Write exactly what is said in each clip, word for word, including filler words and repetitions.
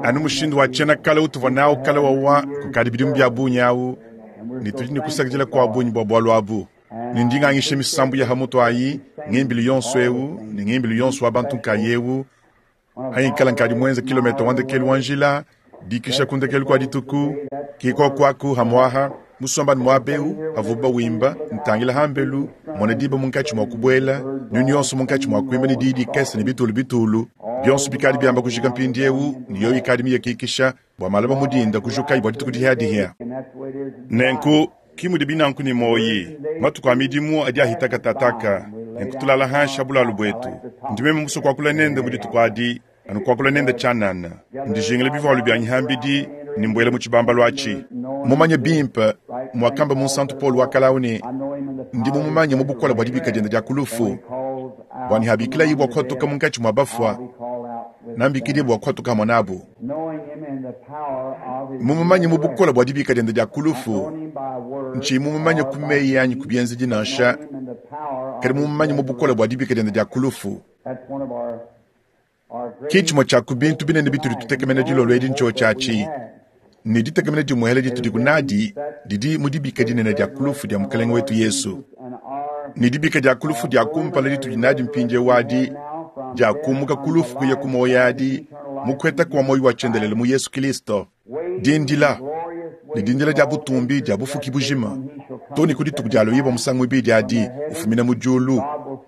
Anu mushindu wa tshiena kale utuvua nawu kale wawa kukadi bidimu bia bungi awu, ne tudi ne kusakidila kua bungi bua bualu abu. Ne ndi ngangisha misambu ya hamutu ayi, ngimbilu yonso ewu ne ngimbilu yonso wa bantu nkayewu, anyi nkala nkadi muenze kilometa wa ndekelu wa njila, dikisha ku ndekelu kua dituku, ke kuoku aku hamwaha, musomba ne muaba ewu, havuba wimba, ntangila hambelu, mona diba munkatshi mua kubuela, nyunyu yonso munkatshi mua kuimba ne diyi dikese ne bitulu bitulu, bionso bikadi biamba kujika mpindiewu, ne yoyo ikadi miyakikisha, bua malaba mudinda kujukayi bua dituku dihiadihia. Nenku, ki mudi binanku ne moyi, matuku a midimu adi ahita katataka, nenku tulala hanshi ha bulalu buetu. Ndi meme musue kuakula nende mu dituku adi, anu kuakula nende tshianana. Ndijingile bivualu bianyi hambidi, ne mbuela mu tshibambalu atshi. Mumanye bimpe, muakamba Munsantu Paul wa kale ne, ndi mumumanye mu bukole bua dibika diende dia ku lufu, bua ne habikilayi bua kuhatuka munkatshi mua bafua, nambikidie bua kuhatuka hamue nabu. Mumumanye mu bukole bua dibika diende dia ku lufu, ntshiyi mumumanye ku meyi anyi ku bienzedi nansha, kadi mumumanye mu bukole bua dibika diende dia ku lufu. Ki tshimue tshia ku bintu binene bitudi tutekemena dilolo edi ntshiotshi atshi, ne ditekemena dimuele ditudi kunadi didi mu dibika dinene dia ku lufu dia Mukelenge wetu Yesu. Ne dibika dia ku lufu dia kumpala ditudi nadi mpindiewu adi, dia kumuka ku lufu kuya ku muoyo adi, mu kuheta kua muoyo wa tshiendelele mu Yesu Kilisto. Dindila, ne dindila dia butumbi dia bufuki bujima, to ne ku dituku dia loyibua musangu muibidi adi, ufumina mu diulu,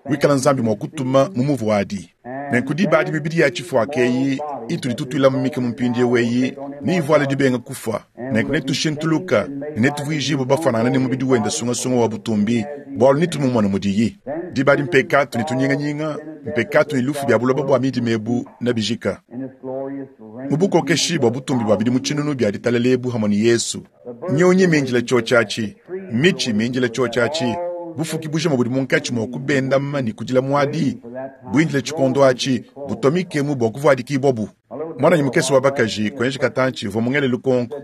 wikala Nzambi mua kutuma mu muvu adi. Nenku diba adi mibidi ya tshifuaka eyi itudi tutuila mu mikemu mpindiewu eyi, neivuale dibenga kufua. Nenku netushintuluka, ne netuvuijibue bafuanangane ne mubidi wende sungasunga wa butumbi, bualu netumumone mudiyi. Diba adi mpekatu ne tunyinganyinga, mpekatu ne lufu bia buloba bua midima ebu nebijika. Mu bukokeshi bua butumbi bua bidimu tshinunu bia ditalala ebu hamue ne Yesu, nyunyi mindile tshiotshi atshi, mitshi mindile tshiotshi atshi, bufuki bujima budi munkatshi mua kubendama ne kudila muadi, buindile tshikondo atshi, butua mikemu bua kuvuadikibua bu. Mwananyi mukese wa bakaji kuenji katantshi uvua mungele lukonko,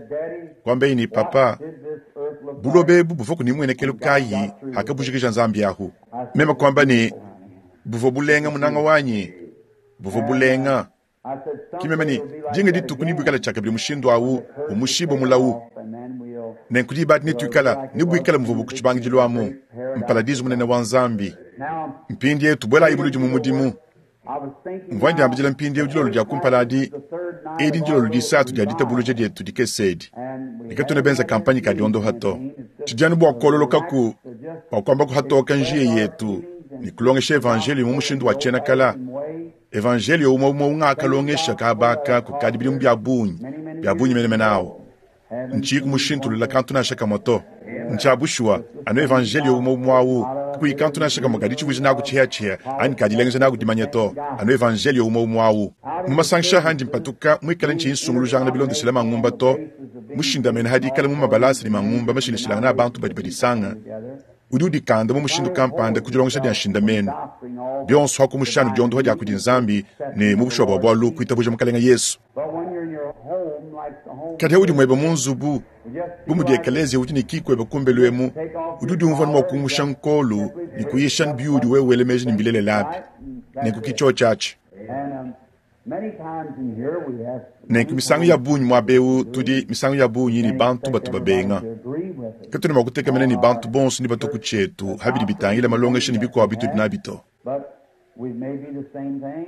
kuambeyi ne, papa, buloba ebu buvua ku nimuenekelu kayi hakabujikija Nzambi ahu? Meme kuamba ne, buvua bulenga munanga wanyi, buvua bulenga. Ki meme ne, dinga dituku nebuikale tshiakabidi mushindu awu, umushibue mulawu. Nenku diba adi netuikala, nebuikale muvua ku tshibangidilu amu, mparadizu munene wa Nzambi. Mpindiewu tubuelayi buludi mu mudimu. Mvua ndiambidila mpindiewu dilolo dia kumpala adi, edi ndilolo disatu dia ditabuluja dietu dikese edi, ne katuena benza kampanye ka diondoha to. Tudi anu bua kuololokaku, bua kuamba kuhatoka njiya yetu ne kulongesha evanjelio mu mushindu wa tshiena kala. Evanjelio umue umue ungakalongesha kabaka kukadi bidimu bia bungi, bia bungi menemene awu. Ntshiyi kumushintulula kantu nansha kamue to. Ntshia bushuwa, anu evanjelio umue umue awu, kakuyi kantu nansha kamue kadi tshivuija naku tshiheatshihe anyi kadilengeja naku dimanya to, anu evanjelio umue umue awu. Mu masangisha handi mpatuka muikale ntshiyi nsungulujangana bilondeshela mangumba to, mushindamene hadi ikala mu mabalasa ne mangumba mashilashilangana a bantu badi badisanga, udi udikanda mu mushindu kampanda ku dilongesha dia nshindamenu bionso hakumushanu diondoha dia kudi Nzambi ne mu bushuwa bua bualu kuitabuja Mukelenge Yesu. Kadi udi muebe mu nzubu, bu mudi ekeleziya udi ne kikuebe kumbelu emu, udi udiumvua mua kumusha nkolu ne kuyisha biudi wewe wela meji ne mbilelela api. Nenku ki tshiotshi atshi. Nenku misangu ya bungi muaba ewu tudi misangu ya bungi ne bantu batu babenga. Katuena mua kutekemena ne bantu bonso ne batua ku tshietu habidi bitangila malongesha ne bikuabu bitudi nabi to.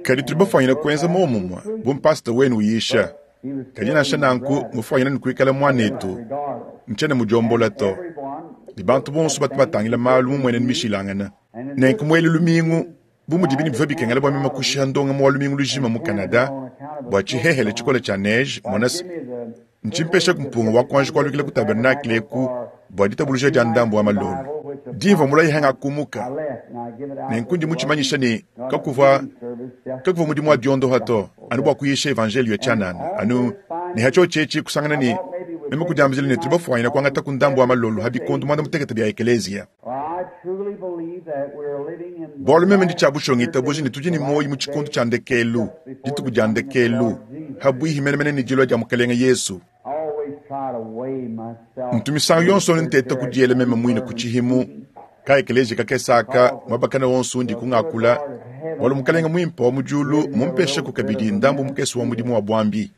Kadi tudi bafuanyine kuenza momumue bu mpasita wenu uyisha. Kadi nansha nanku mufuanyine ne kuikala muanetu, ntshiena mudiombola to. Ne bantu bonso batu batangila malu mu mmuenenu mishilangane. Nenku muele lumingu, bu mudibi ne bivua bikengela bua meme kushiha ndongamu wa lumingu lujima mu Canada bua tshihehele tshikole tshia neige, mona se, ntshimpeshaku mpunga wa kuanji kualukila ku tabernakle eku bua ditabuluja dia ndambu wa malolo. Dimvua mulayi hangakumuka, nenku ndi mutshimanyisha ne kakuvua kakuvua mudimu wa diondoha to, anu bua kuyisha evanjelio ya tshianana, anu ne hatshiotshi etshi kusangana ne meme kudiambila ne tudi bafuanyine kuangata ku ndambu wa malolo ha bikondo muanda mutekete bia ekeleziya. Bualu meme ndi tshia bushuwa ngitabuja ne tudi ne muoyo mu tshikondo tshia ndekelu, dituku dia ndekelu, habuihi menemene ne dilua dia Mukelenge Yesu. Ntu misangu yonso nteta kudiela meme muine ku tshihimu ka ekeleziya kakese aka muaba kana wonso undi kungakula, Bwalu Mukalenge mwimpe wa mu dyulu mmumpesheku kabidi ndambu mukese wa mudimu wa bwambi.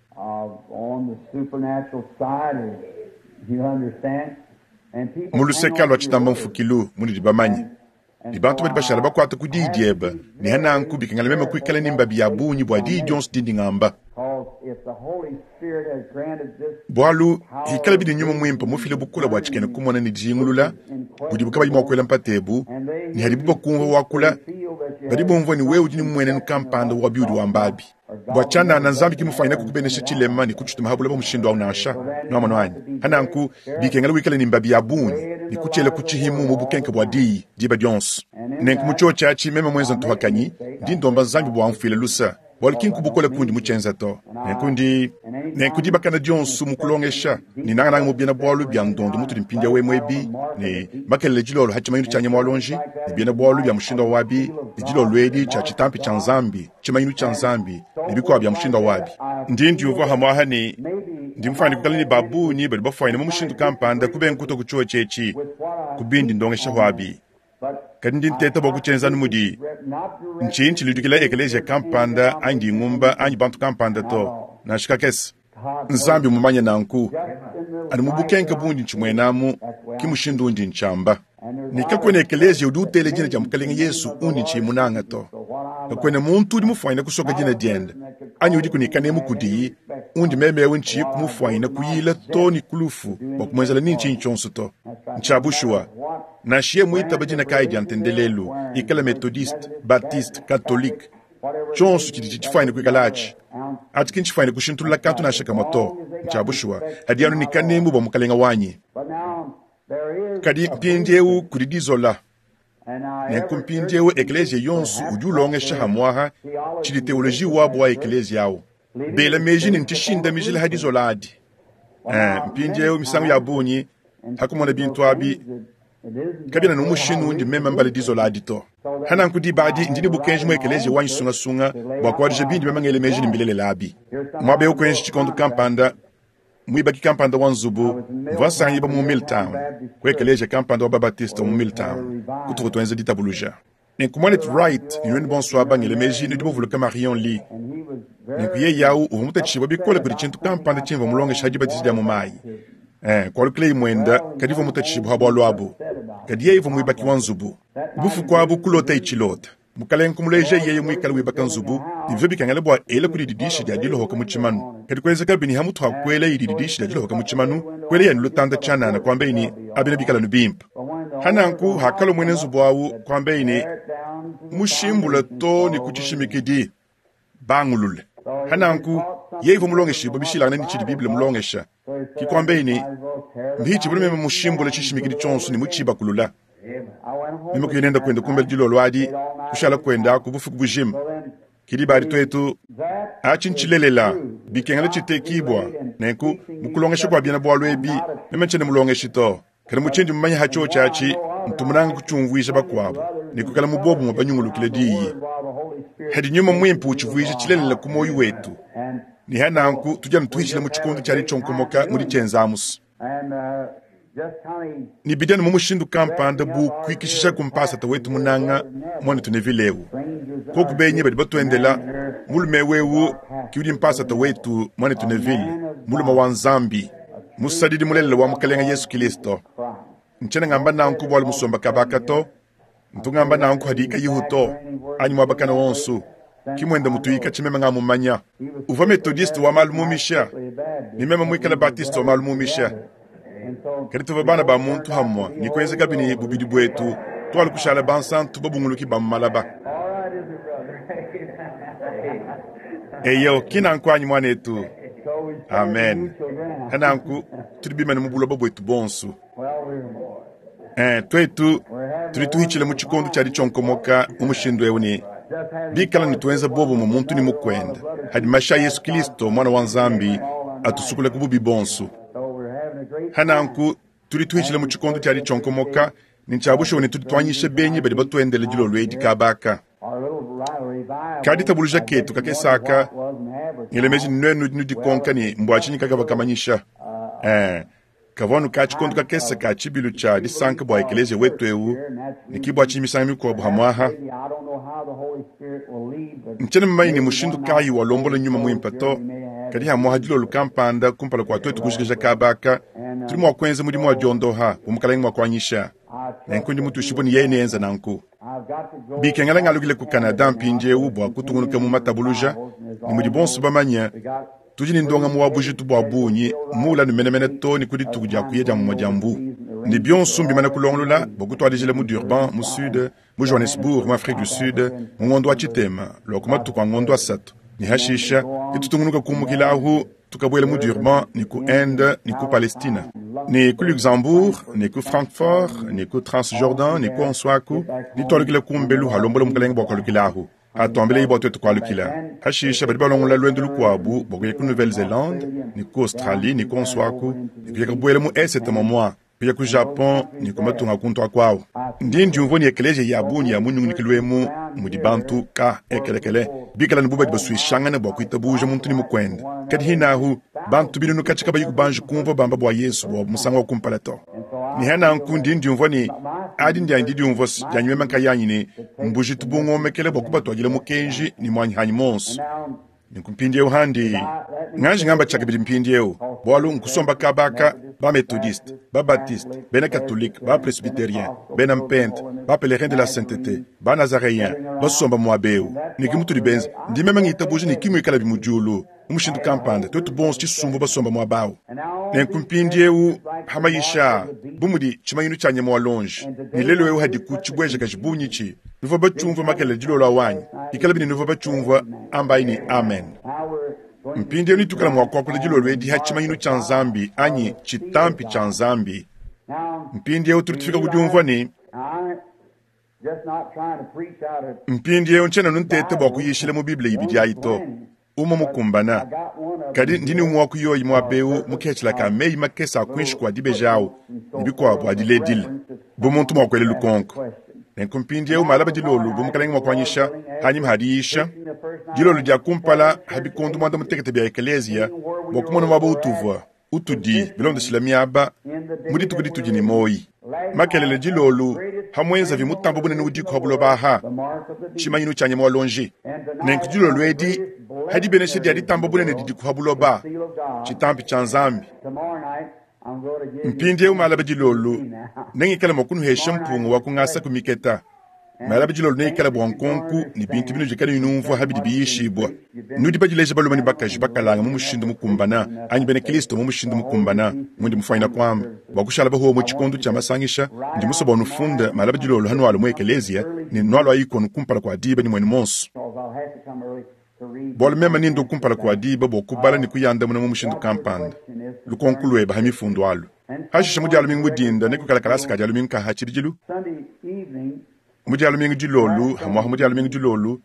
Mu luseke lwa citamba mfukilu munudi bamanye, ne bantu badi bashala bakwate ku diyi dyebe, ne hananku bikengela meme kwikala ne mbabi ya bungi bwa diyi dyonso dindi ngamba. Bwalu hikala bidi Nyuma Mwimpe mufile bukole bwa tshikena kumona ne dijingulula budibu kabayi mwa kwela mpata ebu, ne hadibu bakumvwa wakula, badi bumvwa ne wewe udi ne mmuenenu kampanda wa biudi wamba abi. Bwa tshianana Nzambi ki mufwanyine kukubenesha tshilema ne kutshituma ha buloba mushindu awu nansha. Nwamonu anyi? Hananku bikengela wikale ne mbabi ya bungi ne kutshiela ku tshihimu mu bukenke bwa diyi diba dyonso. Nenku mu tshiotshi atshi meme mwenze ntuhakanyi, ndi ndomba Nzambi bwa amfuile lusa, bwalu ki nkubukole kundi mutshienza to. Nenku ndi nenku dibakana dyonso mu kulongesha ne nangananga mu biena bwalu bya ndondo mutudi mpindiawu emu ebi, ne makelele dilolo ha tshimanyinu tshia nyama wa luonji, ne biena bwalu bya mushindu wabi, ne dilolo edi tshia tshitampi tshia Nzambi, tshimanyinu tshia Nzambi, ne bikuabu bya mushindu wabi. Ndi ndiumvwa hamwaha ne ndi mufwanyine kwikala ne babungi badi bafwanyine mu mushindu kampanda kubenga kutwa ku tshiotshi etshi ku bindi ndongesha hwabi. Kadi ndi nteta bwa kutshienza anu mudi ntshinyi tshiludikila ekeleziya kampanda anyi dingumba anyi bantu kampanda to, nansha kakese. Nzambi mumanye nanku, anu mu bukenke bundi ntshimuenamu, ki mushindu undi ntshiamba. Ne kakwena ekeleziya udi utela dina dia Mukalenge Yesu undi ntshiyi munanga to. Kakwena muntu udi mufwanyine kusoka dina diende, anyi udiku ne kanemu kudiyi, undi meme ewu ntshiyi kumufwanyine kuyila to ne ku lufu bwa kumuenzela ni ntshinyi tshionso to. Ntshia bushuwa, nansha ye mwitaba dina kayi dia ntendelelu, ikala Methodiste, Baptiste, Katolike, tshionso tshidi tshitshifwanyine kwikala atshi. Atshi ki ntshifwanyine kushintulula kantu nansha kamwe to. Ntshia bushuwa, hadi anu ne kanemu bwa Mukalenge wanyi. Kadi mpindiewu kudi dizola. Nenku mpindiewu ekeleziya yonso udi ulongesha hamwaha tshidi teoloji wabu wa ekeleziya awu. Bela meji ne ntshishindamijila ha dizola adi. Eh, mpindiewu misangu ya bungi hakumona bintu abi kabiena ne mushindu undi meme mbala dizola adi to. Hananku diba adi ndi ne bukenji mu ekeleziya wanyi sungasunga bwa kuadija bindi meme ngela meji ne mbilelela abi. Mwaba ewu kuenji tshikondo kampanda, mwibaki kampanda wa nzubu mvwa nsangiba mu Milltown, ku ekeleziya kampanda wa Babatiste mu Milltown, kutuku tuenza ditabuluja. Nenku mwanetu Wright ne nwenu bonso aba ngela meji nudi bavuluka Marion Lee. Nenku yeye awu uvwa mutatshibwa bikole kudi tshintu kampanda tshimvwa mulongesha ha dibatiza dia mu mayi. Eh, kwalukileyi mwenda kadi uvwa mutatshibwa ha bwalu abu. Kadi yeye uvwa mwibaki wa nzubu. Bufuku abu kulota itshilota. Mukalenge kumuleja yeye mwikale wibaka nzubu, ne bivyo bikengela bwa ela kudi didishi dia dilohoka mu tshimanu. Kadi kwenzeka bini ha muthu akwela idi didishi dia dilohoka mu tshimanu, kwela yani lutanda tshianana kwambe ni abina bikala nu bimpe. Hananku hakalo mwene nzubu awu kwambe ni mushimbula to ni kutshishimikidi bangulule. Hananku yeye uvwa mulongeshibwa bishilangana ni tshidi Bible mulongesha. Ki kwambe ni mbichi buli meme mushimbula tshishimikidi tshonso ni mutshibakulula. Meme kuyenenda kwenda kumbela dilolo adi, kushala kwenda ku bufuku bujima. Kidi badi twetu atshi ntshilelela bikengela tshitekibwa. Nenku mukulongesha bwa biena bwalu ebi, meme ntshiena mulongeshi to. Kadi mutshindi mumanye ha tshiotshi atshi, ntumunanga kutshiumvuija bakuabu ne kwikala mu bobumwe banyungulukile diyi. Hadi nyuma mwimpe utshivuija tshilelela ku moyo wetu. Ne hananku tudi anu tuhitshila mu tshikondo tshiadi tshionkomoka mu ditshienza amusu. Ne bidianu mu mushindu kampanda bu kuikishisha ku mpasata wetu munanga mwanetu Neville ewu. Koku benyi badi batuendela, mulume wewu ki udi mpasata wetu mwanetu Neville, mulume wa Nzambi, musadidi mulelela wa Mukalenge Yesu Kristo. Ntshiena ngamba nanku bwalu musomba kabaka to, ntu ngamba nanku hadi kayihu to, anyi mwabakana wonso. Ki mwenda mutuyika tshimeme nga mumanya. Uvwa Methodiste wa malu mumisha, ne meme mwikala Baptiste wa malu mumisha. Kadi tuvwa bana ba muntu hamwa, ne kuenzeka bini bubidi bwetu, twalu kushala bansantu babunguluki ba mu malaba. Eyo, ki nanku anyi mwanetu. Amen. Hananku, tudi bimane mu buloba bwetu bonso. Eh, twetu tudi tuhitshila mu tshikondo tshia ditshionkomoka mu mushindu ewu ne bikala ne tuenza bobo mu muntu ne mukwenda. Hadi masha Yesu Kristo mwana wa Nzambi atusukule ku bubi bonso. Hananku tudi tuhitshila mu tshikondo tshia ditshionkomoka ne ntshiabushuwa ne tudi tuanyisha benyi badi batuendele dilolo edi kabaka. Kadi tabuluja ketu kakesaka ngela meji nwenu nudikonka ne mbwa tshinyi kakava kamanyisha. Eh, Kavua anu ka tshikondo kakese ka tshibilu tshia disanka bua ekeleziya wetu eu, ne ke bua tshinyi misangu mikuabu hamuaha. Ntshiena mumanye ne mushindu kayi walombola nyuma muimpe to, kadi hamuaha dilolo kampanda kumpala kua tuetu kujikija kaba aka, tudi mua kuenza mudimu wa diondoha bu Mukalenge mua kuanyisha. Nenku ndi mutuishibue ne yeye neenze nanku. Bikengela ngalukile ku Canada mpindieu bua kutungunuka mu matabuluja, ne mudi bonso bamanye, tudi ne ndongamu wa bujitu bua bungi muula ne menemene too ne ku dituku dia kuya dia mumue dia mbu. Ne bionso mbimane kulongolola bua kutuadijila mu Durban, mu Sud, mu Johannesburg, mu Afrique du Sud, mu ngondo wa tshitema lua ku matuku a ngondo asatu. Ne hashisha, netutungunuka kumukila ahu tukabuela mu Durban, ne ku Inde, ne ku Palestina, ne ku Luxembourg, ne ku Francfort, ne ku Transjordan, ne ku Onswaku, ne tualukila ku mbelu halombola Mukalenge bua kualukila ahu. Atuambile bua tuetu kualukila. Hashisha badi balongola luendu lukuabu bua kuya ku Nouvelle-Zélande, ne ku Australie, ne ku Onswaku, ne kuya kubuela mu Esete momua, kuya ku Japon, ne ku matunga kuntu akuawu. Ndi ndiumvua ne ekeleziya ya bungi ya mu nyungunikilo emu mudi bantu ka ekelekele bikala ne bu badi basuishangana bua kuitabuja muntu ne mukuende. Kadi hinahu bantu binunu katshi kabayi kubanji kumvua bamba bua Yesu bua musangu wa kumpala to. Ne hananku ndi ndiumvua ne adi ndianyi didiumvua dianyi meme nkayanyi ne mbujitu bungomekele bua kubatuadila mukenji ne muanyi hanyi monso. Nenku mpindieu handi nganji ngamba tshiakabidi mpindieu, bualu nkusomba kabaka ba methodiste, ba baptiste, bena catholique, ba presbytérien, bena mpente, ba pèlerin de la sainteté, ba nazaréen, basomba muaba eu. Ne ki mutudi benze, ndi meme ngitabuja ne ki muikala bi mu diulu mu mushindu kampanda, tuetu bonso tshisumbu basomba muaba awu. Nenku mpindieu hamayisha bu mudi tshimanyinu tshia nyama wa lonji, ne lelu eu hadiku tshibuejakaji bungi tshi nuvua batshiumvua makelela dilolo awanyi, ikala bine nuvua batshiumvua ambayi ne amen. Mpindieu nitukala mua kuakula dilolo edi ha tshimanyinu tshia Nzambi anyi tshitampi tshia Nzambi. Mpindieu tudi tufika ku diumvua ne mpindieu ntshiena nuntete bua kuyishila mu Bible ibidi ayi to, umue mukumbana. Kadi ndi ne umue wa kuyoyi muaba eu muketshila ka meyi makese a kuinshi kua dibeji awu ne bikuabu adiledile bu muntu mua kuela lukonko. Nenku mpindieu malaba dilolo bu Mukalenge mua kuanyisha hanyima hadiyisha dilolo dia kumpala ha bikondo muanda mutekete bia ekeleziya bua kumona muaba utuvua utudi bilondeshila miaba mu dituku ditudi ne moyi. Makelele dilolo hamwenzavi mutambo bunene udiku ha buloba aha tshimanyinu tshia nyama wa lonji. Nenku dilolo edi hadibenesha dia ditamba bunene didiku ha buloba tshitampi tshia Nzambi. Mpindieu malaba dilolo nengikale mua kunuhesha mpungu wa kungasa ku miketa. Malaba dilolo neikale bua nkonku ne bintu binudi kadi numvua habidi biyishibua. Nudi badileja balume ne bakaji bakalanga mu mushindu mukumbana anyi bena Kristo mu mushindu mukumbana mundi mufanyina kuamba bua kushala bahuwa mu tshikondo tshia masangisha. Ndi musue bua nufunde malaba dilolo hanualu mu ekeleziya ne nualu ayikonu kumpala kua diba ne muenu monso. Bualu meme nindu kumpala kua diba bua kubala ne kuyandamuna mu mushindu kampanda lukonko lueba ha mifundu alu. Hashisha mu dia lumingu dinda ne kukala kalasa ka dia lumingu ka ha tshibidilu. Mu dia lumingu dilolu hamuaha mu dia lumingu dilolu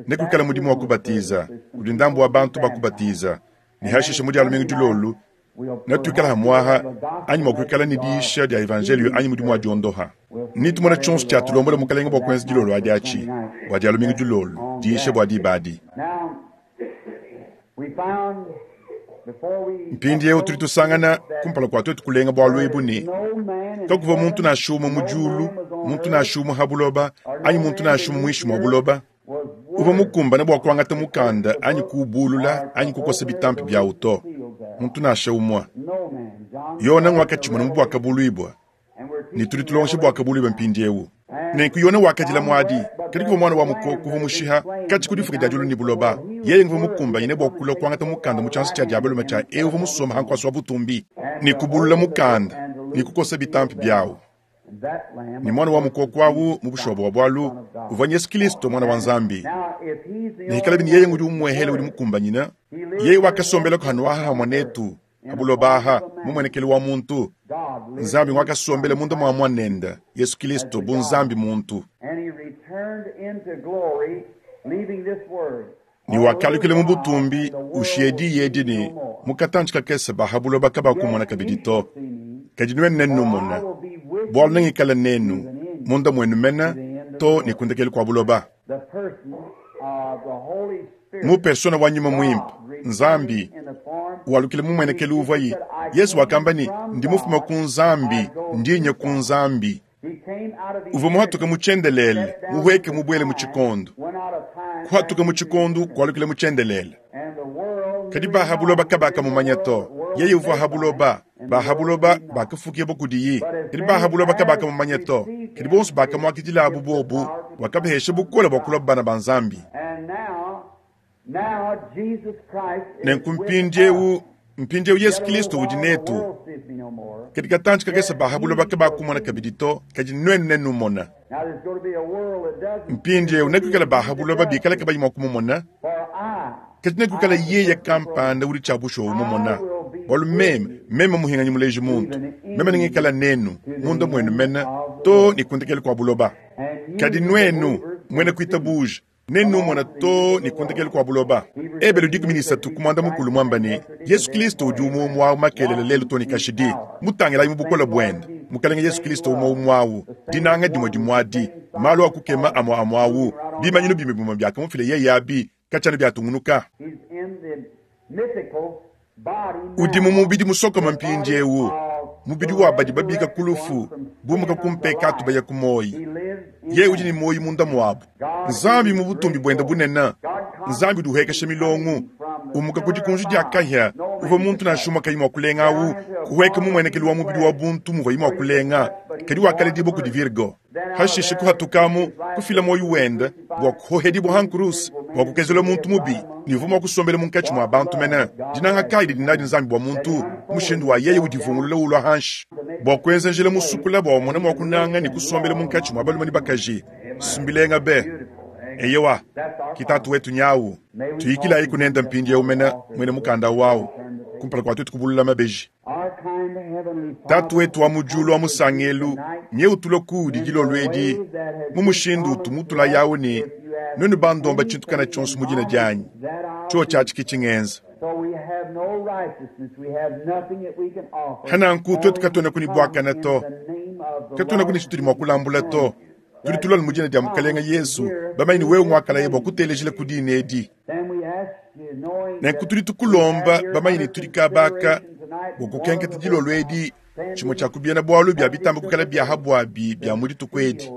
ne kukala mudimu wa kubatiza kudi ndambu wa bantu bakubatiza. Ne hashisha mu dia lumingu dilolu ne tuikala hamuaha anyi mua kuikala ne diisha dia evangelio anyi mudimu wa diondoha. Ni tumona tshionso tshia tulombola Mukalenge bua kuenza dilolo adi atshi bua dia lumingu dilolu diisha bua diba adi. Mpindieu tudi tusangana kumpala kua tuetu kulenga bualu ebu ne kakuvua muntu nansha umue mu diulu, muntu nansha umue ha buloba, anyi muntu nansha umue muinshi mua buloba uvua mukumbane bua kuangata mukanda anyi kuubulula anyi kukosa bitampi biawu to, muntu nansha umue. Yona ngwakatshimona mu buakabuluibua ne tudi tulongesha buakabuluibua mpindieu. Nenku Yona wakadila muadi, kadi kuvua mwana wa mukoko uvua mushiha katshi ku difuka dia diulu ne buloba. Yeye nguvua mukumbanyine bua kulua kuangata mukanda mu tshianza tshia diabalume tshia eu uvua musomba ha nkuasa wa butumbi ne kubulula mukanda ne kukosa bitampi biawu. Ne mwana wa mukoko awu mu bushobo bua bualu uvua Yesu Kristo mwana wa Nzambi. Ne hikala bini yeye ngudi umuehele udi mukumbanyina, yeye wakasombela kuhanuaha hamwe netu ha buloba aha mu muenekelo wa muntu. Nzambi ngwakasombela munda mua mwanenda Yesu Kristo bu Nzambi muntu. Ne wakalukila mu butumbi ushiye diyi ne mukatanji kakese ba ha buloba kabakumona kabidi to. Kadi nuenu nenumona bualu nengikala nenu munda muenu mena to ne kundekelu kua buloba. Mu persona wa nyuma muimpe Nzambi Walukila mu mmuenekelu uvuaye. Yezu wakamba ne, Ndi mufume ku Nzambi, ndi nya ku Nzambi. Uvua muhatuke mu tshiendelele, muhueke mubuele mu tshikondo. Kuhatuka mu tshikondo, kualukila mu tshiendelele. Kadi ba ha buloba kabakamumanya to. Yeye uvua ha buloba, ba ha buloba bakafukibua kudiye. Kadi ba ha buloba kabakamumanya to. Kadi bonso bakamuakidilabu bobu, wakabahesha bukole bua kulua bana ba Nzambi. Nenku mpindieu, mpindieu Yesu Kristo udi netu. Kadi katantshi kakese ba ha buloba kabakumona kabidi to, kadi nuenu nenumona. Mpindieu nekuikale ba ha buloba bikale kabayi mua kumumona, kadi nekuikale yeye kampanda udi tshia bushuwa umumona. Bualu meme, meme muhinganyi muleji muntu, meme nengikala nenu, munda muenu mene, to ne kundekelu kua buloba. Kadi nuenu, muena kuitabuja, nenumona to ne kundekelu kua buloba. Ebelu dikumi ne isatu ku muanda mukulu muamba ne, Yesu Kristo udi umue umue awu makelela lelu to ne kashidi. Mutangilayi mu bukole buende. Mukalenge Yesu Kristo umue umue awu, dinanga dimue dimue adi, malu a kukema amue amue awu, bimanyinu bimue bimue biakamufila yeye abi, katshiena biatungunuka. Udi mu mubidi musokome mpindieu, mubidi wa badi babika ku lufu, bumuka ku mpekatu baya ku muoyo. Yeye udi ne muoyo munda muabu. Nzambi mu butumbi buende bunene, Nzambi udi uhekesha milongo, umuka ku dikunji dia kahia, uvua muntu nansha umue kayi mua kulenga awu, kuhueka mu muenekelu wa mubidi wa buntu muvuaye mua kulenga, kadi wakaledibua kudi Virgo. Hashishe kuhatukamu, kufila muoyo wende bua kuhohedibua ha nkuruse, bua kukezela muntu mubi, ne uvua mua kusombela munkatshi mua bantu mene. Dinanga kayi didi nadi Nzambi bua muntu, mushindu wa yeye udivungulula ulua hanshi, bua kuenza njila musukula bua umone mua kunanga ne kusombela munkatshi mua balume ne bakaji. Sumbilenga be. Eyewa, ki tatu wetu nyawu. Tuyikilayi kunenda mpindieu mene muena mukanda wawu, kumpala kua tuetu kubulula mabeji. Tatu wetu wa mu diulu wa musangelu, nye utulua kuudi dilolo edi, mu mushindu utu mutula yawu ne, nuenu bandomba tshintu kana tshionso mu dina dianyi, tshio tshiatshi ki tshingenza. Hananku tuetu katuenaku ne buakane to, katuenaku ne tshitudi mua kulambula to. Tudi tulua mu dina dia Mukalenge Yesu, bamanye ne wewe muakalaye bua kutelejila ku dina edi. Nenku tudi tukulomba bamanye ne tudi kabaka bua kukenketa dilolo edi tshimue tshia ku biena bualu bia bitamba kukala bia habuabi bia mu dituku edi,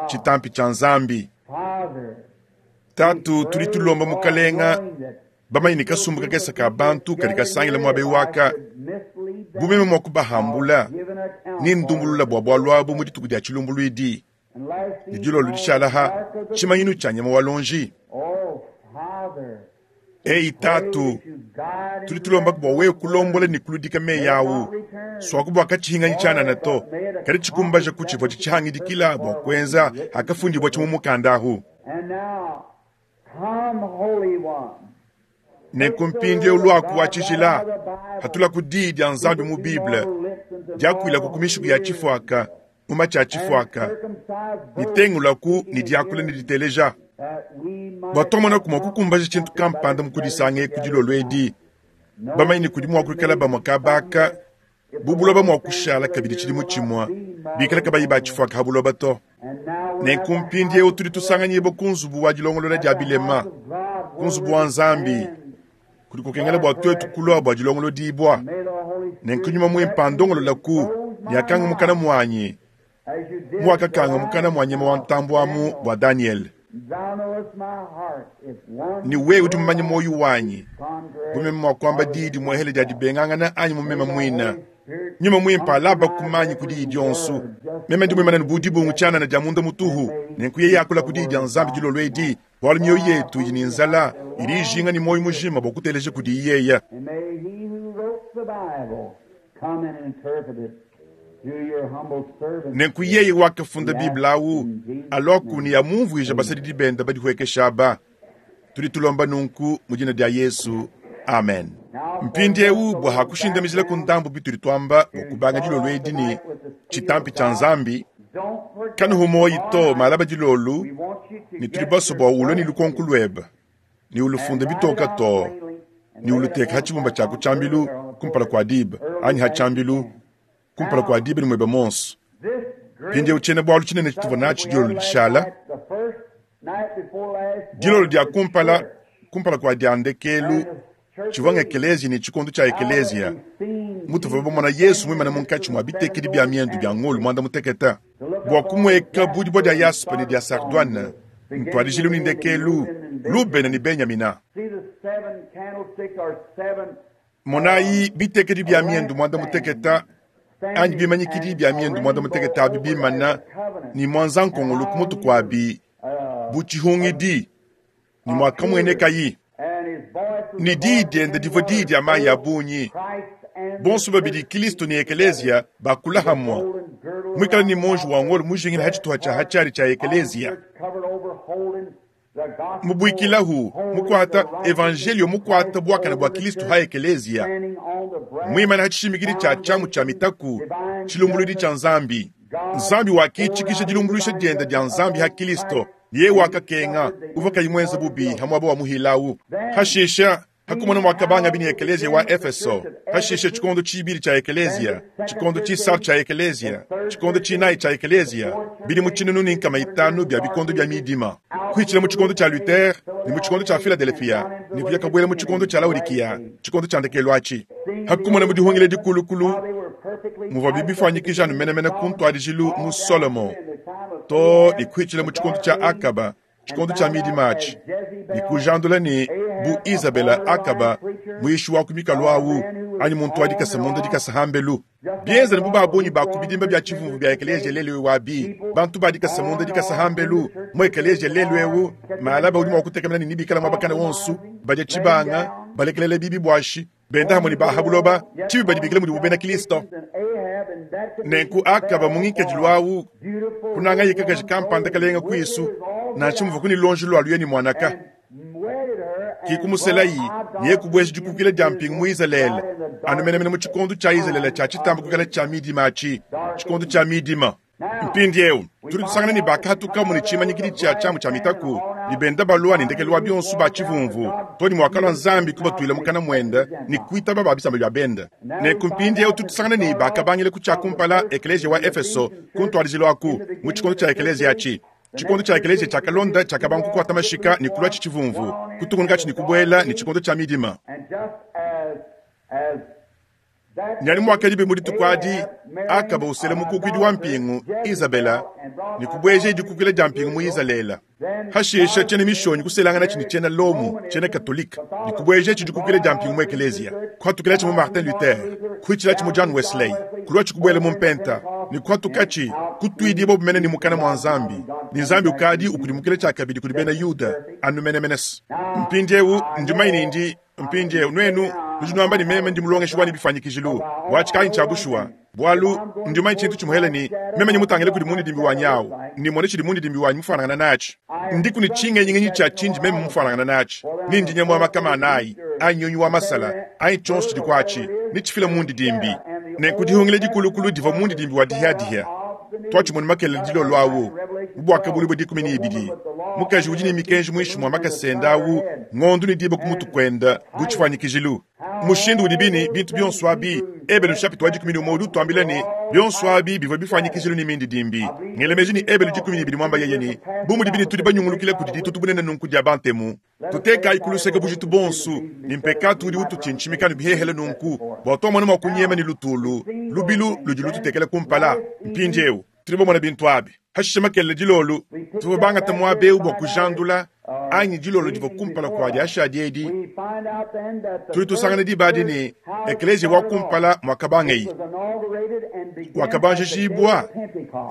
tshitampi tshia Nzambi. Tatu, tudi tulomba Mukalenga, bamanye ne kasumbu kakese ka bantu kadi kasangila muaba waka, bu meme mua kubahambula ne ndumbulula bua bualu abu mu dituku dia tshilumbuluidi. Ne dilolo dishala ha tshimanyinu tshia nyama wa lonji. Ei tatu, tudi tulomba bua wewe kulombola ne kuludika meyi awu, swaku bua katshihinganyi tshianana to, kadi tshikumbaja ku tshivua tshihangidikila bua kuenza hakafundibua tshi mu mukanda ahu. Nenku mpindieu luaku wa tshijila, hatula ku diyi dia Nzambi mu Bible, diakuilaku ku mishiku ya tshifuaka, mu matshi a tshifuaka, ne tengulaku ne diakula ne diteleja, bua tuamonaku mua kukumbaja tshintu kampanda mu kudisanga eku dilolo edi, bamanye ne kudi mua kuikala bamue kabaka bu buloba mua kushala kabidi tshidimu tshimue, bikale kabayi ba tshifuaka ha buloba to. Nenku mpindieu tudi tusanganyibua ku nzubu wa dilongolola dia bilema, ku nzubu wa Nzambi, kudi kukengela bua tuetu kulua bua dilongolodibua. Nenku nyuma muimpe andongololaku ne akanga mukana muanyi, muakakanga mukana mua nyama wa ntambue amu bua Daniel. Ne wewe udi mumanye muoyo wanyi, bu meme mua kuamba diyi dimuehele dia dibengangana anyi mu meme muine. Nyuma muimpe alaba kumanyi ku diyi dionso. Meme ndi muimane bu dibungu tshianana dia munda mutuhu, nenku yeye akula ku diyi dia Nzambi dilolo edi, bualu mioyo yetu idi ne nzala, idi ijinga ne muoyo mujima bua kuteleja kudi yeye. Nenku yeye wakafunda Bible awu, alua ne yamumvuija basadidi bende badihuekesha aba. Tudi tulomba nunku mu dina dia Yesu, amen. Mpindieu bua hakushindamijila ku ndambu bitudi tuamba bua kubanga dilolo edi ne tshitampi tshia Nzambi, kanuhu muoyi to malaba dilolo, ne tudi baso bua ulue ne lukonko luebe, ne ulufunda bitoka to, ne uluteka ha tshibumba tshia ku tshiambilu kumpala kua diba, anyi ha tshiambilu kumpala kua diba ne muebe monso. Mpindieu tshiena bualu tshinene tshituvua natshi dilolo dishala, dilolo dia kumpala kumpala kua dia ndekelu Tshivua ng'ekeleziya ne tshikondo tshia ekeleziya mutuvua bamona Yesu muimane munkatshi mua bitekedi bia miendu bia ngolo muanda-mutekete bua kumueka bu dibue dia yaspe ne dia sardoine, ntuadijilu ne ndekelu, Lubena ne Benyamina. Monayi bitekedi bia miendu muanda-mutekete anyi bimanyikidi bia miendu muanda-mutekete abi bimana ne muanza-nkongolo ku mutu kuabi bu tshihungidi ne muakamuenekayi. Ne diyi diende divua diyi dia mayi a bungi. Bonso babidi Kristo ne ekeleziya bakula hamwe, muikale ne monji wa ngolo mujingila ha tshituha tshia hatshiari tshia ekeleziya, mubuikilahu mukuata evangelio mukuata buakana bua Kristo ha ekeleziya, muimana ha tshishimikidi tshia tshiamu tshia mitaku, tshilumbuludi tshia Nzambi. Nzambi wakitshikisha dilumbuluisha diende dia Nzambi ha Kristo, yeye wakakenga uvua kayi muenze bubi ha muaba wa muhilawu. Hashisha hakumona mwakabanga bini ekeleziya wa Efeso, hashisha tshikondo tshibili tshia ekeleziya, tshikondo tshisatu tshia ekeleziya, tshikondo tshinayi tshia ekeleziya, bidi mu tshinunu ne nkama itanu bia bikondo bia midima, kuitshila mu tshikondo tshia Luther ne mu tshikondo tshia Philadelphia ne kuya kabuela mu tshikondo tshia Laodikia, tshikondo tshia ndekelu atshi. Hakumona mu dihungila dikulukulu muvua bibifanyikija anu menemene ku ntuadijilu mu Solomo to ne kuitshila mu tshikondo tshia Akaba, tshikondo tshia midima atshi, ne kujandula ne bu Izabela Akaba muishi wa ku mikalu awu anyi muntu wa dikasa munda dikasa hambelu. Bienza ne bu babunyi ba ku bidimba bia tshivumvu bia ekeleziya lelu wabi, bantu ba dikasa munda dikasa hambelu mu ekeleziya lelu eu, malaba udi mua kutekemena ne nibikala muabakane wonso, badia tshibanga, balekelele bibi buashi, benda hamwe ne baha buloba, tshibi badibikila mudibu bena Kristo. Nenku Akaba mu ngikadilu awu, kunanga yikakaji kampanda kalenga kuisu, nansha muvu kuni lonji lwa luye ni mwanaka. Kikumuselayi niye kubwesha dikukila dia mpingu mu Izalele, anu menemene mu tshikondo tshia Izalele tshia tshitamba kukala tshia midima atshi, tshikondo tshia midima. Mpindiewu tudi tusangana ne bakahatukamu ne tshimanyikidi tshia tshiamu tshia mitaku, ne benda balua ne ndekelu wa bionso ba tshivumvu, to ne muakalua Nzambi kubatuila mukana muende ne kuitaba ba bisamba bia benda. Nenku mpindiewu tudi tusangana ne bakabangila ku tshia kumpala ekeleziya wa Efeso ku ntuadijilu aku mu tshikondo tshia ekeleziya atshi. Tshikondo tshia ekeleziya tshiakalonda tshiakabanga kukuata mashika ne kulua tshivumvu, kutungunuka ne kubuela ne tshikondo tshia midima. Nyali mwakadibe mu dituku adi, Akaba usela mukukuidi wa mpingu Izabela ne kubweja dikukila dia mpingu mu Izalele. Hashisha tshiena mishonyi kuselangana tshini tshiena Lomu, tshiena Katolika, ne kubweja tshidikukila dia mpingu mu ekeleziya. Kuhatukila tshi mu Martin Luther, kuitshila tshi mu John Wesley, kulua tshikubuela mu mpenta, ne kuhatukatshi kutuidibo bumene ne mukana mwa Nzambi. Ne Nzambi ukadi ukudimukila tshiakabidi kudi bena Yuda anu menemenes. Mpindiewu ndimayi ndi mpindiewu nuenu nudi nuamba ne meme ndi mulongeshi wanyi bifanyikijilu bwatshikayi tshia bushuwa, bwalu ndimanyi tshintu tshimuhele ni meme nyimutangile kudi mundidimbi wanyi awu, nimone tshidi mundidimbi wanyi mufanangana natshi, ndiku ne tshingenyingenyi tshia tshindi meme mufanangana natshi, ni ndi nyama wa makama anayi anyi nyunyi wa masala anyi tshionso tshidi kwatshi nitshifila mundidimbi. Nenku dihungile dikulukulu divua mundidimbi wa dihiadihia twatshimone makelele dilolo awu mu bwakabulu bwa dikumi ne ibidi, mukaji udi ne mikenji muinshi mwa makasenda awu ngondu ne diba ku mutu kwenda bu tshifanyikijilu. Mushindu udi bini bintu bionso abi Ebelu chapitre wa dikumi ne umwe udi utuambila ne bionso abi bivua bifanyikijilu ne mindidimbi. Ngelemeji ne Ebelu dikumi ne ibidi mwamba yeye ne bu mudi bini tudi banyungulukila kudi ditutu bunene nunku dia bantemu, tutekayi kuluseke bujitu bonso ne mpekatu udi ututshintshimika ne bihehele nunku bua twamona mua kunyema ne lutulu lubilu ludi lututekela kumpala. Mpindiewu tudi bamona bintu abi hashisha makelele dilolo tuvua bangata muaba eu bua kujandula anyi dilolo divua kumpala kua diashadi edi. Tudi tusangana diba adi ne ekeleziya wa kumpala mwakabangeyi wakabanjijibwa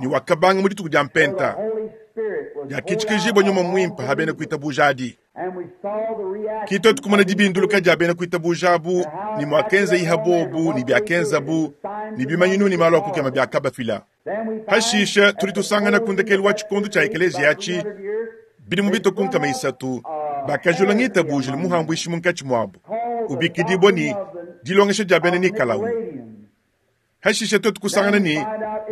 ne wakabanga mu dituku dia mpenta diakitshikijibwa nyuma mwimpe ha bena kuitabuja adi. Kitoto kumona dibinduluka dia bena kuitabuja abu ne mwakenza iha bobu ne biakenza bu ne bimanyinu ne malu akukema biakabafila. Hashisha tudi tusangana ku ndekelu wa tshikondo tshia ekeleziya atshi bidi mu bitoku nkama isatu bakajula ngitabuja ne muhambuishi munkatshi muabu ubikidibwa ne dilongesha dia bena Nikalau. Hashisha twetu kusangana ne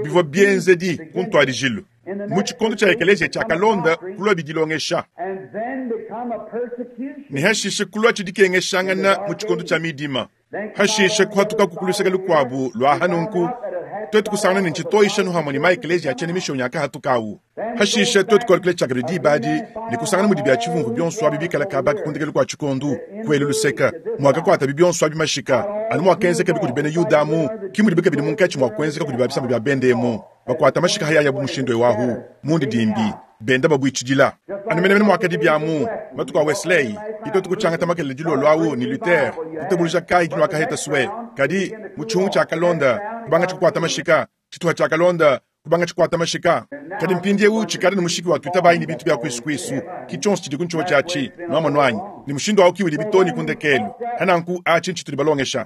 bivua bienzedi ku ntuadijilu mu tshikondo tshia ekeleziya tshiakalonda kulua bidilongesha ne hashisha kulua tshidikengeshangana mu tshikondo tshia midima. Hashisha kuhatuka kukuluseka lukuabu lua hanunku Twetu kusangana ne ntshitoyisha nuhamwe ne maekeleziya atshiena mishonyi akahatukawu. Hashishe twetu kualukila tshiakabidi diba adi ne kusangana mudi bia tshivumvu bionso abi bikala kabaka ku ndekelu kua tshikondu kuelu luseka muakakuatabi bionso abi mashika anu muakenzekabi kudi bena Yuda amu ki mudibi kabidi munkatshi mua kuenzeka kudi ba bisamba bia bende emu bakuata mashika hayaya bu mushindu ewahu mundidimbi benda babuitshidila anu menemene muakadi biamu matuku a Wesley itotu kutshiangata makelele dilolo awu ne Luther kutabuluja kayi dinuakaheta sue kadi mu tshihungu tshiakalonda kubanga tshikuata mashika tshituha tshiakalonda kubanga tshikuata mashika kadi mpindiewu tshikale ne mushiki wa tuitabayi ne bintu bia kwisukuisu ki tshionso tshidi ku ntshio tshiatshi nuamono anyi ne mushindu awu kiwidi bitoni ku ndekelu hananku atshi ntshitudi balongesha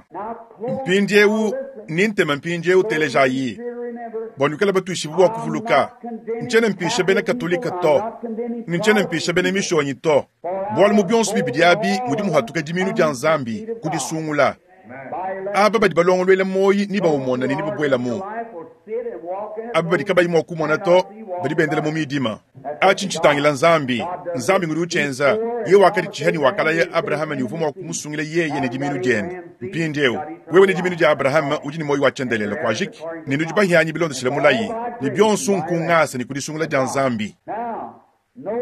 mpindiewu ni ntema mpindiewu telejayi bua nuikale batuishibu bua kuvuluka ntshiena mpisha bena katolika to ne ntshiena mpisha bena mishonyi to bualu mu bionso bibidi abi mudi muhatuka diminu dia Nzambi kudisungula aba badi balongoluela moyi ni bawumona ne ni babuelamu aba badi kabayi mua kumona to badi bendela mu midima atshi ntshitangila Nzambi Nzambi ngudi utshienza ye wakadi tshiha ne wakalaya Abrahama ne uvua mua kumusungila yeye ne diminu diende mpindiewu wewe ne diminu dia Abrahama udi ne moyi wa tshiendelele kuajiki ne nudi bahianyi bilondeshile mulayi ne bionso nkungasa ne kudisungula dia Nzambi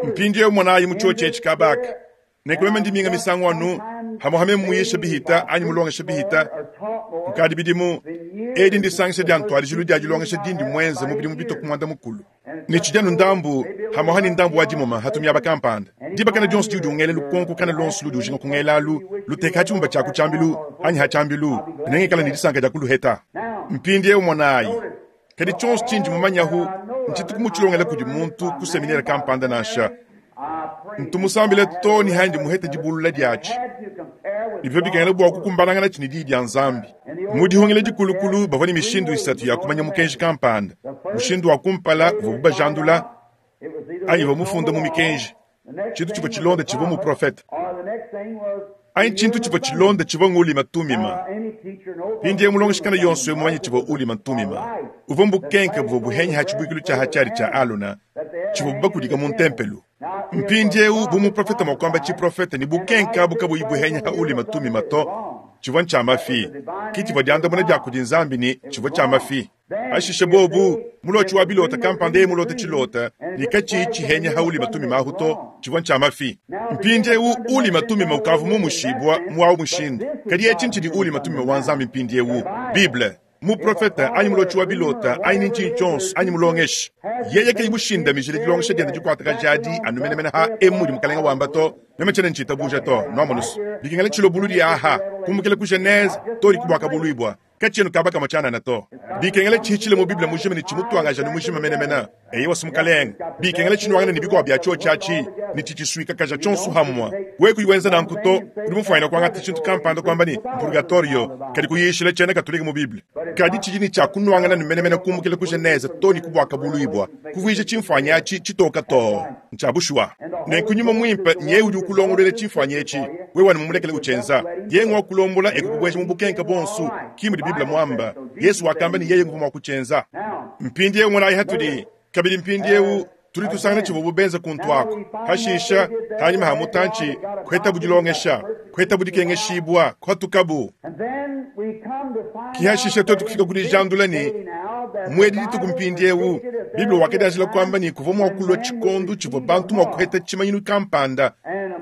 mpindiewu monayi mu tshio tshietshi kabaka nekulema ndiminga misangu anu hamuhame muyisha bihita anyi mulongesha bihita kukadi bidimu edi ndisangisha dia ntwalijilu dia dilongesha dindi mwenze mu bidimu bitoku mwanda mukulu ne tshidianu ndambu hamuha ni ndambu wa dimoma hatumiaba kampanda dibakana dionso diudi ungela lukonko kana lonso ludi ujinga kungelalu luteka hatshimumba tshiaku tshiambilu anyi hatshiambilu nengikala ne disanka dia kuluheta mpindiewu monayi kadi tshionso tshindi mumanyahu ntshituku mutshilongela kudi muntu ku seminere kampanda nansha ntumusambile to ni handi muhete dibulula diatshi nibyo bikengela bua kukumbanangana tshini diyi dia Nzambi mu dihongela dikulukulu bavua ne mishindu isatu ya kumanya mukenji kampanda mushindu wa kumpala uvua bubajandula anyi uvua mufunda mu mikenji tshintu tshivua tshilonda tshivua mu profete anyi tshintu tshivua tshilonda tshivua ngulima tumima mpindieu mulongeshikana yonso mumanye tshivua ulima tumima uvua mbukenke buvua buhenyi ha tshibuikilu tshia hatshiari tshia Alona tshivua bubakudika mu ntempelu mpindiewu bu muprofete mua kuamba tshiprofete ne bukenka bukabuyi buhenya ha ulima tumima to tshivua ntshia mafi ki tshivua diandamuna dia kudi Nzambi ne tshivua tshia mafi ashishe bobu mulotshi wa bilota kampanda ye mulota tshilota ne katshiyi tshihenya ha ulima tumima ahu to tshivua ntshia mafi mpindiewu ulima tumima ukavu mumushibua muawu mushindu kadi etshi ntshidi ulima tumima wa Nzambi mpindiewu Bible muprofeta anyi mulotshi wa bilota anyi ni ntshinyi tshionso anyi mulongeshi yeye kayi mushindamijile dilongesha diende dikuataka jadi anu menemene ha emu mudi mukalenga wamba to meme tshiena ntshitabuja to nuamonusu bikengela tshilobulu dia aha kumbukila ku Genese to dikubwakabuluibwa katshienu kaba kamwe tshianana to bikengela tshihitshile mu Bible mujima ne tshimutuangaja ne mujima menemene eye wasi mukalenga bikengela tshinuangana ne bikuabu bia tshio tshiatshi ne tshitshisuikakaja tshionso hamwa we kuyiwenza nanku to udi mufuanyina kuangata tshintu kampanda kuamba ne mpurgatorio kadi kuyishila tshiena katolika mu Bible kadi tshidi ne tshiakunuangana ne menemene kumbukila ku Genese to ne kubwakabuluibwa kuvuija tshimfuanyi atshi tshitoka to ntshia bushuwa nenku nyuma muimpe nye udi ukulongoluela tshimfuanyi etshi wewe ne mumulekele utshienza ye ngwa kulombola ekukubweja mu bukenka bonso ki mudi Bible mwamba Yesu wakamba ne yeye nguvua mua kutshienza mpindiewu monayi hatudi kabidi mpindiewu tuli tusangana tshivua bubenza kuntu ako hashisha hanyuma ha mutantshi kuheta budilongesha kuheta budikengeshibwa kuhatukabu kihashisha twetu kufika kudi jandula ne mwedi dituku mpindiewu Bible wakadianjila kuamba ne kuvua mua kulua tshikondu tshivua bantu mua kuheta tshimanyinu kampanda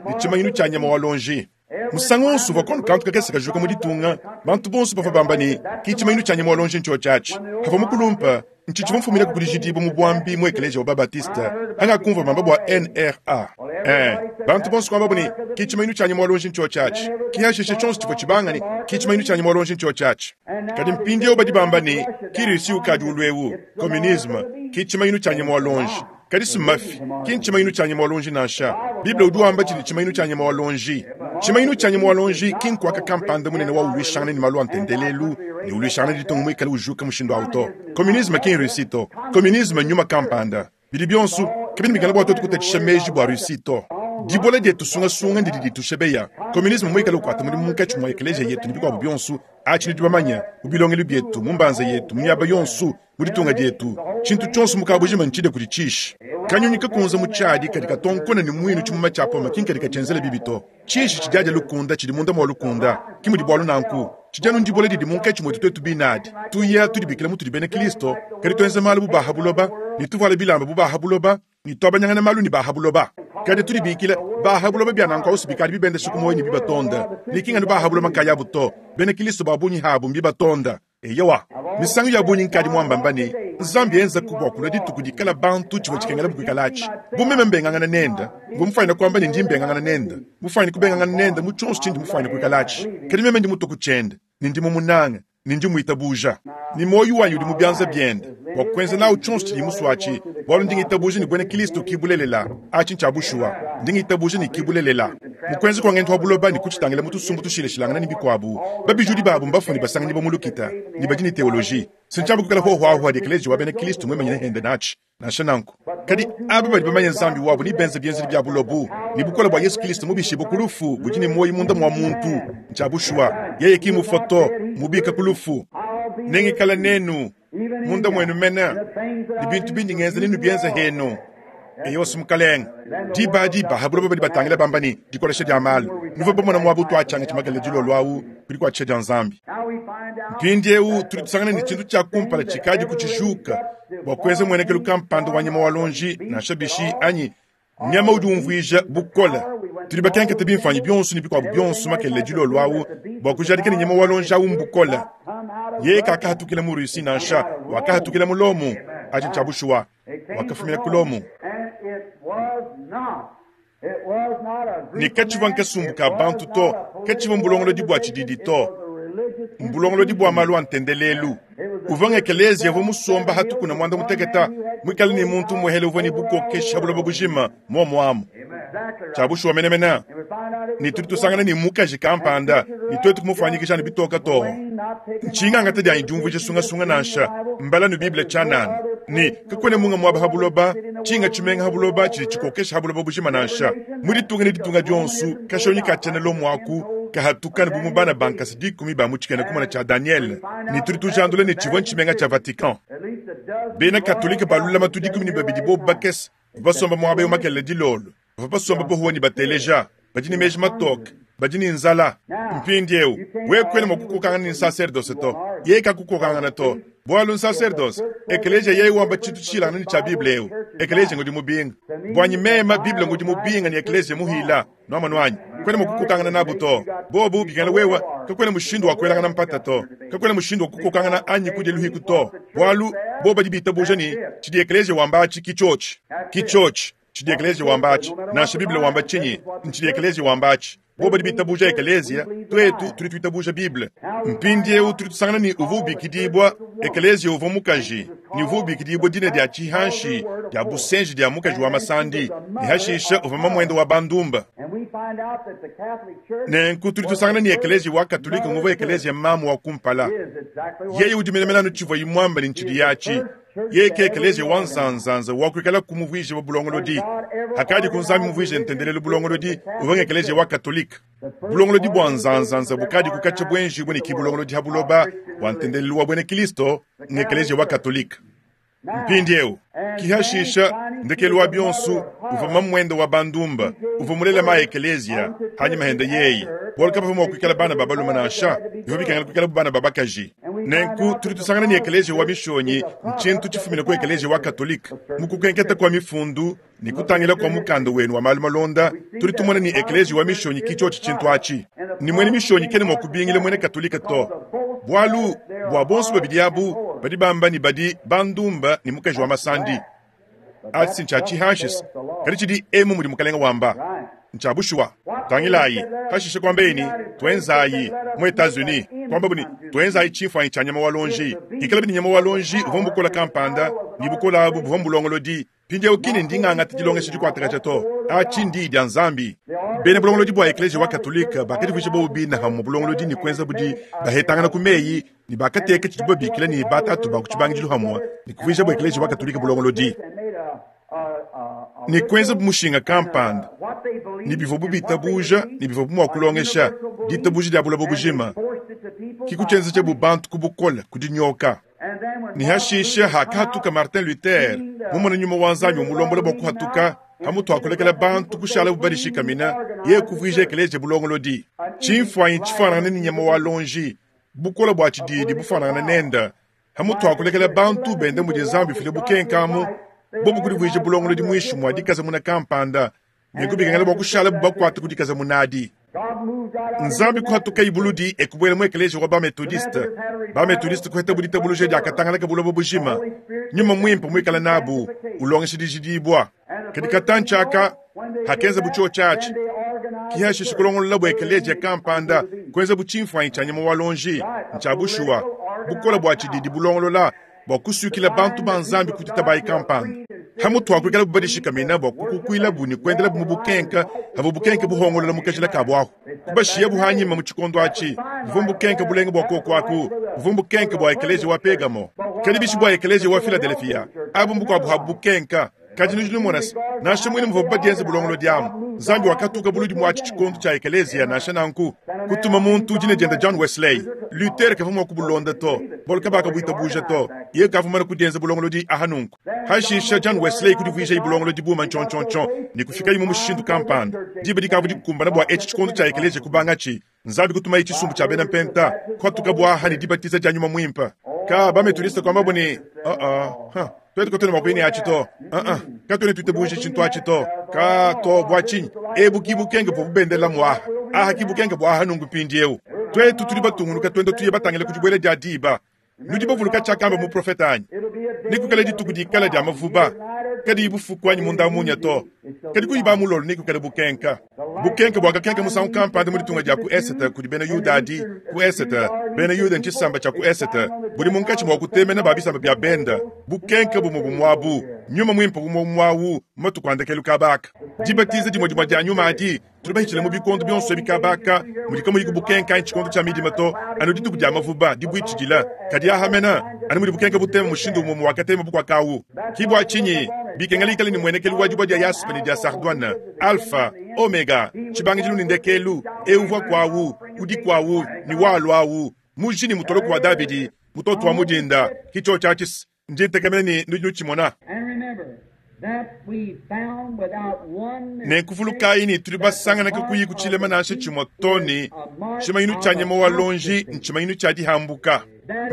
ne tshimanyinu tshia nyama wa lonji musangu wonso uvua kono kantu kakese kajuka mu ditunga bantu bonso bavua bamba ne ki tshimanyinu tshia nyama wa lonji ntshio tshiatshi kavua mukulumpa ntshi tshivua mfumina kudi jidibu mu bwambi mu ekeleziya wa babatiste angakumva bamba bua N R A eh bantu bonso kuamba ne ki tshimanyinu tshia nyama wa lonji ntshio tshiatshi ki hashishe tshionso tshivua tshibanga ne ki tshimanyinu tshia nyama wa lonji ntshio tshiatshi kadi mpindiewu badi bamba ne ki Russie ukadi ulwewu communisme ki tshimanyinu tshia nyama wa lonji kadi simafi ki ntshimanyinu tshia nyama wa lonji nansha Bible udi wamba tshidi tshimanyinu tshia nyama wa lonji tshimanyinu tshia nyama wa lonji ki nkuaka kampanda munene wa ulwishangana ne malu a ntendelelu ne ulwishangana ditunga muikale ujuka mushindu awu to communisme ki Russie to communisme nyuma kampanda bidi bionso kabidi bikala bua twetu kutatshisha meji bua Russie to dibola dietu sungasunga ndidi ditushebeya communisme muikale ukuata mudimu munkatshi mua ekeleziya yetu ne bikuabu bionso atshi ne bamanya mu bilongelu bietu mu mbanza yetu mu miaba yonso mu ditunga dietu tshintu tshionso mukabujima ntshide kudi tshishi kanyunyi kakunza mu tshiadi kadi katonkona ne muinu tshimuma tshia poma kinkadi katshienzela bibi to tshishi tshidiadia lukunda tshidi munda mua lukunda ki mudi bualu nanku Tshidi anu ndibola didi munkatshi mwetu twetu biine adi. Tuya tudibikila mutudi bena Kilisto, kadi twenza maalu bu baa ha buloba, ne tuvwala bilamba bu baa ha buloba, ne twabanyangana maalu ne baa ha buloba. Kadi tudibikila baa ha buloba bya nanku awusi bikadi bibendesha ku muoyo ne bibatonda. Ne ki nganu baa ha buloba nkayabu to, bena Kilisto ba bungi habu mbibatonda. Eyowa, misangu ya bungi nkadi muambamba ne, Nzambi enzaku bua kulua dituku dikala bantu tshivua tshikengela bukuikalatshi. Bu meme mbengangana nenda, mvua mufuanyine kuamba ne ndi mbengangana nenda, mufuanyine kubengangana nenda mu tshionso tshindi mufuanyine kuikalatshi. Kadi meme ndi mutua ku tshiende, ne ndi mumunange, ne ndi muitabuja. Ne muoyo wanyi udi mu bianza biende, bua kuenza nawu tshionso tshidiye musue atshi, bualu ndi ngitabuja ne buena Kilisto ki bulelela. Atshi ntshia bushuwa. Ndi ngitabuja ne ki bulelela. Mu kuenza kua ngendu wa buloba ne kutshitangila mu tusumbu tushilashilangana ne bikuabu, babijudi babu mbafue ne basanganyibua mu lukita, ne badi ne teoloji. Si ntshiamba kuikala hohoahoa dia ekeleziya wa bena Kilisto muimanyine hende natshi, nansha nanku. Kadi aba badi bamanye Nzambi wabu ne benza bienzedi bia bulobu, ne bukole bua Yesu Kilisto mubishibue ku lufu budi ne muoyo munda mua muntu. Ntshia bushuwa, yeye ki mufue to, mmubika ku lufu. Nengikale nenu, munda muenu mene, ne bintu bindi ngenza nenubienze henu. Eyowa, Mukalenge. Diba adi ba ha buloba badi batangila bamba ne, dikolesha dia maalu. Nuvua bamona muaba utuatshianga tshimakela dilolo awu ku dikuatshisha dia Nzambi. Mpindiewu tudi tusangana ne tshintu tshia kumpala tshikadi kutshijuka bua kuenza muenekelu kampanda wa nyama wa luonji, nansha bishi anyi nyama udi umvuija bukole. Tudi bakenkete bimfuanyi bionso ne bikuabu bionso makelela dilolo awu bua kujadika ne nyama wa luonji awu mbukole. Yeye kakahatukila mu Russie nansha, wakahatukila mu Lomo. Atshi ntshia bushuwa, wakafumina ku Lomo. Ne katshivua nkasumbu ka bantu to, katshivua mbulongolodi bua tshididi to, mbulongolodi bua malu a ntendelelu. Uvua ngekeleziya uvua musomba hatukuna muanda muteketa, muikale ne muntu muhele uvua ne bukokeshi ha buloba bujima muomuamu. Tshia bushuwa menemene, ne tudi tusangana ne mukaji kampanda, ne tuetu kumufuanyikija ne bitoka too. Ntshingangata dianyi diumvuija sungasunga nansha, mbala nu Bible tshianana, ne kakuena munga muaba ha buloba, tshinga tshimenga ha buloba tshidi tshikokesha ha buloba bujima nansha. Mu ditunga ne ditunga dionso, kashonyi ka tshiena Lomo aku kahatuka ne bu mu bana ba nkasa dikumi ba mu tshikena kumona tshia Daniel, ne tudi tujandula ne tshivua ntshimenga tshia Vatican. Bena Katolike ba lulamatu dikumi ne babidi bobu bakese bavua basomba muaba eu makelela dilolo, bavua basomba bohuwa ne bateleja, badi ne meji matoke, badi ne nzala. Mpindieu wewe kuena mua kukokangana ne nsaserdose to, yeye kakukokangana to, bualu nsaserdose ekeleziya yeye wamba tshintu tshishilangane ne tshia Bible eu. Ekeleziya ngudi mubinga. Buanyi meme Bible ngudi mubinga ne ekeleziya muhila. Nuamonu anyi? Kuena mua kukokangana nabu to. Bobu bikengela wewe, kakuena mushindu wa kuelangana mpata to, kakuena mushindu wa kukokangana anyi kudia luhiku to, bualu bobu badi bitabuja ne tshidi ekeleziya wamba atshi ki tshiotshi, ki tshiotshi tshidi ekeleziya wamba atshi, nansha Bible wamba tshinyi, ntshidi ekeleziya wamba atshi. Bobu badi bitabuja ekeleziya, tuetu tudi tuitabuja Bible. Mpindieu tudi tusangana ne uvua ubikidibua ekeleziya uvua mukaji, ne uvua ubikidibua dina dia tshihanshi dia busenji dia mukaji wa masandi, ne hashisha uvua mamuende wa bandumba. Nenku tudi tusangana ne ekeleziya wa Katolike nguvua ekeleziya mamu wa kumpala. Yeye udi menemene anu tshivuaye muamba ne ntshidi yatshi. Yeye ke ekeleziya wa nzanzanza wa kuikala kumuvuija wa bulongolodi. Hakadi ku Nzambi muvuije ntendelelu bulongolodi, uvua ngekeleziya wa Katolike. Bulongolodi bua nzanzanza bukadi kukatshia buenjibue ne ki bulongolodi ha buloba bua ntendelelu wa buena Kilisto ngekeleziya wa Katolike. Mpindieu kihashisha ndekelu wa bionso uvua mamuende wa bandumba, uvua mulela ma ekeleziya hanyima hende yeye. Bualu kabavua mua kuikala bana ba balume nansha, bivua bikengela kuikala bu bana ba bakaji. Nenku tudi tusangana ne ekeleziya wa mishonyi ntshintu tshifumine ku ekeleziya wa Katolike. Mu kukenketa kua mifundu ne kutangila kua mukanda wenu wa malu malonda, tudi tumona ne ekeleziya wa mishonyi ki tshiotshi tshintu atshi. Ne muena mishonyi kena mua kubingila muena Katolike to, bualu bua bonso babidi abu badi bamba ne badi bandumba ne mukaji wa masandi. Atshi ntshia tshihanshisa, kadi tshidi emu mudi Mukalenge wamba. Ntshia bushuwa. Tangilayi, hashishe kuambaye ne, tuenzayi mu Etats-Unis, kuambabu ne, tuenzayi tshimfuanyi tshia nyama wa luonji. Ikalabi ne nyama wa luonji uvua mbukola kampanda, ne bukola abu buvua mbulongolodi. Mpindieu kine ndi ngangata dilongesha dikuatakaja to. Atshi ndi dia Nzambi. Bena bulongolodi bua ekeleziya wa Katolike bakadivuija bobu bine hamue bulongolodi ne kuenza budi bahetangana ku meyi, ne bakateka tshidibu babikila ne batatu ba ku tshibangidilu hamue ne kuvuija bu ekeleziya wa Katolike bulongolodi ne kuenza bu mushinga kampanda, ne bivua bu bitabuja ne bivua bu mua kulongesha ditabuja dia buloba bujima, ki kutshienza bu bantu ku bukole ku dinyoka. Ne hashisha hakahatuka Martin Luther mumona nyuma wa Nzambi umulombola bua kuhatuka hamutu akulekela bantu kushala bu badishikamina, yeye kuvuija ekeleziya bulongolodi. Tshimfuanyi tshifanangane ne nyama wa luonji, Bukole bua tshididi bufanangana nenda hamutu akulekela bantu bende mudi Nzambi ufila bukenke amu bobu kudivuija bulongolodi muinshi mua dikaza muna kampanda ne kubikengela bua kushala bubakuate ku dikaza munadi. Nzambi kuhatuka ibuludi ekubwela mu ekeleziya wa bametodiste. Bametodiste kuheta buditabuluja diakatangalaka buloba bujima. Nyuma mwimpe muikala nabu ulongesha dijidibwa. Kadi katanchaka hakenza bucho chachi kihashisha kulongolola bwa ekeleziya kampanda kuenza buchimfwanyi cha nyama wa lonji ncha bushuwa bukola bwa tshididi bulongolola bwa kusukila bantu ba Nzambi kutitabayi kampanda. Hamutu akwikala bubadishikamina bwa kukukwila bu ni kuendela bu mubukenka habo bukenke buhongolola mukajila kabwaho. Kubashiya buhanyima mu tshikondo atshi buvua bukenke bulenge bwa kokwaku buvua bukenke bwa ekeleziya wa Pergamo kadi bishi bwa ekeleziya wa Philadelphia abu mbukwabu habu bukenka. Kadi nudi numona nansha mwene muvua badienze bulongolo diamu Nzambi wakatuka buludi mwatshi tshikondo tshia ekeleziya nansha nanku kutuma muntu dina dienda John Wesley Luther kavua mua kubulonda to bolu kabaka buitabuja to ye kavua mana kudienza bulongolodi ahanunku. Hashisha John Wesley kudivuija ibulongolodi buma nchonchonchon ni kufika imu mushindu kampanda diba dikavu dikukumbana bua etshi tshikondo tshia ekeleziya kubangatshi Nzambi kutuma itshisumbu tshia bena mpenta kwatuka bwaha ni dibatiza dia nyuma mwimpa ka bametodiste kwamba bune uh -uh. Huh. Twetu katwene makwini achi to uh-uh. Katwene tuitabuja tshintu achi to ka to bua tshinyi ebu kibukenge bua bubendela mwaha aha kibukenge bua aha nungu mpindiewu twetu tuli batungunuka twenda tuye batangile ku dibwele dia diba nudi bavuluka tshiakamba muprofeta anyi nikukala dituku dikala dia mavuba kadi ibufuku anyi munda munya to kadi kuyiba mulolo nikukala bukenka bukenka bwakakenka musangu kampanda mu ditunga dia ku esete kudi bena Yuda adi ku esete bena Yuda ntshisamba tshia ku esete budi munkatshi mua kutemena ba bisamba bia benda bukenka bumwe bumwabu nyuma mwimpe bumwe bumwawu matuku andekelu kabaka dibatiza dimwe dimwe dia nyuma adi tuli bahitshile mu bikondo bionso ebi kabaka mudi kamuyi bukenka anyi tshikondo tshia midima to anu dituku dia mavuba dibuitshidila kadi ahamena anu mudi bukenka butema mushindu umwe wakatema bukwakawu kibwa tshinyi bikengela ikale ni mwenekelu wa dibwa dia yaspe ni dia sardwane alpha omega tshibangidilu ni ndekelu euvwa kwawu udi kwawu ni walwawu muji ni mutoloko wa Davidi mutoto wa mudinda kicho tshachisi ndintekamena ni nudi nutshimona. Nenkuvulukayi ni tuli basanganaka kuyi kutshilema nansha tshimwe to ni tshimanyinu tshia nyama wa lonji ntshimanyinu tshia dihambuka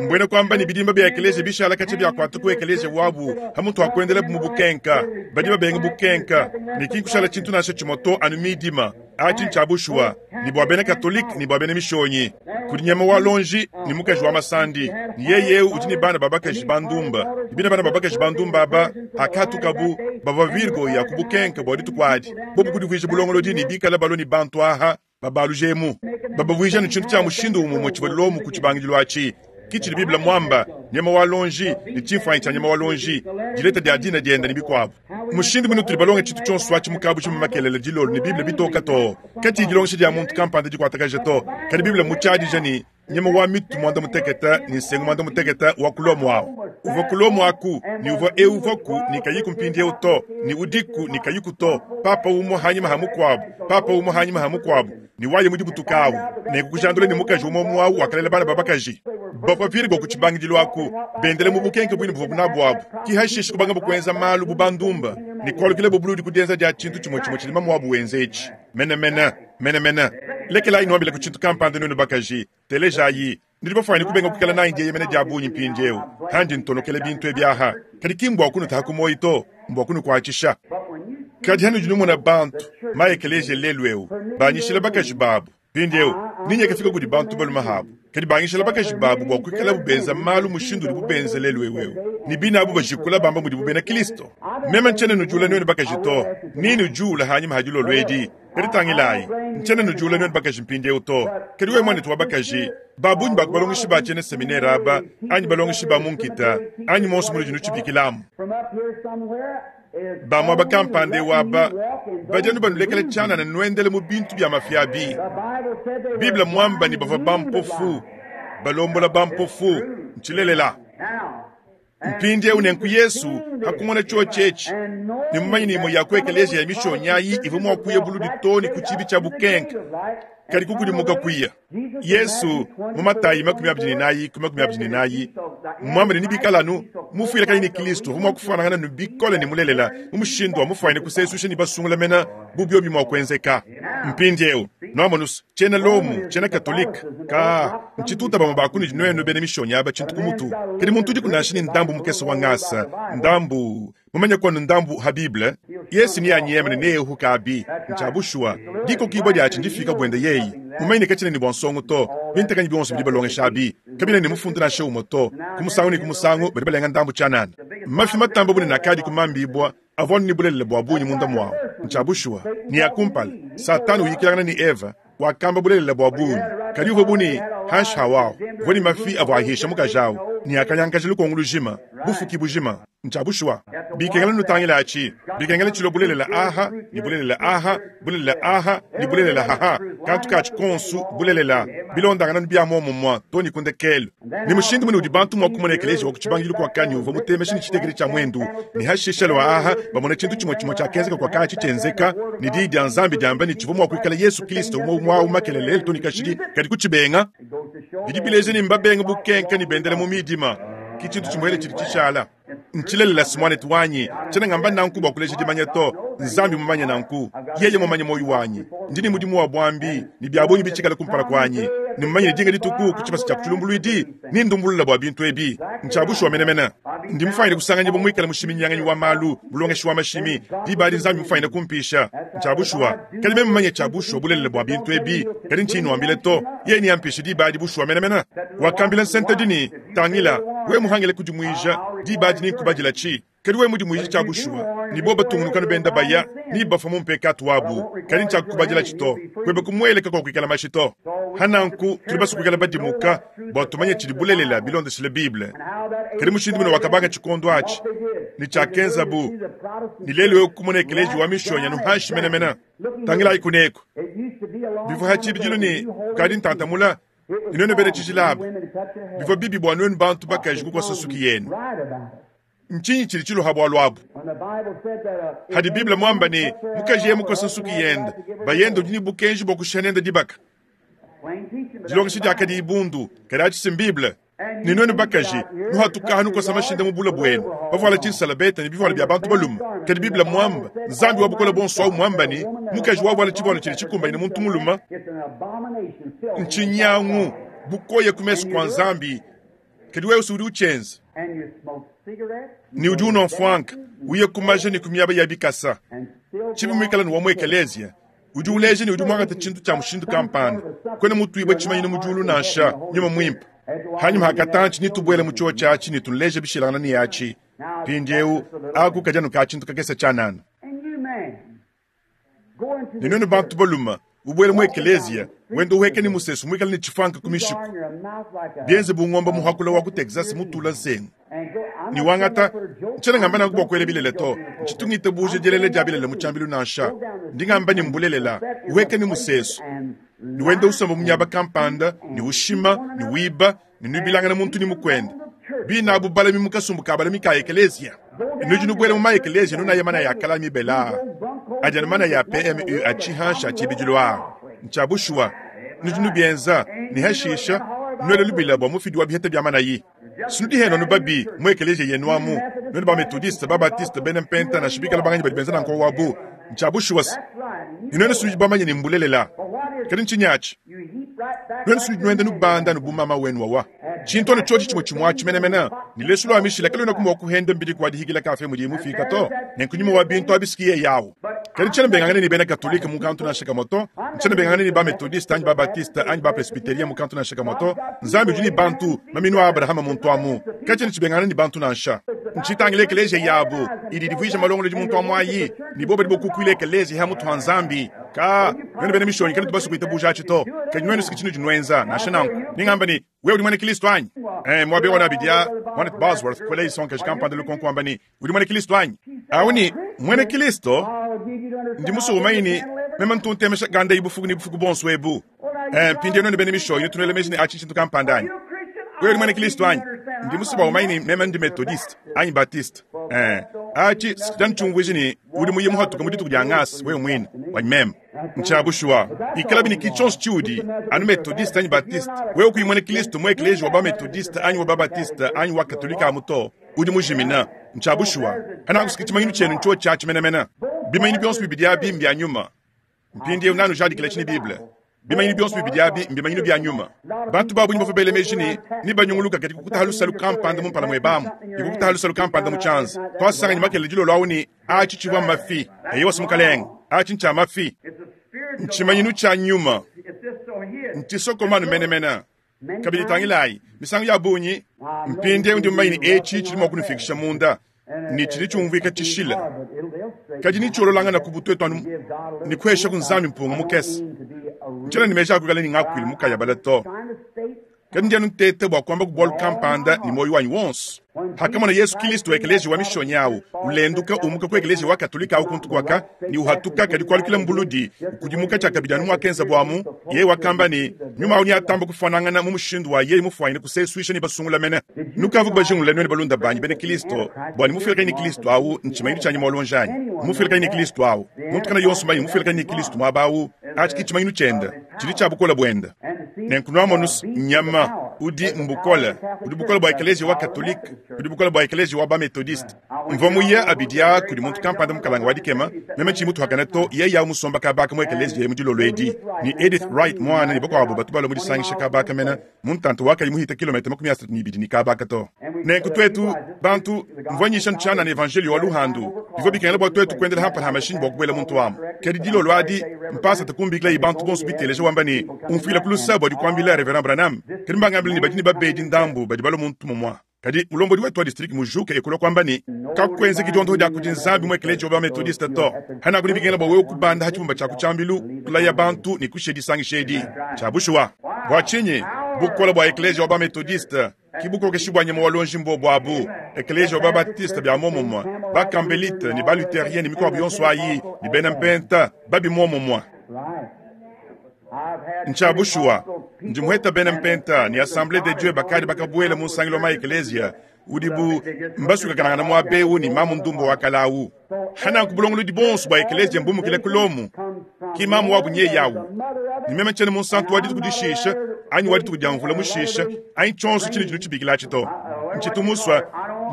mbwena kwamba ni bidimba bya ekeleziya bishala katshi byakwata ku ekeleziya wabu hamutu akuendela mu bukenka badi babenga bukenka ni kinkushala tshintu nansha tshimwe to anu midima atshi ntshia bushuwa ni bua bena katolike ni bua bena mishonyi kudi nyama wa lonji ni mukaji wa masandi ni yeyeu udi ni bana babakaji bandumba bina bana babakaji bandumba aba hakatukabu bava virgo ya kubukenka bua dituku adi bobu kudivuija bulongolodi ni bikala balo ni bantu aha babalujemu babavuija ni tshintu tshia mushindu umwe tshivua ku tshibangidilo atshi kichili Biblia mwamba nyama wa lonji ni tshimfuanyi tshia nyama wa lonji dileta dia dina dienda ni bikwabu mushindu muno tuli balonge tshintu tshionso atshi mukabu tshima makelele dilolo ni Biblia bitoka to kati dilongesha dia muntu kampanda dikuatakaja to kadi Biblia mutshadija ni nyama wa mitu mwanda muteketa ni nsengu mwanda muteketa wa kulomo awu uvua kulomo aku ni uvua euvaku ni kayiku mpindiewu to ni udiku ni kayiku to papa umwe hanyima ha mukwabu papa umwe hanyima ha mukwabu ni waye mudi butukawu nekukujandula ni mukaji umwe mwawu wakalela bana babakaji bapapiri bwa kutshibangidilo aku bendele mu bukenke bwini buvua bunabu abu kihashishi kubanga bukuenza malu bubandumba ni kualukile bubuludi kudienza dia tshintu tshimwe tshimwe tshilima mwabu wenze etshi menemene menemene lekelayi nwambile ku tshintu kampanda nunu bakaji telejayi ndili bafanyi kubenga kukala nayi ndiye yemene dia bunyi mpindiewu handi ntonokele bintu ebyaha kadi kimbwa kunu tahakumoyi to mbwa kunu kuatshisha kadi hanu dinumona bantu maekeleziya lelu ewu banyishila bakaji babu mpindiewu ninyi kafika kudi bantu baluma habu kadi banyishila bakaji babu bua kuikala bubenza malu mushindu udi bubenza lelu ewu ni bina abu bajikula bamba mudi bubena Kristo meme ntshene nujula nwenu bakaji to nini ujula hanyima hadilolo edi kadi tangilayi ntshene nujula nwenu bakaji mpindiewu to kadi we mwanetu wa bakaji babunyi bakubalongeshi ba tshiena seminere aba anyi balongeshi ba munkita anyi monso munudi nutshibikilamu bamwa bakampande waba badianu banulekela tshianana nuendele mu bintu bya mafia bi Biblia mwamba ni bava bampofu balombola bampofu ntshilelela mpindiewu nenku Yesu hakumona tsho tshetshe ni mumanyi ni imwe ya ku ekeleziya ya mishonyayi ivua mua kuya buludi to ni ku tshibi tshia bukenke kadi kukudimuka kuya Yesu mu Matayi makumi abidi ne nayi ku makumi abidi ne nayi Mmwambe ne nibikale anu mufuilakanyi ne Kilisto uvwa mwa kufuanangana ne bikole ne mulelela mu mushindu wa mufuanyine kuseeswisha ne basungula mena bu byobi mwa kwenzeka. Mpindyewu, nwamonu's, tshiena Lomu, tshiena Katolike, kaa, ntshituta bamwe ba kunudi nwenu bena mishonyi aba tshintu ku mutu. Kadi muntu udiku nansha ne ndambu mukese wa ngasa, ndambu, mumanye kwanu ndambu ha Bible, Yesu neanyeme ne neehuka abi, ntshia bushuwa. Dikokibwa diatshi ndifika bwende yeye. Mumanye ne katshina ne bwa nsongo to, bintekanyi bionso bidi balongesha abi, kabina ne mufundu nansha umwe to. Ku musangu ne ku musangu badi balenga ndambu tshianana. Mafi matamba bunene akadi kumambibwa avua ne bulelela bwa bungi munda mwawu. Ntshia bushuwa. Ne ya kumpala, Satana uyikilangana ne Eva, wakamba bulelela bwa bungi. Kadi uvwa bu ne hanshi hawawu, uvwa ne mafi avwa ahisha mukaji awu, ne akanyangaja lukongo lujima, bufuki bujima. Ntshia bushuwa. Bikengela nutangila atshi, bikengela tshilua bulelela aha, ne bulelela aha, bulelela aha, ne bulelela haha, kantu katshi konsu bulelela, bilondangana bia muomumue too ne ku ndekelu. Ne mushindu mune udi bantu mua kumona ekeleziya wa ku tshibangidilu kuakanyi uvua mutemesha ne tshitekete tshia muendu, ne hashisha lua aha bamona tshintu tshimue tshimue tshiakenzeka kuakatshi tshienzeka, ne diyi dia Nzambi diamba ne tshivua mua kuikala Yesu Kristo umue umue au makelela lelu too ne kashidi, kadi kutshibenga. Bidi bileja ne mbabenga bukenka ne bendela mu midima. Ke tshintu tshimuele tshidi tshishala. Ntshilelela si muanetu wanyi, tshiena ngamba nanku bua kuleja dimanya to. Nzambi mumanye nanku. Yeye mumanye muoyo wanyi. Ndi ne mudimu wa buambi ne bia bungi bitshikale kumpala kuanyi. Ne mumanye ne dinga dituku ku tshibasa tshia ku tshilumbuluidi, nendumbulule bua bintu ebi. Ntshia bushuwa menemene. Ndi mufuanyine kusanganyibua muikale mushiminyinyanganyi wa malu, mulongeshi wa mashimi. Diba adi Nzambi mufuanyine kumpisha. Ntshia bushuwa. Kadi meme mumanye tshia bushuwa bulelela bua bintu ebi, kadi ntshiyi nuambile to. Yeye neampishe diba adi bushuwa menemene. Wakambila nsentedi ne, Tangila, wewe muhangile kudimuija, diba adi nenkubadila tshi. Kadi wewe mudimuije tshia bushuwa, ne bobo batungunuka ne benda baya, ne bafua mu mpekatu wabu, kadi ntshiakukubadila tshi to. Kuebe kumueleka kuakuikala mashi to. Hananku, tudi basue kuikala badimuka bua tumanye tshidi bulelela bilondeshile Bible. Kadi mushindu mune wakabanga tshikondo atshi ne tshiakenzabu, ne lelu eu kumona ekeleziya wa mishonyi anu hanshi menemene. Tangilayi kuneku, bivua ha tshibidilu ne kukadi ntantamula, ne nuenu bena tshijila aba, bivua bibi bua nuenu bantu bakaji kukosa nsuki yenu. Ntshinyi tshidi tshiluha bualu abu? Hadi Bible muamba ne mukaji yeye mukosa nsuki yende, bayende udi ne bukenji bua kushiha nende dibaka. Dilongesha diakadi bundu, kadi atshi si m'Bible. Ne nuenu bakaji, nuhatukaha nukosa mashinda mu bula buenu, bavuala tshinsalabeta ne bivuala bia bantu balume. Kadi Bible muamba, Nzambi wa bukole buonso au muamba ne mukaji wavuala tshivualu tshidi tshikumbanyine muntu mulume, ntshinyangu, bukoya ku mesu kua Nzambi. Kadi wewe udi utshienza ne udi unua mfuanka, uye ku maja ne ku miaba ya bikasa. Tshibi muikale ne wa mu ekeleziya, udi uleja ne udi muangate tshintu tshia mushindu kampanda, kuena mutuibue tshimanyinu mu diulu nansha nyuma muimpe. Hanyuma hakatantshi nitubuele mu tshiotshi atshi ne tunuleje bishilangana ne atshi. Mpindieu aku kadi anu ka tshintu kakese tshianana. Ne nuenu bantu balume, ubuele mu ekeleziya, wenda uhueka ne musesu muikale ne tshifuanka ku mishiku, bienze bu ngombe muhakula wa ku Texas mutula nsengu. Ne wangata, ntshiena ngamba nanku bua kuela bilele to, ntshitu ngitabuja dielele dia bilele mu tshiambilu nansha. Ndi ngamba ne mbulelela, uhueka ne musesu, ne wenda usomba mu miaba kampanda, ne ushima, ne wiba, ne nuibilangana muntu ne mukuende. Bina abu balami mu kasumbu ka balami ka ekeleziya. Nudi nubuela mu ma ekeleziya nunaya manaya a kala mibela adi anu manaya a P M U a tshihansha a tshibidilu aa. Ntshia bushuwa, nudi nubienza, ne hashisha nuela lubila bua mufidi wa biheta bia manayi. Sinudi henu anu babi mu ekeleziya yenu amu, nuenu ba Methodiste, ba Baptiste, bena Mpenta, nansha bikala banganyi badi benza nanku wabu. Ntshia bushuwa se, ne nuenu sinudi bamanye ne mbulelela. Kadi ntshinyi atshi? Nuenu sinudi nuenda nubanda anu bu mama wenu wawa. Tshintu anu tshiotshi tshimue tshimue atshi menemene, ne lesu lua mishila kaluenaku mua kuhenda mbidi kua dihikila kafe mudiye mufika to, nenku nyuma wa bintu abi siki yeye awu. Kadi ntshiena mbengangane ne bena Katolike mu kantu nansha kamue to, ntshiena mbengangane ne ba Methodiste anyi ba Baptiste anyi ba Presbyterien mu kantu nansha kamue to. Nzambi udi ne bantu, maminu a Abrahama muntu amu. Katshiena tshibengangana ne bantu nansha. Ntshitangile ekeleziya yabu idi idivuija malongolodi muntu amu ayi, ne bobo badi bokukuila ekeleziya ha mutu ha Nzambi. Ka, nuenu bena mishonyi kanutu basue kuitabuja atshi to, kadi nuenu siki tshinudi nuenza. Nansha nanku, ningamba ne, wewe udi muena Kristo anyi? Eh, muaba wa abidi a Mwanetu Bosworth kuela isonkaji kampanda lukonko wamba ne, udi muena Kristo anyi? Awu ne, muena Kristo, ndi musue umanye ne, meme ntu ntemesha ganda iyi bufuku ne bufuku buonso ebu. Eh, mpindieu nuenu bena mishonyi nutu nuela meji ne atshi ntshintu kampanda anyi? Wewe udi muena Kristo anyi? Ndi musue bua umanye ne, meme ndi Methodiste anyi Baptiste. Eh, atshi sikita ntshiumvuija ne, udi muye muhatuke mu dituku dia ngasa wewe muine, wanyi meme. Ntshia bushuwa. Ikalabi ne ki tshionso tshiudi, anu Methodiste anyi Baptiste, wewe kuyi muena Kilisto mu ekeleziya wa ba-Methodiste anyi wa ba-Baptiste anyi wa Katolika amu to, udi mujimina. Ntshia bushuwa. Hanakusika tshimanyinu tshienu ntshiotshi atshi menemene. Bimanyinu bionso bibidi abi mbia nyuma. Mpindieu nanujadikila tshi ne Bible. Bimanyinu bionso bibidi abi mbimanyinu bia nyuma. Bantu ba bungi bavua bela meji ne, nebanyunguluka kadi kukutaha lusalu kampanda mu mpala muebamu, ne kukutaha lusalu kampanda mu tshianza. Tuasanganyi makelela dilolo awu ne, atshi tshivua mafi. Eyowa, Mukalenge, atshi ntshia mafi. Ntshimanyinu tshia nyuma. Ntshisokomanu menemene. Kabidi tangilayi, misangu ya bungi, mpindieu ndi mumanye ne etshi tshidi mua kunufikisha munda, ne tshidi tshiumvuika tshishila. Kadi netshiololangana ku butuetu anu ne kuhesha ku Nzambi mpunga mukese. Ntshiena ne meji a kuikala ne ngakuilu mukayabala to. Kadi ndi anu nteta bua kuamba ku bualu kampanda ne muoyo wanyi wonso. Hakamona Yesu Kilisto ekeleziya wa mishonyi awu ulenduka umuka ku ekeleziya wa Katolika awu kuntu kuaka ne uhatuka kadi kualukila mbuludi ukudimuka tshiakabidi anu muakenza buamu, yeye wakamba ne nyuma awu neatamba kufuanangana mu mushindu wa yeye mufuanyine kusesuisha ne basungula mene. Nukavu bajingulula nuenu balunda banyi bena Kilisto bua ne mufuilakanyi ne Kilisto awu ntshimanyinu tshia nyuma wa luonji anyi? Mufuilakanyi ne Kilisto awu, muntu kana yonso mmanyi mufuilakanyi ne Kilisto muaba awu, atshi ki tshimanyinu tshiende, tshidi tshia bukole buende. Nenku nuamonu nyama udi mbukole, udi bukole bua ekeleziya wa Katolike, udi bukole bua ekeleziya wa ba-Methodiste. Mvua muye abidi aa kudi muntu kampanda mukalanga wa dikema, meme tshiyi mutuakane to, yeye awu musomba kabaka mu ekeleziya mu dilolo edi, ne Edith Wright muana ne bakuabo batu balua mu disangisha kabaka mena mu ntanta wakayi muhita kilometa makumi asatu ne ibidi ne kabaka to. Nenku tuetu bantu, mvua nyisha ntshianana evanjelio wa luhandu, bivua bikengela bua tuetu kuendela hampala ha mashinyi bua kubuela muntu amu. Kadi dilolo adi, mpasata kumbikilayi bantu bonso biteleja wamba ne, umfuila ku lusa bua dikuambila Reverend Branham, kadi mbangambile ne badi ne babedi ndambu badi balua muntu mumua. Kadi mulombodi wetu wa distrike mujuke ekulua kuamba ne, kakuenzeki diondoho dia kudi Nzambi mu ekeleziya wa ba-Methodiste to. Hanaku ne bikengela bua wewe kubanda ha tshibumba tshia ku tshiambilu, kulaya bantu ne kushiya disangisha edi. Tshia bushuwa. Bua tshinyi? Bukole bua ekeleziya wa ba-Methodiste ki bukokeshi bua nyama wa luonji mbobo abu. Ekeleziya wa ba-Baptiste bia muomumue, ba-Campbellite ne ba-Lutherien ne mikuabu yonso ayi ne bena mpenta babi muomumue. Ntshia bushuwa, ndi muheta bena mpenta ne Assemblée de Dieu bakadi bakabuela mu nsangilu wa maekeleziya udibu mbasukakanangana muaba eu ne mamu ndumbo wa kalawu. Hananku bulongolodi bonso bua ekeleziya mbumukile ku Lomu, ki mamu wabu nyeyi awu. Ne meme tshiena munsantu wa dituku dishisha anyi wa dituku dia mvula mushisha anyi tshionso tshine tshinu tshibikilatshi to. Ntshitu musua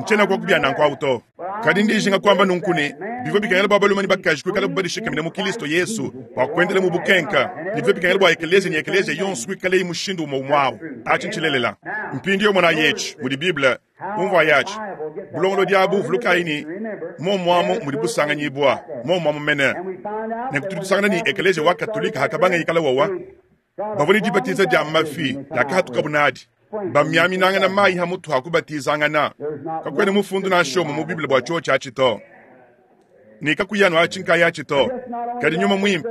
ntshiena kwa kubia nanku awu to. Kadi ndi njinga kuamba nunku ne, bivua bikengela bua balume ne bakaji kuikalabu badishikamine mu Kilisto Yesu bua kuendela mu bukenka, ne bivua bikengela bua ekeleziya ne ekeleziya yonso kuikalayi mushindu umue umue awu. Atshi ntshilelela. Mpindieu monayi etshi mudi Bible umvuayi atshi. Bulongolodi abu vulukayi ne, muomuamu mudi busanganyibua, muomuamu mene. Nenku tudi tusangana ne ekeleziya wa Katolika hakabanga ikala wawa, bavua ne dibatiza dia mafi diakahatukabu nadi. Bamiaminangana mayi ha mutu ha kubatizangana. Kakuena mufundu nansha umue mu Bible bua tshiotshi atshi to. Ne kakuyanu atshi nkaya atshi to. Kadi nyuma muimpe,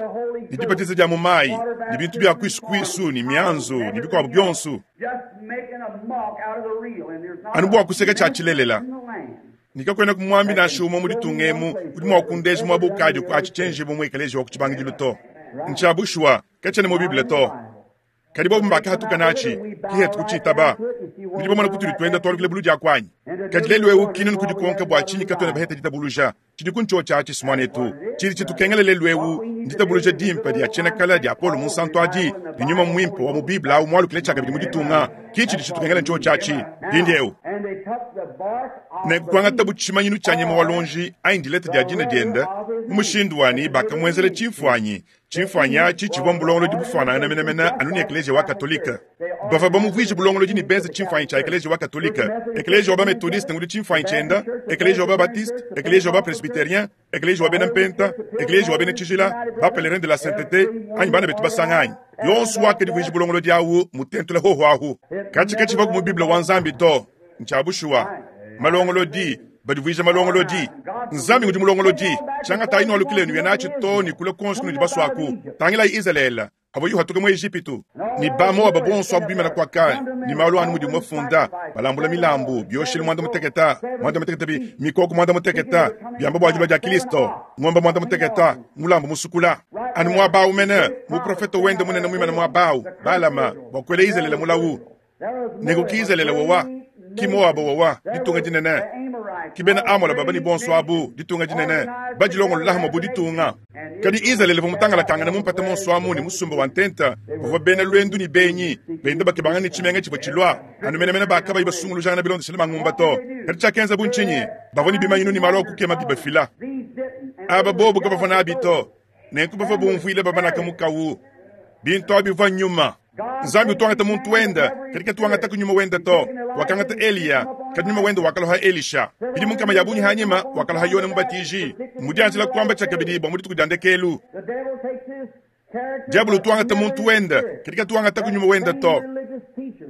ne dibatiza dia mu mayi, ne bintu bia kuisu-kuisu, ne mianzu, ne bikuabu bionso. Anu bua kuseka tshia tshilelela. Ne kakuena kumuambi nansha umue mu ditunga emu udi mua kundeja muaba ukadi ku atshi tshienjibua mu ekeleziya wa ku tshibangidilu to. Ntshia bushuwa, katshiena mu Bible to. Kadi bobu mbakahatuka natshi, kihetu kutshitaba. Nudi bamona kutudi tuenda tualukila buludi akuanyi. Kadi lelu eu kinunu kudikonka bua tshinyi katuena baheta ditabuluja. Tshidi ku ntshiotshi atshi muanetu. Tshidi tshitukengela lelu eu nditabuluja dimpe dia tshienakala dia Paulo Munsantu adi ne nyuma muimpe wa mu Bible awu mualukile tshiakabidi mu ditunga. Ki tshidi tshitukengela ntshiotshi atshi mpindieu. Nenku kuangatabu tshimanyinu tshia nyama wa luonji anyi dileta dia dina diende mu mushindu wa ne bakamuenzela tshimfuanyi. Tshimfuanyi atshi tshivua mbulongolodi bufuanangana menemene anu ne ekeleziya wa Katolike. Bavua bamuvuije bulongolodi ne benza tshimfuanyi tshia ekeleziya wa Katolike. Ekeleziya wa ba-Methodiste ngudi tshimfuanyi tshiende, ekeleziya wa ba-Baptiste, ekeleziya wa ba-Presbyterien, ekeleziya wa bena mpenta, ekeleziya wa bena tshijila, ba-Pèlerin de la Sainteté, anyi bana betu basanganyi. Yonso wakadivuija bulongolodi awu mutentula hoho ahu. Katshi katshivuaku mu Bible wa Nzambi to. Ntshia bushuwa. Malongolodi, badivuija malongolodi. Nzambi ngudi mulongolodi. Tshiangatayi nualukilenu ya natshi to ne kula konso kunudi basuaku. Tangilayi Izalele, avua yuhatuka mu Ejipitu. Ne ba Moaba bonso abu bimana kuaka, ne malu anu mudi mafunda, balambula milambu, bioshelu muanda muteketa, muanda muteketa bi, mikoko muanda muteketa, biamba bua dilua dia Kilisto, ngombe muanda muteketa, mulambu musukula. Anu muaba awu mene, muprofeto wende munene muimana muaba awu, Balama, bua kuela Izalele mulawu. Nenku ki Izalele wawa, ki Moaba wawa, ditunga dinene. Ki bena Amola baba ne bonso abu, ditunga dinene, badilongolola hamwe bu ditunga. Kadi Izalele uvua mutangalakangane mu mpata monso amu ne musumba wa ntenta, bavua bena lwendu ne benyi, benda bakebangana ne tshimenga tshivua tshilua, anu menemene bakabayi basungulujangana bilondeshile mangumba to. Kadi tshiakenza bu ntshinyi? Bavua ne bimanyinu ne malu a kukema bibafila. Aba bobu kabavua nabi to. Nenku bavua bumvuile babanaka mukawu. Bintu abi bivua nyuma. Nzambi utuangata muntu wenda, kadi katuangata ku nyuma wenda to. Wakangata Eliya, kadi nyuma wenda wakaloha Elisha. Bidimu nkama ya bungi hanyima wakaloha Yone Mubatiji. Mudianjila kuamba tshiakabidi bua mu dituku dia ndekelu. Diabolo utuangata muntu wenda, kadi katuangata ku nyuma wenda to.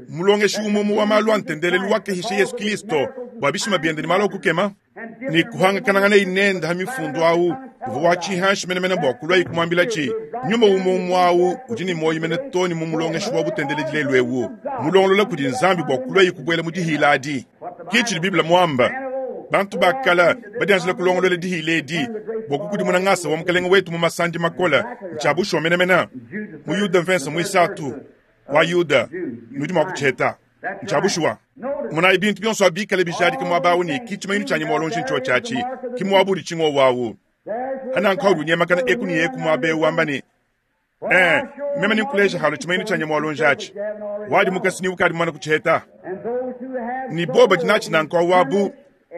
Mulongeshi umwe wa malu a ntendelelu wakehisha Yesu Kristo bua bishima biende ne malu a kukema. Ne kuhangakanangana inenda ha mifundu awu uvua watshihanshi menemene bua kulua kumuambila tshi nyuma umwe umwe awu udi ne muoyo mene to ne mu mulongeshi wa butendeledi lelu ewu mulongolola kudi Nzambi bua kulua kubuela mu dihila adi. Ki tshidi Bible muamba bantu bakala badianjila kulongolola dihila edi bua kukudimuna ngasa wa mukalenge wetu mu masandi makola ntshia bushuwa menemene. Mu Yuda mvensa muisatu wa Yuda nudi mua kutsheta ntshia bushuwa. Monayi bintu bionso abikale bijadika muaba awu ne ki tshimanyinu tshia nyama wa luonji ntshio tshiatshi ki muaba udi tshingo wawu. Hananka udi unyemakana eku ne eku muaba ewu wamba ne eh meme ninkuleja halo tshimanyinu tshia nyama wa luonji atshi wadi mukasi ni ukadi mwana kutsheta ni boba dinatshi nanka wabu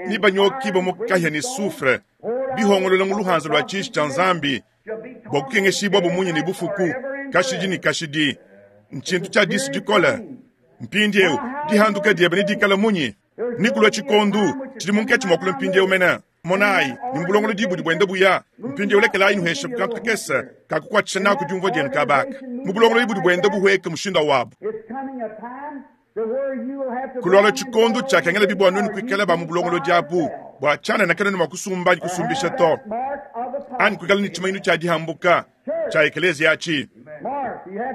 ni banyoki bo mukahya ni sufre bihongolola mu luhanza lwa tshishi tshia Nzambi bua kukengeshibwa bumunyi ne bufuku kashidi ne kashidi ntshintu tshia disu dikola. Mpindiewu dihanduka diebe ne dikala munyi nikulua tshikondu tshidi munkatshi mua kulua mpindiewu mena. Monayi ni mbulongolo dibudi buenda buya mpindiewu lekelayi nuhesha kukantu kakese kakukuatshisha naku diumvua dienu kabaka mu bulongolo dibudi buenda buhweka mushindu wabu. Kulwala tshikondu tshiakengela bibua nuenu kuikala ba mu bulongolo diabu bua tshianana kanenu mua kusumba kusumbisha to anyi kuikala ne tshimanyinu tshia dihambuka tshia ekelezia atshi.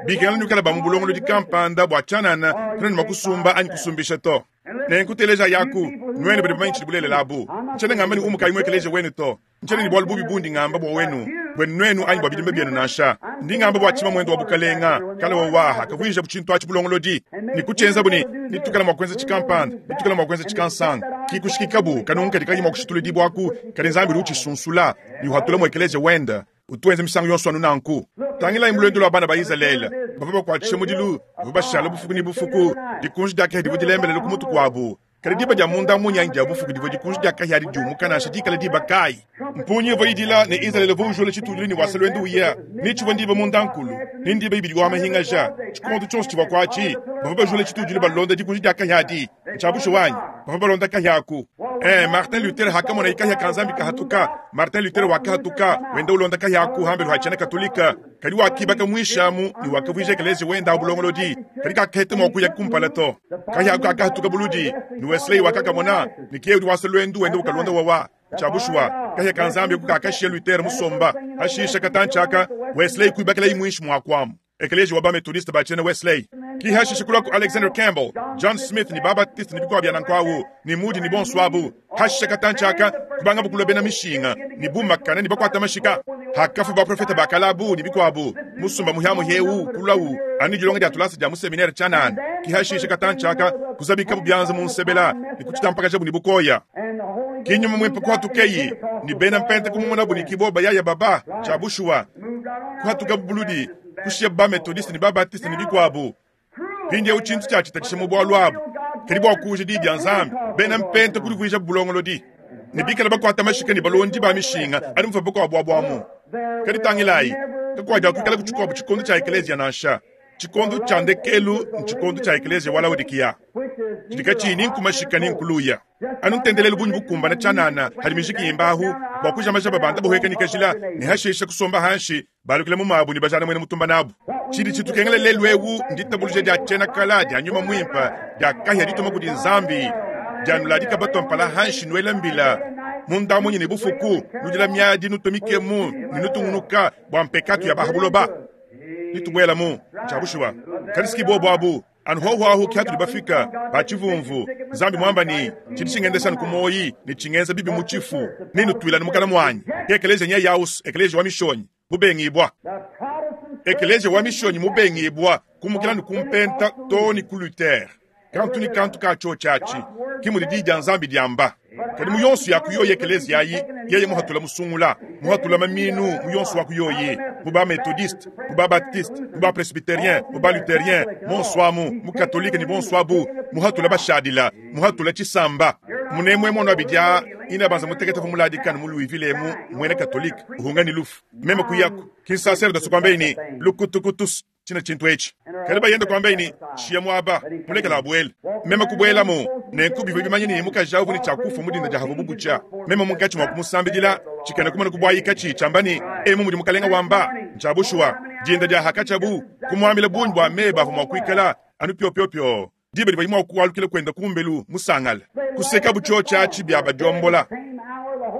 Bikengela nuikala ba mu bulongolo dikampanda bua tshianana kanenu mua kusumba anyi kusumbisha to. Nenkuteleja yaku nuenu badi bamanyi tshidi bulelela abu. Ntshiena ngamba ne umukayi mu ekelezia wenu to. Ntshiena ne bualu bubi bundi ngamba bua wenu bwenu nuenu anyi bua bidimba bienu nansha. Ndi ngamba bua tshima mwendo wa bukalenga kala wa waha kavuija butshintu atshi bulongolodi ne kutshienza bu ne nitukala mua kuenza tshikampanda nitukala mua kuenza tshikansanga kikushikikabu kanungu kadi kayi mua kushituludibwaku kadi Nzambi udi utshisunsula ne uhatula mu ekelezia wenda utuenze misangu yonso anu nanku. Tangilayi mulwendo lwa bana ba Izalele bavua bakuatshisha mudilu bavua bashala bufuku ne bufuku dikunji dia kahia divua dilembelele ku mutu kuabu. Kadi diba dia munda munyanyi dia bufuku divua dikunji dia kahia diumuka nansha dikala diba kayi. Mpunyi ivua idila ne Izalele uvua ujula tshitudilu ne wasa lwendo uya ne tshivua ndiba munda nkulu ne ndiba ibidi wa mahingaja tshikondo tshionso tshivua kuatshi bavua bajula tshitudilu balonda dikunji dia kahia adi. Ntshia bushuwa anyi bavua balonda kahia aku. Eh, Martin Luther hakamona ikahia ka Nzambi kahatuka. Martin Luther wakahatuka wenda ulonda kahia aku hambelu ha tshiena Katolika kadi wakibaka mwishamu ne wakavuija ekelezia wenda abulongolodi kadi kakaheta mua kuya kumpala to. Kahia aku kakahatuka buludi ne Wesley wakakamona ne kiye udi wasa lwendu wenda ukalonda wawa. Tshia bushuwa kahia ka Nzambi kakashia Luther musomba hashisha katantshaka Wesley kuibakela imwishi mwakuamu. Ekelezia wa bamethodiste ba tshiena Wesley ki hashisha kulua ku Alexander Campbell, John Smith ni Babaptiste ni bikwa bia nankwawu ni Moody ni bonso hashisha katantshaka kubanga bukulua bena mishinga ni bumakana ni bakwata mashika hakafu baprofeta bakalabu ni bikwabu musumba muhyamuhyewu kulawu ani dilonga dia tulasa dia museminaire tshianana ki hashisha katantshaka kuzabika bubyanza mu nsebela ni kutshitampakaja bu ni bukoya. Kinyuma mwimpe kuhatukeyi ni bena mpente kumumona bu ni kiboba yaya baba tshia bushuwa kuhatuka bubuludi kushia ba methodiste ni babatiste ni bikwabu. Mpindiewu tshintu tshiatshitatshisha mu bualu abu kadi bua kuuja diyi dia Nzambi bena mpente kudivuija bulongolodi ne bikala bakuata mashika ne balondi ba mishinga adi mufa bakuabu abuamu. Kadi tangilayi kakuadia kuikala ku tshikuabu tshikondo tshia ekelezia nansha. Tshikondo tshia ndekelu ntshikondo tshia ekelezia wa Laodikiya tshidi katshiyi ni nkumashika ni nkuluya anu ntendelelu bunyi bukumbana tshianana hadi mijiki imbahu bua kujamaja babanda buhweka nikajila ne hashisha kusomba hanshi balukile mu mabu ne bajana mwene mutumba nabu. Tshidi tshitukengela lelu ewu nditabuluja dia tshiena kala dia nyuma mwimpa dia kahia dituma kudi Nzambi dia nuladika batwa hanshi nuela mbila munda munyi ne bufuku nudila miadi nutumikemu ne nutungunuka bua mpekatu ya bahabuloba nitubwela mu tshia bushuwa. Kadi bobo abu anu hoho ahu kiatu bafika ba tshivumvu Nzambi mwamba ni tshidi tshingendesha ku moyi ne tshingenza bibi mu tshifu ne nutwila mukana mwanyi. Ekelezia nya yaus ekelezia wa mishonyi mubengibwa ekelezia wa mishonyi mubengibwa kumukila ni kumpenta to ni ku Luther kantu ni kantu ka tshio tshiatshi ki mudi diyi dia Nzambi diamba. Kadi mu yonso ya ku yoyi ekeleziya ayi, yeye muhatula musungula, muhatula maminu mu yonso wa ku yoyi, mu ba Methodiste, mu ba Baptiste, mu ba Presbyterien, mu ba Lutherien, bonso amu, mu Katolike ne bonso abu, muhatula bashadila, muhatula tshisamba. Munemwe mwono abidi aa, ina banza mutekete uvua muladikane mu Louisville emu, muena Katolike, uhunga ne lufu. Meme kuyaku, ki nsaserdosi kuambaye ne, Lukutukutus, tshina tshintu etshi. Kadi bayende kuambaye ne, Shiya muaba, mulekela abuele. Meme kubuelamu, nenku bivua bimanye ne mukaji awu uvua ne tshia kufua mu dinda dia havua butshia. Meme munkatshi mua kumusambidila, tshikena kumona kubuayika tshi tshiamba ne, Emu mudi mukalenga wamba, ntshia bushuwa. Dinda dia hakatshiabu, kumuambila bungi bua meba avua mua kuikala anu piopiopio. Diba divua mua kualukila kuenda kumbelu musangale. Kusekabu tshiotshi atshi bia badiombola.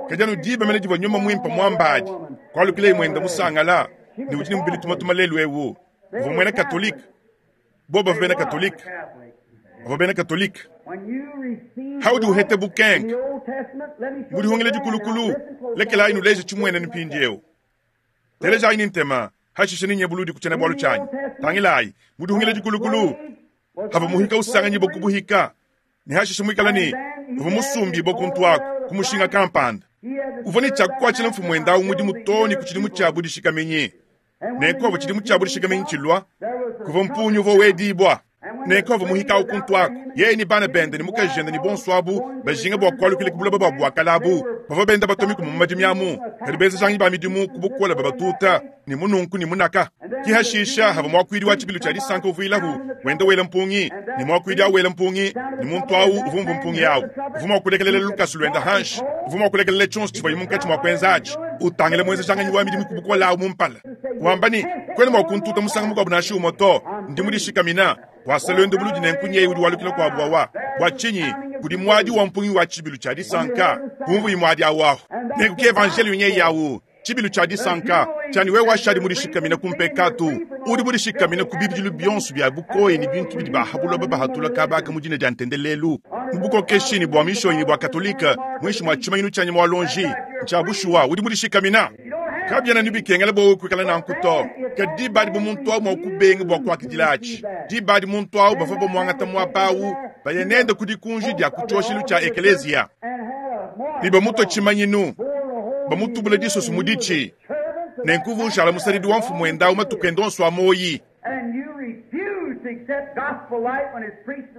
Kadi anu diba mene divua nyuma muimpe muambadi, kualukilaye muenda musangala, ne udi ne mubidi tumatuma lelu eu. Uvua muena Katolike. Bobo bavua bena Katolike. Bavua bena Katolike. Haudi uhete bukenke. Mu dihungila dikulukulu, lekelayi nuleje tshimuene mpindieu. Telejayi ne ntema, hashishe ninye buludi ku tshiena-bualu tshianyi. Tangilayi, mu dihungila dikulukulu, hava muhika usanganyibwa ku buhika, ne hashishe muikala ne uvua musumbibwa kuntu aku, ku mushinga kampanda. Uvua ne tshia kukuatshila mfumu wende awu mudimu too ne ku tshidimu tshia budishikaminyi. Nenku avua tshidimu tshia budishikaminyi tshilua, kuvua mpungi uvua wedibwa. Nenku avua muhika awu kuntu aku, yeye ne bana bende ne mukajende ne bonso abu bajinga bua kualukila ku buloba bua buakala abu. Bavua benda batua mikuma mu madimi amu, kadi benzejanganyi ba midimu ku bukole babatuta ne mununku ne munaka. Ki hashisha havua muakuidi wa tshibilu tshia disanka uvuilahu wenda wela mpungi, ne muakuidi awu wela mpungi, ne muntu awu uvua umvua mpungi awu. Uvua mua kulekelela lukasu luenda hanshi, uvua mua kulekelela tshionso tshivuaye munkatshi mua kuenza atshi, utangila muenzejanganyi wa midimu ku bukole awu mu mpala, wamba ne, Kuena mua kuntuta musangu mukuabu nansha umue to, ndi mudishikamina. Wasa luendu buludi nenku nyeye udi walukila kuabu wawa. Bua tshinyi? Kudi muadi wa mpungi wa tshibilu tshia disanka, kumvuyi muadi awu ahu. Nenku ki evanjeliyo nyeye awu, tshibilu tshia disanka, tshiani wewe washadi mudishikamina ku mpekatu, udi mudishikamina ku bibidilu bionso bia bukoya ne bintu bidi bahabuloba bahatula kabaka mu dina dia ntendelelu, mu bukokeshi ne bua mishonyi ne bua Katolike, muinshi mua tshimanyinu tshia nyama wa luonji. Ntshia bushuwa, udi mudishikamina. Kabiena ne bikengela bua wewe kuikala nanku to. Kadi diba adi bu muntu awu mua kubenga bua kuakidila atshi, diba adi muntu awu bavua bamuangata muaba awu, baya nende ku dikunji dia ku tshioshelu tshia ekeleziya, ne bamutua tshimanyinu, bamutubula disoso mu ditshi, nenku uvua ushala musadidi wa mfumuende awu matuku ende onso a muoyi.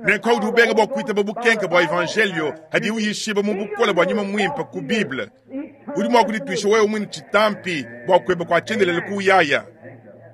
Nenku udi ubenga bua kuitaba bukenke bua evanjelio hadiye uyishiba mu bukole bua nyuma muimpe ku Bible, udi mua kudituisha wewe muine tshitampi bua kueba kua tshiendelele ku uyaya.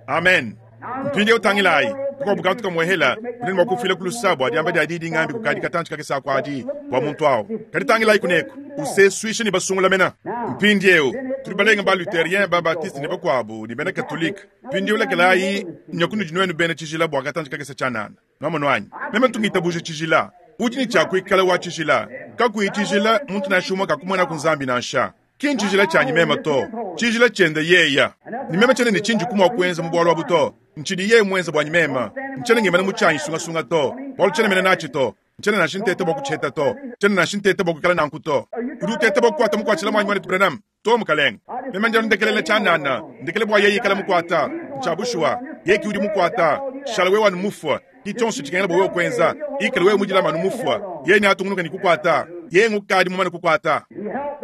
Amen. Mpindieu tangilayi kakuabu kantu kamuehela udi ne mua kufila ku lusa bua diamba dia diyi dingambi kukadi katantshi kakese aku adi bua muntu awu. Kadi tangilayi kuneku, usesuisha ne basungula mena. Mpindieu tudi balenga ba Lutherien, ba Baptiste ne bakuabu ne bena Katolike. Mpindieu lekelayi nya kunudi nuenu bena tshijila bua katantshi kakese tshianana. Nuamonu anyi? Meme ntu ngitabuja tshijila. Udi ne tshia kuikala wa tshijila. Kakuyi tshijila, muntu nansha umue kakumonaku Nzambi nansha. Ki ntshijila tshianyi meme to, tshijila tshiende yeya. Ne meme tshiena ne tshindi mua kuenza mu bualu abu to. Ntshidi yeye muenze buanyi meme. Ntshiena ngimana mu tshianyi sungasunga to, bualu tshiena mene natshi to. Ntshiena nansha nteta bua kutshiheta to. Tshiena nansha nteta bua kuikala nanku to. Udi uteta bua kukuata mukuatshila muanyi muanetu Branham to, mukalenge. Meme ndi anu ndekelela tshianana, ndekele bua yeye ikala mukuata. Ntshia bushuwa, yeye ki udi mukuata. Shala wewe anu mufue. Ki tshionso tshikengela bua wewe kuenza. Ikala wewe mudilame anu mufue. Yeye neatungunuke ne kukuata. Yeye ngukadi mumane kukuata.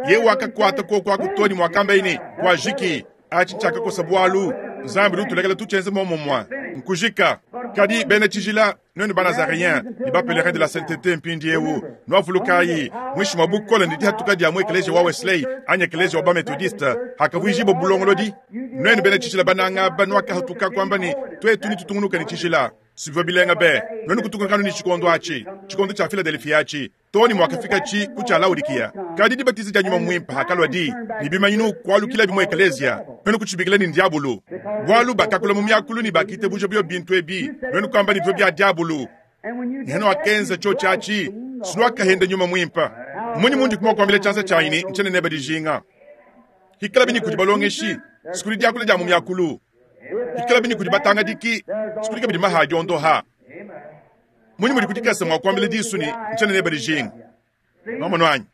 Yeye wakakuata kuoku aku to ne muakambaye ne, kuajiki. Atshi tshiakakosa bualu. Nzambi udi utulekela tutshienze muomumue. Nkujika. Kadi bena tshijila, nuenu ba-Nazareen ne ba-Pèlerins de la Sainteté mpindieu, nuavulukayi, muinshi mua bukole ne dihatuka dia mu ekeleziya wa Wesley anyi ekeleziya wa ba-Methodiste, hakavuijibua bulongolodi, nuenu bena tshijila bananga aba nuakahatuka kuamba ne, tuetu netutungunuke ne tshijila. Sivua bilenga be, nuenu kutungunuka anu ne tshikondo atshi, tshikondo tshia Philadelphia atshi, too ne muakafikatshi ku tshia Laodikiya. Kadi dibatiza dia nyuma muimpe hakalua di ne bimanyinu kualukilabi mu ekeleziya, nuenu kutshibikila ne ndiabulu, bualu bakakula mu miakulu ne bakitabuja bio bintu ebi, nuenu kuamba ne bivua bia diabulu. Ne hanuakenza tshiotshi atshi, sinuakahenda nyuma muimpe. Mmunyi mundi mua kuambila tshianza tshianyi ne, ntshiena nebe dijinga? Hikalabi ne kudi balongeshi, sikudi diakula dia mu miakulu. Hikalabi ne kudi batangadiki, sikudi kabidi maha diondoha. Munyi mudi kudikasa mua kuambila disu ne, ntshiena nebe dijinga? Nuamonu anyi?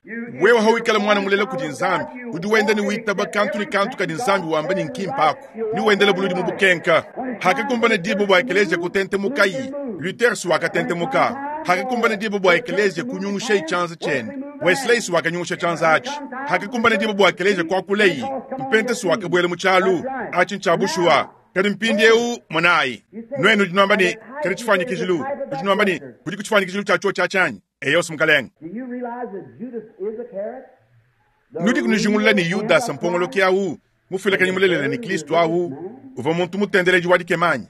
Wewe hawikala mwana mulela kudi Nzambi, udi wenda ne witaba kantu ne kantu kadi Nzambi wamba ne nkimpa aku, ne wendela buludi mu bukenka. Hakakumbana diba bua ekeleziya kutentemukayi, Luther si wakatentemuka. Hakakumbana diba bua ekeleziya kunyungushayi tshianza tshiende, Wesley wakanyungusha tshianza atshi. Hakakumbana diba bua ekeleziya kuakuleyi, mpentesi wakabuela mu tshialu atshi ntshia bushuwa. Kadi mpindieu monayi, nuenu nudi nuamba ne, kadi tshifuanyikijilu, nudi nuamba ne, kudi ku tshifuanyikijilu tshia tshiotshi atshi anyi? Eyo, mukalenge. Do you realize that Judas is a carrot? Nudi kunujingulula ne Yudasa mpongoloki awu, mufuilakanyi mulelela ne Kristo awu, uvua muntu mutendeledi wa dikema anyi?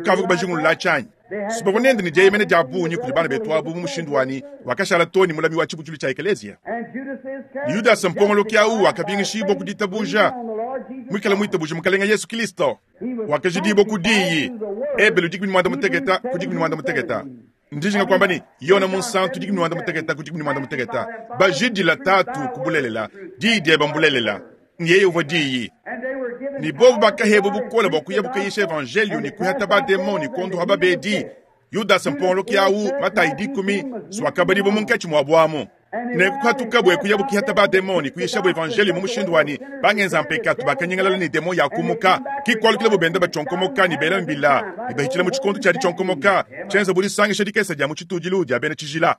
Ukavua kubajingulula atshi anyi? Sibavua nende ne dieyemena dia bungi kudi bana betu abu mu mushindu wanyi wakashala too ne mulami wa tshibutshilu tshia ekeleziya. And Judas is carrot. Yudasa mpongoloki awu wakabingishibua ku ditabuja, muikale muitabuja mukalenge Yesu Kristo. Wakajidibua ku diyi Ebelu dikumi ne muanda muteketa ku dikumi ne muanda muteketa. Ndijinga kuamba ne Yona munsantu dikumi ne muanda muteketa ku dikumi ne muanda muteketa. Bajidila tatu ku bulelela, diyi diebe mbulelela. Yeye uvua diyi. And they were given Ni bobu bakahebwa bukole bua kuya bukayisha evangelio ni kuhata bademoni kondoha babedi. Yudasa mpongoloki awu Matayi dikumi swakabadibwa munkatshi mua bwamu. Ne kuhatuka bwe kuya bukihata bademoni kuyisha bwe evangelio mu mushindu wani bangenza mpekatu bakanyingalala ni demo yakumuka kikwalukila bubenda bachonkomoka ni bela mbila ni bahitshila mu tshikondo tshia ditshonkomoka tshienza bulisangisha dikesa dia mu tshitudilu dia bena tshijila.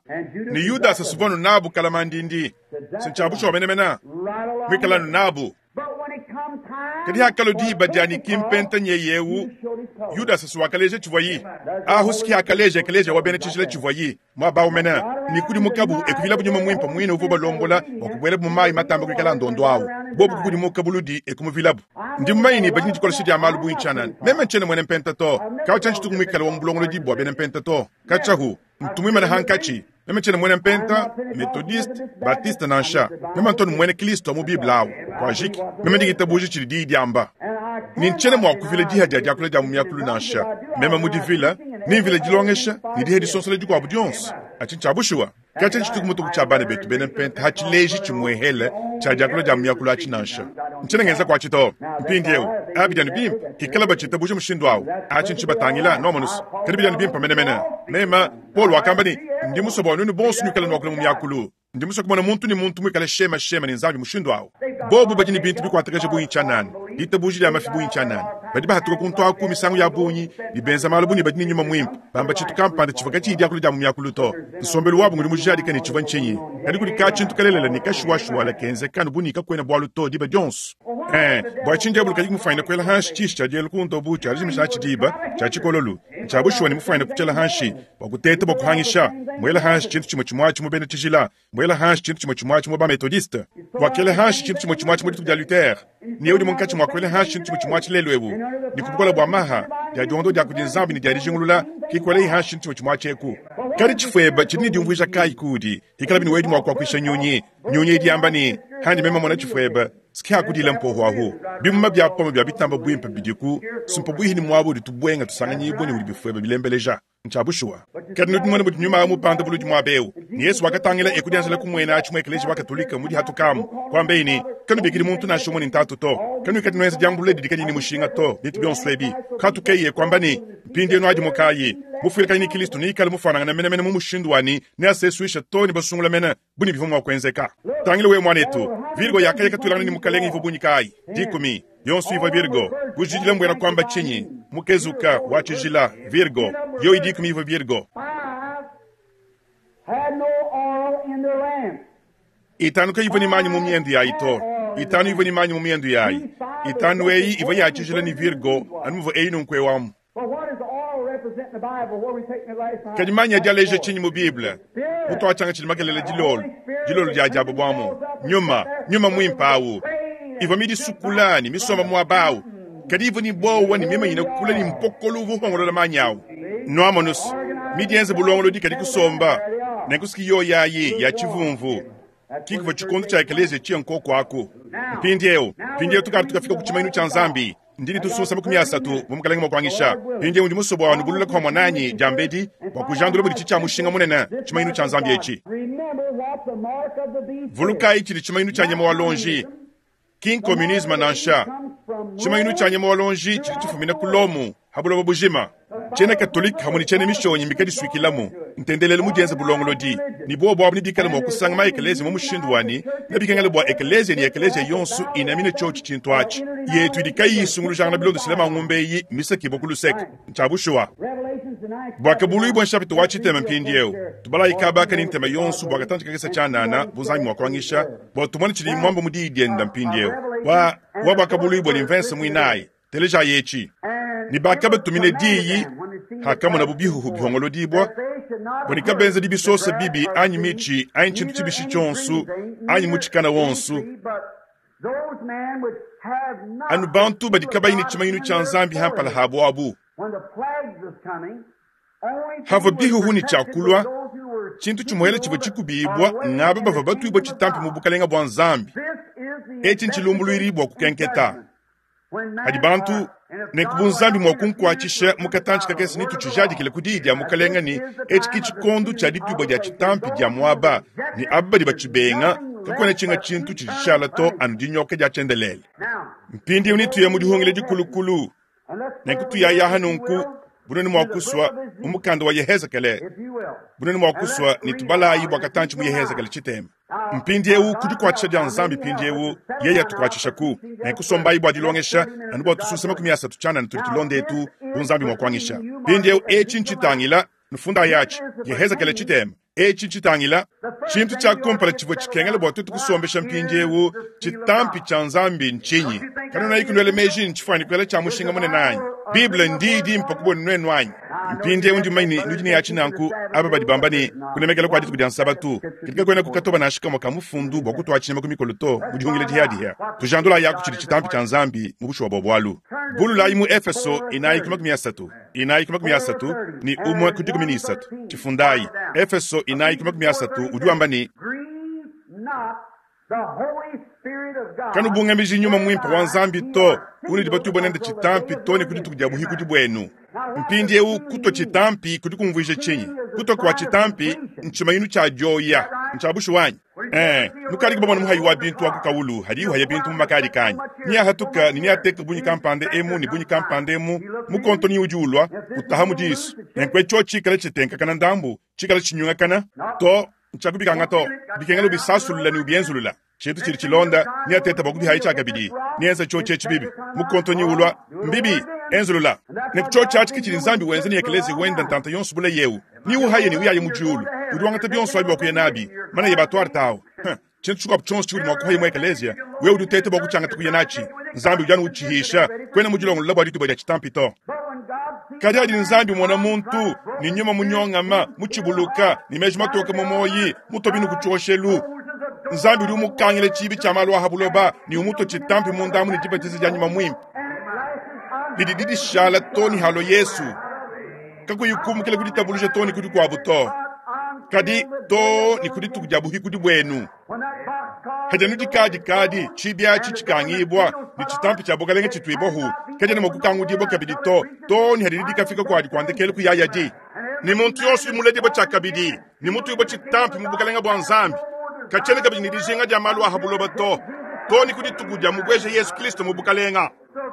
Ni Yudasa suvonu nabu kalamandindi sintshiabusha wamenemena right along. mwikalanu nabu. But when it come time Kadi hakalo for diba dia ni Pentecost, kimpenta nyeyewu Judas showed his colors. Yudasa siwakaleja tshivuayi ahu siki akaleja ekeleja wa bena tshijila tshivuayi mwabawumena ni kudi mukabu ekuvila bunyuma mwimpa mwine uvu balombola bua kubuela mu mayi matamba kuikala ndondo awu bobu kukudimuka buludi ekumuvilabu. Ndi mumanyi ne badi ne dikolesha dia malu bungi tshianana. Meme ntshiena muena mpenta to, kawa tshia ntshituku muikale wa mu bulongolodi bua bena mpenta to. Katshahu ntumwimana hankatshi. Meme ntshiena muena mpenta, methodiste, baptiste nansha. Meme ntonu muena Kristo mu Bible awu. Kwa jiki, meme ndingitabuja tshidi diyi diamba. And I Ni ntshiena mua kuvila diha dia diakula dia mu miakulu nansha. Meme mudivila, nimvila dilongesha, ne diha disonsola dikuabu dionso. Atshi ntshia bushuwa. Katshia ntshituku mutuku tshia bana betu bena mpenta hatshileji tshimuehele tshia diakula dia mu miakulu atshi nansha. Ntshiena ngenza kuatshi to. Mpindieu, abi dianu bimpe, ikala batshitabuja mushindu awu. Atshi ntshibatangila nomonusu. Kadi bidianu bimpe menemene. Mema, Paul wakamba ne, ndi musue bua nuenu bonso nuikale nuakula mu miakulu. Ndi musue kumona muntu ne muntu muikale shema shema ne Nzambi mushindu awu. Bobu badi ne bintu bikuatakaja bungi tshianana, ditabuja dia mafi bungi tshianana. Badi bahatuka kuntu aku misangu ya bungi, ne benza malu bu ne badi ne nyuma mwimpe. Bamba tshintu kampanda tshivua katshiyi diakula dia mu miakulu to. Nsombelu wabu ngudi mujadika ne tshivua ntshinyi. Kadi kudi ka tshintu kalelela ne kashuwashuwala kenzeka bu ne kakuena bualu to diba dionso. Eh, bua tshinyi diabulu kadi kumufanyina kuela hanshi tshishi tshia dielu ku ntobu tshia dijimisha atshi diba tshia tshikololu. Ntshia bushuwa ne mufanyina kutshiela hanshi bua kuteta bua kuhangisha. Muela hanshi tshintu tshimue tshimue atshi mu bena tshijila. Muela hanshi tshintu tshimue tshimue atshi mu ba methodiste. Wakela hanshi tshintu tshimue tshimue atshi mu dituku dia Luther. Ne udi munkatshi mua kuela hanshi tshintu tshimue tshimue atshi lelu ewu. Ni ku bukole bua maha dia diondo dia kudi Nzambi ne dia dijingulula kikwela hanshi tshintu tshimue tshimue atshi eku. Kadi tshifueba tshidi ne diumvuija kayi kudi? Ikala bini wedi mua kuakuisha nyunyi. Nyunyi idi yamba ne, handi meme mona tshifueba, siki hakudila mpoho ahu. Bimuma bia pome bia bitamba bwimpe bidiku, simpo bwihi ni mwabo udi tubwenga tusanganyibwe ne udi bifueba bilembeleja. Ntshia bushuwa. Kadi nudi mona mudi nyuma mupanda buludi mwabeu. Ni Yesu wakatangila ekudianzela kumwena atshi mu ekeleziya wa Katolika mudi hatukamu. Kwambeyi ne, kanubikidi muntu nansha umwe ne ntatu to. Kanuikadi nuenza diambulula didi kadiyi ne mushinga to, bintu bionso ebi. Katukeye kwamba ne, mpindienu adi mukayi. Mufuilakanyi ne Kristo neikale mufuanangana menemene mu mushindu wani, neasesuisha to ne basungula mene, bu ne bivua mua kuenzeka. Tangila wewe mwanetu, Virgo yakaya katulangana ne mukalenge ivua bungi kayi? Dikumi. Yonso ivua Virgo. Kujidila mbwena kwamba tshinyi? Mukezuka wa tshijila, Virgo. Yo idikumi ivua Virgo. Five had no oil in their lamp. Itanu kayivua ne manyi mu miendu yayi to. Itanu ivua ne manyi mu miendu yayi. Itanu eyi ivua ya tshijila ne Virgo, anu muvua eyi nunkuewamu. But what does oil represent in the Bible? Where we taking it last night? Kadi manyi adi aleja tshinyi mu Bible? Mutu atshanga tshidi makelela dilolo, dilolo dia diabo bwamu. Nyuma, nyuma mwimpe awu. Ivua midisukula ne misomba muaba awu. Kadi ivua ne bowa ne mimanyine kula ne mpokolo uvua uhongolola manyi awu. Noamonusu, midienze bulongolodi kadi kusomba. Nenkusiki yoyo ayi ya tshivumvu. Kikuvua tshikondo tshia ekeleziya tshiya nkoko aku. Mpindieu, mpindieu tukadi tukafika ku tshimanyinu tshia Nzambi. Ndini tususa makumi asatu mu mukalenge mua kuangisha. Mpindieu ndi musue bua nubulula kwa mwananyi diambedi bua kujandula budi tshitshia mushinga munene tshimanyinu tshia Nzambi etshi. Remember what the mark of the beast is. Vulukayi tshidi tshimanyinu tshia nyama wa lonji. Ki communisme nansha. Tshimanyinu tshia nyama wa lonji tshidi tshifumina ku Lomu ha buloba bujima. Tshiena Katolike hamwe ne tshiena mishonyi mbikadisuikilamu. Ntendelelu mudienze bulongolodi. Ni bobo abu nibikale mua kusanga ma ekeleziya mu mushindu wani, nebikengele bua ekeleziya ne ekeleziya yonso inamine tshiotshi tshintu atshi. Yetu idi kayiyi isungulujangana bilondeshile mangumbe eyi misakibwa ku luseke. Ntshia bushuwa. Revelations Buakabuluibua nshapita wa tshitema mpindieu. Tubalayi kaba ne ntema yonso bua katanji kakese tshianana bu Nzambi mua kuangisha bua tumone tshidi mwamba mu diyi dienda mpindieu. Wa wa buakabuluibua ni mvense muinayi. Teleja yechi. Ni bakabatumine diyi hakamona bu bihuhu bihongolodibwa bua nikabenza dibisosa bibi anyi michi anyi tshintu tshibishi tshionso anyi mutshikana wonso anu bantu badi kabayi ne tshimanyinu tshia Nzambi hampala habo abu. Hava bihuhu ne tshiakulua tshintu tshimuhela tshivua tshikubibwa ngaba bava batuibwa tshitampi mu bukalenga bua Nzambi. Etshi ntshilumbuluiri bua kukenketa hadi bantu ne ku Nzambi mua kunkuatshisha mu katanji kakese ne tutshijadikile ku diyi dia mukalenga ne etshi ke tshikondo tshia dituibwa dia tshitampi dia muaba ne aba badi batshibenga kakuena tshinga tshintu tshidishala to anu dinyoka dia tshiendelele. Mpindieu nituye mu dihungile dikulukulu nenku tuyayaha nunku bunene mua kusua mu mukanda wa Yehezekele bunene mua kusua ne tubalayi bua katanji mu Yehezekele tshitema. Mpindieu kudikuatshisha dia Nzambi mpindieu yeye atukuatshisha ku nenkusombayi bua dilongesha anu bua tususa makumi asatu tshianana tudi tulonda etu bu Nzambi mua kuangisha. Mpindieu etshi ntshitangila nufunda yatshi Yehezekele tshitema. Etshi ntshitangila tshintu tshia kumpala tshivua tshikengela bua tuetu kusombesha mpindieu tshitampi tshia Nzambi ntshinyi? Kanona ikunwele meji ntshifuani kuela tshia mushinga munene anyi? Bible ndi dimpa kubona nwenu anyi? Mpindieu ndi mmanyi nudi ne yatshi nanku aba badi bamba ne kunemekela kwa dituku dia Nsabatu katika kwena kukatoba nansha kamwe ka mufundu bua kutua tshinyama ku mikolo to mu dihungile dihadiha. Tujandula yaku tshidi tshitampi tshia Nzambi mu bushuwa bua bualu. Bululayi mu Efeso inayi ku makumi asatu inayi ku makumi asatu ni umwe ku dikumi ni isatu. Tshifundayi Efeso inayi ku makumi asatu udi wamba ne kanubungamiji nyuma mwimpe wa Nzambi to unudi batubwa nende tshitampi to ne ku dituku dia buhikudi bwenu. Mpindieu kutwa tshitampi kudi kumvuija tshinyi? Kutwa kwa tshitampi ntshimayinu tshia dioya ntshia bushuwanyi. Eh, nukali kubamona muhayi wa bintu wa kukawulu hadi uhaya bintu mu makali kanyi niyahatuka ni niyateka bunyi kampande emu ni bunyi kampande emu mukonto ni udi ulwa utaha mu disu nenkwe tsho tshikala tshitenkakana ndambu tshikala tshinyungakana to ntshakubikanga to bikengela ubisasulula ni ubienzulula tshintu tshidi tshilonda niyateta bua kubihayi tshiakabidi niyenza tsho tshetshi bibi mukonto ni ulwa mbibi enzulula nekutsho tshatshi ke tshidi Nzambi wenza ni ekelezi wenda ntanta yonso bula yewu ni uhaye ni uyaye mu diulu udi wangata bionso abi bua kuya nabi mana ye batwara tawo. Tshintu tshikuabu tshionso tshiudi mua kuhaya mu ekelezia wewe udi uteta bua kutshiangata kuya natshi Nzambi udi anu utshihisha kwena mu dilongolola bua dituba dia tshitampi to. Kadi adi Nzambi mona muntu ni nyuma munyongama mutshibuluka ni meji matoka mu moyi mutobinu kutshioshelu. Nzambi udi umukangile tshibi tshia malu aha buloba ni umuto tshitampi mundamu ni dibatiza dia nyuma mwimpe didi didishala to ni halo Yesu kakuyikumukile kuditabuluja to ni kudikuabu to kadi to ni kudituku dia buhikudi bwenu. Hajanu dikadi kadi tshibi atshi tshikangibwa ni tshitampi tshia bukalenge tshituibohu kadi ne mokukangudibwa kabidi to to ni hadidi dikafika kwadi kuandekele kuyaya di ni muntu yonso muledibwa tshiakabidi ni mutuibwa tshitampi mu bukalenge bua Nzambi katshiena kabidi ni dijinga dia malu aha buloba to to ni kudituku dia mubweje Yesu Kristo mu bukalenga.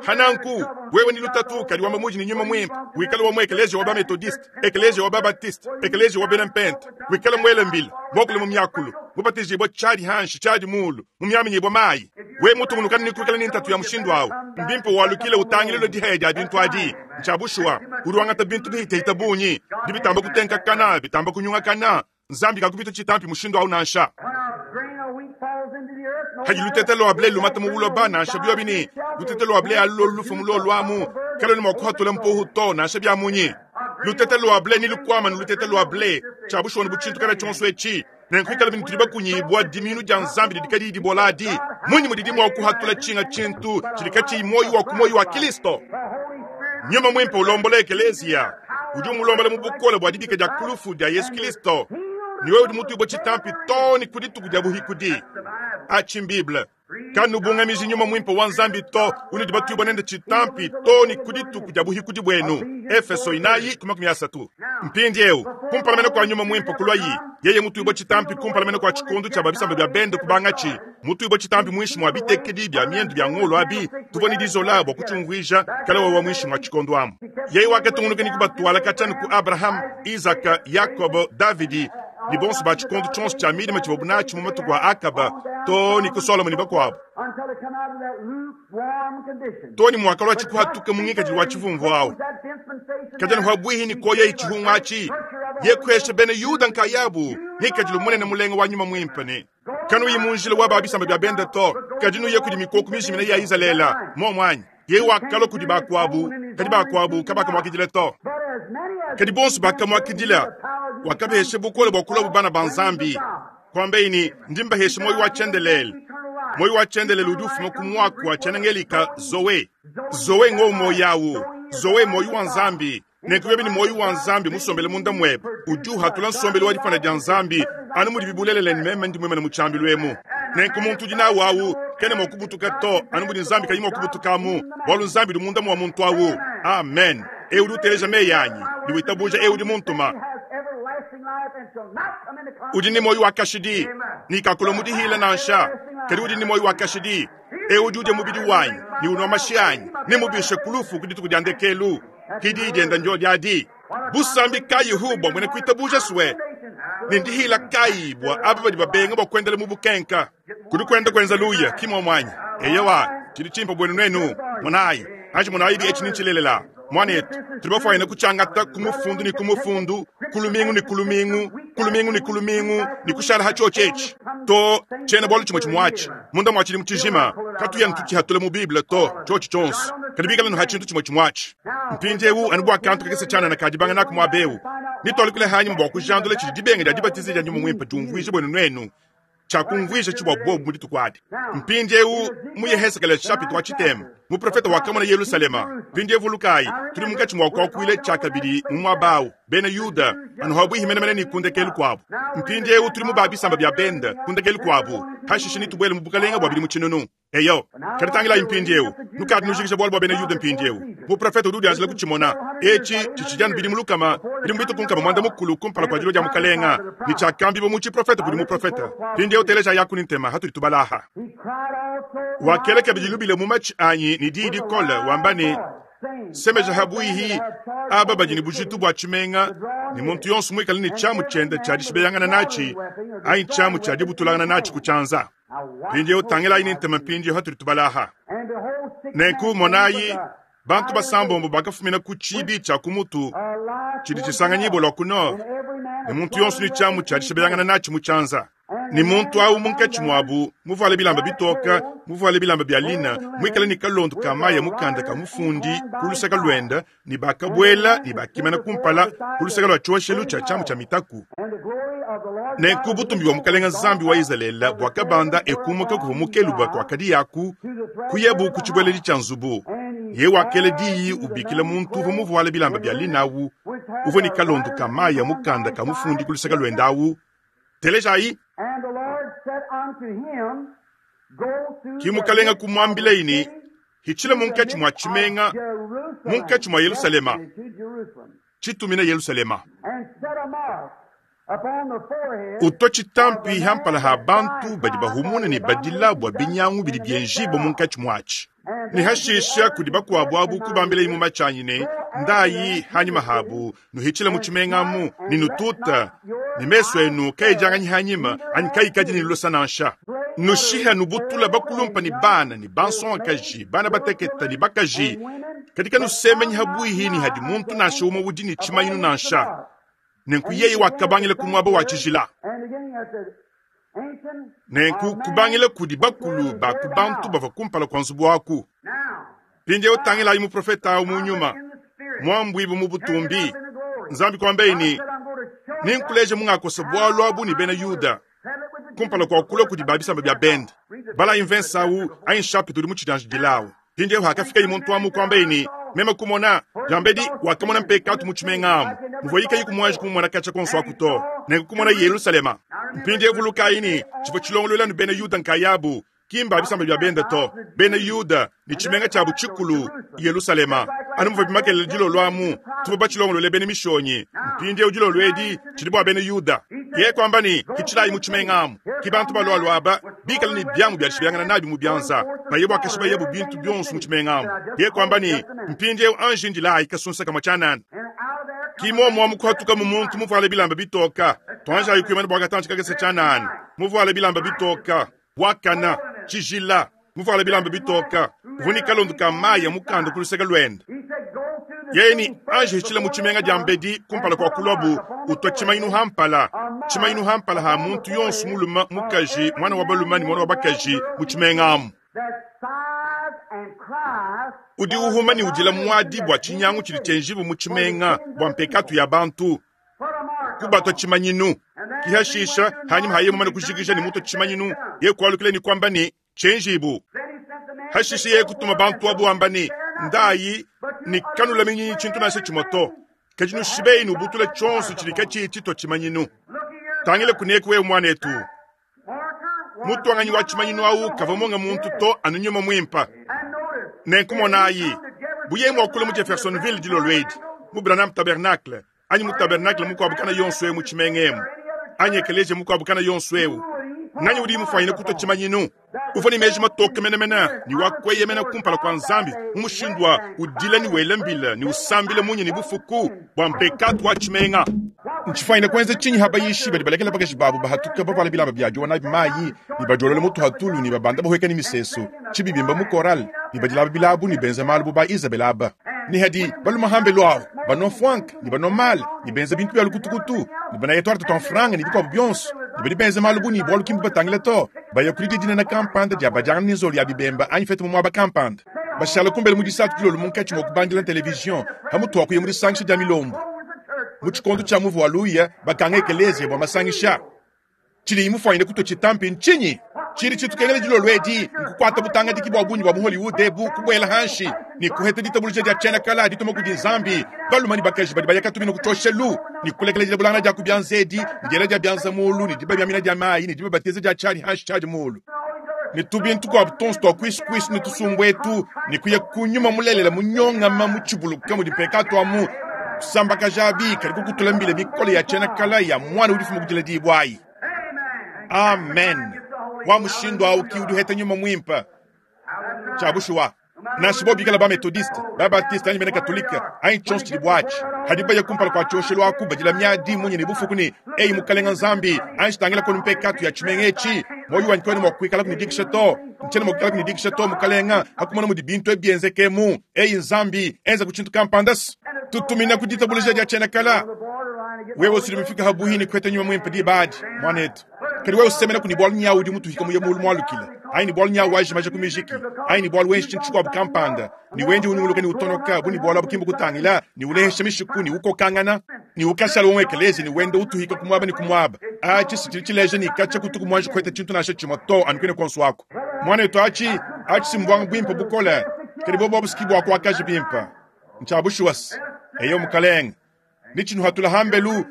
Hananku wewe ni lutatu kadi wamba muji ni nyuma mwimpe wikale wa mu ekelezia wa bametodiste ekelezia wa babatiste ekelezia wa benempente wikale mwele mbili mokule mu myakulu mubatizibwa tshadi hanshi tshadi mulu mu myaminyibwa mayi we mutungunukana ni kuikala ni ntatu ya mushindu awu mbimpe walukile utangilelo dihaya dia bintu adi ntshia bushuwa udi wangata bintu bihitahita bunyi dibitamba kutenkakana bitamba kunyungakana Nzambi kakupita tshitampi mushindu awu nansha. Hadi lutete lwa ble lumata mu buloba nansha biobi bini lutete lwa ble alulo lufu mu lolwamu kalo ni mwakuhatula mpohu to nansha bya munyi lutete lwa ble ni lukwama ni lutete lwa ble tshia bushuwa ni butshintu kana tshionso etshi nenkuikala bini tudi bakunyibwa diminu dia Nzambi didi kadi dibola adi munyi mudidi mwakuhatula tshinga tshintu tshidi katshiyi moyo wa ku moyo wa Kristo. Nyuma mwimpe ulombola ekelezia udi umulombola mu bukole bua dibika dia kulufu dia Yesu Kristo ni wewe udi mutuibwa tshitampi to ni kudituku dia buhikudi. Atshi Bible kanubungamiji nyuma mwimpe wa Nzambi to unudi batuibwa nende tshitampi to ni kudituku dia buhikudi bwenu. Efeso inayi ku makumi asatu. Mpindieu kumpala kwa nyuma mwimpe kulwayi yeye mutuibwa tshitampi kumpala kwa tshikondu tshia babisamba bya bende kubangatshi mutuibwa tshitampi mwishi mwa bitekedi bya miendu bya ngolo abi tuboni dizola bua kutshiumvuija kala wawa mwishi mwa tshikondu amu yeye wakatungunuka ni kubatwala katshani ku Abraham, Isaka, Yakobo, Davidi Ne bonso ba tshikondo tshionso tshia midima tshivuabu natshi mu matuku a Akaba too ne ku Solomo ne bakuabu. Too ne muakalua tshikuhatuka mu ngikadilu wa tshivumvu awu. Kadi anu pabuihi ne koya tshihungu atshi, yekuhesha bena Yuda nkayabu ngikadilu munene mulenga wa nyuma muimpe ne kanuyi mu njila wa ba bisamba bia benda to, kadi nuye kudi mikoko mijimine ya Izalele momwanyi. Ye wakalua kudi bakuabu, kadi bakuabu kabakamuakidila to. Kadi bonso bakamuakidila, wakabahesha bukole bua kulua bana ba Nzambi. Kwambeyi ne ndi mbahesha moyo wa tshiendelele. Moyo wa tshiendelele udi ufuma ku muaku wa tshiena-Ngelika Zoe. Zoe ngo moyo awu. Zoe moyo wa Nzambi. Nenku ni moyo wa Nzambi musombele munda mwebe. Udi uhatula nsombelu wa difana dia Nzambi anu mudi bibulelele ne meme ndi mwemene mu tshiambilu emu. Nenku muntu udi nawu awu kena mua kubutuka to anu mudi Nzambi kayi mua kubutukamu bualu Nzambi udi munda mua muntu awu. Amen. Eu udi uteleja meyi anyi ne witabuja eu udi muntuma udi ne moyo wa kashidi ne kakula mudihila nansha, kadi udi ne moyo wa kashidi. Eu udi udia mubidi wanyi ne unwa mashi anyi ne mubishe kulufu ku dituku dia ndekelu. Kidi dienda ndio diadi busambi kayi hu bua mwene kuitabuja swe ne ndihila kayi bua aba badi babenga bua kuendela mu bukenka kudi kuenda kuenza luya kimwa mwanyi eyewa tshidi tshimpe buenu nenu monayi anji monayi bi etshi nintshilelela mwanetu tudi bafuanyine kutshiangata ku mufundu ne ku mufundu ku lumingu ne ku lumingu ku lumingu ne ku lumingu ne kushala ha tshiotshi etshi to tshiena bualu tshimue tshimuatshi munda mua tshidimu tshijima katuya ntutshihatula mu Bible to tshiotshi tshionso kadi bikala nu ha tshintu tshimue tshimuatshi mpindiewu anu bua kantu kakese tshianana kadibanga naku muaba ewu nitualukile hanyuma bua kujandula tshidi dibenga dia dibatiza dia nyuma muimpe diumvuija buenu nuenu tshiakumvuija tshibua bobu mu dituku adi. Mpindiewu mu Yehezekele chapitre wa tshitema muprofeta wakamona Yerusalema. Mpindiewu vulukayi tudi munkatshi mua kuakuila tshiakabidi mu muaba awu bena Yuda anu habuihi menemene ne kundekelu kuabu. Mpindiewu tudi mu ba bisamba bia benda kundekelu kuabu hashishe nitubuele mu bukalenga bua bidimu tshinunu. Eyo kadi tangilayi mpindiewu nukadi nujikija bualu bua bena Yuda. Mpindiewu muprofeta udi udianjila kutshimona etshi tshitshidi anu bidimu lukama bidimu bituku nkama mwanda mukulu kumpala kua dilua dia mukalenga ne tshiakambiwa mu tshiprofeta kudi muprofeta. Mpindiewu teleja yaku ni ntema hatudi tubalaha. Wakela kabidi lubila mu matshi anyi ne diyi dikole wamba ne semeja habuihi aba badi ne bujitu bua tshimenga ne muntu yonso muikale ne tshiamu tshiende tshia dishibeyangana natshi anyi tshiamu tshia dibutulangana natshi ku tshianza. Mpindiewu tangilayi ne ntema mpindiewu hatudi tubalaha. Nenku monayi bantu basambombo bakafumina ku tshibi tshia ku mutu tshidi tshisanganyibua lua ku nord ne muntu yonso ne tshiamu tshia dishibeyangana natshi mu tshianza. Ne muntu awu munkatshi muabu muvuale bilamba bitoka muvuale bilamba bia lina muikale ne kalondo ka mayi mukanda ka mufundi ku luseke luenda ne bakabuela ne bakimana kumpala ku luseke lua tshioshelu tshia tshiamu tshia mitaku. Nenku butumbi bua mukalenga Nzambi wa Izalele buakabanda ekumuka kuvua mukeluba kuakadi yaku kuyebu ku tshibueledi tshia nzubu. Ye wakela diyi ubikila muntu uvua muvuale bilamba bia lina awu uvua ne kalondo ka mayi ya mukanda ka mufundi ku luseke luenda awu. Telejayi. Ki mukalenga kumwambilayi ne hitshila munkatshi mua tshimenga munkatshi mua Yerusalema tshitumina Yerusalema utwa tshitampi hampala ha bantu badi bahumuna ne badila bua binyangu bidi bienjiba munkatshi muatshi ne hashisha kudi bakuabu abu kubambilayi mu matshi ne ndayi hanyuma habu nuhitshila mu tshimengamu ne nututa ne mesu enu kayidianganyi hanyima anyi kayikadi ne lusa nansha. Nushiha nubutula bakulumpa ne bana ne bansongakaji bana bateketa ne bakaji kadi kanusemenyi habuihi ne hadi muntu nansha umue udi ne tshimanyinu nansha. Nenku yeye wakabangila ku muaba wa tshijila. Nenku kubangila kudi bakulu ba ku bantu bavua kumpala kua nzubu waku. Mpindiewu tangilayi muprofeta awu mu nyuma muambuibu mu butumbi. Nzambi kuambeyi ne ninkuleja mungakosa bualu abu ne bena Yuda kumpala kua kulua kudi ba bisamba bia bende. Balayi mvensa awu anyi chapitre udi mu tshidianjidilawu. Mpindiewu hakafikayi muntu amu kuambeyi ne meme kumona jambedi wakamona mpekatu mu tshimenga amu muvua kayi kumwanji kumumona katshia konso aku to. Nenku kumona Yerusalema. Mpindiewu vulukayi ne tshivua tshilongoluela nu bena Yuda nkayabu kimba bisamba bia benda to bena Yuda ne tshimenga tshiabu tshikulu Yerusalema anu muvua bimakelela dilolo amu tuvua batshilongolole bena mishonyi. Mpindiewu dilolo edi tshidi bua bena Yuda. Ye kwamba ne hitshilayi mu tshimenga amu ki bantu balualua aba bikale ne biamu bia dishibeyangana nabi mu bianza baye bua kashibayebu bintu bionso mu tshimenga amu. Ye kwamba ne mpindiewu anji ndilayi kasunsa kamue tshianana. Kimomo mukuhatuka mu muntu muvuale bilamba bitoka. Twanja yukwimana bwa katanchi kakese chanani. Muvuale bilamba bitoka. Wakana chijila. Muvuale bilamba bitoka. Vunika lundu kamaya mukanda kuluseka lwenda. Yeni anje hichila muchimenga jambedi kumpala kwa kulobu utwa chimainu hampala. Chimainu hampala ha muntu yonsu muluma mukaji mwana wa baluma ni mwana wa bakaji muchimenga amu. Udi uhuma ni udila mwadi bwa chinyangu chili chenjibu muchimenga bwa mpekatu ya bantu. Kubatwa chimanyinu. Kihashisha hanyuma haye mumana kushikisha ni muto chimanyinu. Ye kualukile ni kwamba ni chenjibu. Hashisha ye kutuma bantu abu amba ni ndayi ni kanula minyi chintu nase chimoto. Kajinu shibei ni ubutula chonsu chilika chichito chimanyinu. Tangile kuneku we mwanetu. Mutu anganyi wa chimanyinu au kavamonga muntu to anunyuma mwimpa. Nenkumonayi. Buye mwakule mu Jeffersonville dilo lwedi. Mu Branham Tabernacle. Anyi mu tabernacle mukwabukana yonso mu chimengemu. Anyi ekeleje mukwabukana yonso ewu. Nanyi udi mufanyine kuto chimanyinu. Ufani meji matoke menemena ni wakweye mena kumpala kwa nzambi. Umushindwa udila ni welembila ni usambile munye ni bufuku bwa mpekatu wa chimenga. Nchifanyine kwenza chinyi habayishi bali balekela bakashi babu bahatuka bavala bilamba bya jona bimayi ni bajolole mutu hatulu ni babanda bahweka ni miseso chibibimba mu koral ni badilaba bilabu ni benza malubu ba Isabel aba. Ni hadi baluma hambe lwao bano fwank ni bano mal ni benza bintu bya lukutukutu ni bana yetwara ton franga ni bikwa byonso ni bali benza malubu ni bwalu kimbu batangile to bayakulidi dina na kampanda dia bajanga ni nzoli ya bibemba anyi fete mu mwaba kampanda bashala kumbele mu disatu dilolo munkachi mwa kubandila television hamutu akuye muri sanction dia milombo muchikondo cha muvu waluya bakanga ekeleze bwa masangisha chili imufanyine kuto chitampi nchinyi chili chitukengele jilo lwedi nkukwata butanga diki bwa bunyi bwa mu Hollywood ebu kubwela hanshi ni kuheta ditabuluja dia chena kala ditoma kudi nzambi baluma ni bakaji badi bayaka tumino kutoshelu ni kulekele jila bulanga dia kubyanzedi ni jela dia byanza mulu ni diba byamina dia mayi ni diba bateze dia chani hanshi chaji mulu ni tubintu kwa butonso twa kwisi kwisi ni tusumbwetu ni kuya kunyuma mulelela munyonga ma muchibuluka mu dipeka twamu kusamba kajabi kali kukutula mbile mikolo ya chena kala ya mwana udifumu kujila dibwayi. Amen. Wa mushindo au ki uduheta nyuma mwimpa. Chabushuwa. Nashibo bikala ba methodiste, ba baptiste anyi bena katolika, anyi chonso chilibwachi. Hadiba ya kumpala kwa choshelo aku badila miadi munye ni bufuku ni ei mukalenga nzambi, anyi shitangela kono mpekatu ya chimengechi. Moyo wanyi kwene mwakuikala kunidikisha to. Nchene mwakukala kunidikisha to mukalenga, hakumona mudi bintu ebienzeke mu. Ei nzambi, enza kuchintu kampandas. Tutumina kuditabulija dia chena kala. Wewe usilimfika habuhini kwete nyuma mwimpa di badi, mwanetu. Kali wewe usemena kuni bwalu nyawu di mutu hika muye mulu mwalukila. Ayi ni bwalu nyawu waji maja kumijiki. Ayi ni bwalu wenshi chintu kwa bukampanda. Ni wenji ununguluka ni utonoka, buni bwalu abukimbu kutangila, ni ulehesha mishiku, ni uko kangana, ni ukashala umwekelezi, ni wende utuhika kumwaba ni kumwaba. Achi sichilichileje ni kacha kutuku mwanji kwete chintu nasha chimoto anukwene konsu wako. Mwanetu achi, achi simbwanga bwimpa bukole. Kali bobo busikibu wako wakaji bimpa. Nchabushuwas. Eyo mukalenga. Nichinu hatula hambelu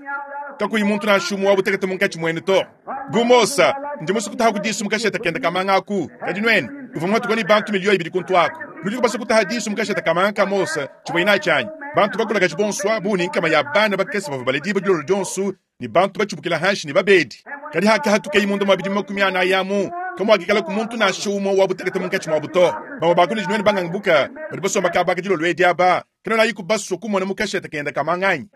takuyi muntu na shumu wa butekete munkachi mwene to. Gumosa, ndi musu kutaha kudisu mukasheta kenda kamanga aku. Kadinweni, uva mwatu kwani bantu milioni ibili kuntu ako. Nudi kubasa kutaha disu mukasheta kamanga kamosa, chibwa chanyi. Bantu bakula kachibonswa, buni nkama ya bana bakesa bava balediba julolo jonsu, ni bantu bachubukila hanshi ni babedi. Kadi haka hatuke imundo mabidi makumi ana yamu. Kama wakikala kumuntu na shumu wa butekete munkachi mwa buto. Baba bakuni jinweni bangangubuka, bali basomba kabaka julolo wedi aba. Kino na yiku basu kumona mukasheta kenda kamanganyi.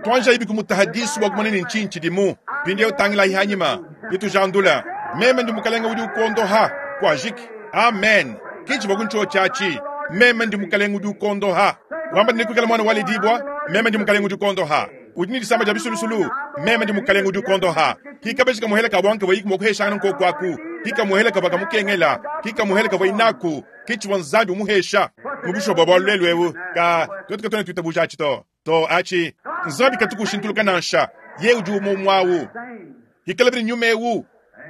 Twanja ibi kumutahadisu wa kumanini nchinchi dimu. Pindi ya utangila ihanyima. Pitu jandula. Meme ndi mukalenga udi ukondoha. Kwa jiki. Amen. Kichi wakuncho chachi. Meme ndi mukalenga udi ukondoha. Wamba ndi mwana wale dibwa. Meme ndi mukalenga udi ukondoha. Udi ni disamba ja bisulusulu. Meme ndi mukalenga udi ukondoha. Kika beshika muhela kabwanka wa yiku mwakuhesha nko kwaku. Kika muhela kabaka mukengela. Kika muhela kabwa inaku. Kichi wanzambi umuhesha. Mubisho bwabwa lwelwewu. Ka tuwetu katone tuitabuja achito. To achi nzambi katuku shintuluka nansha ye udi umomwawu hikalabiri nyumewu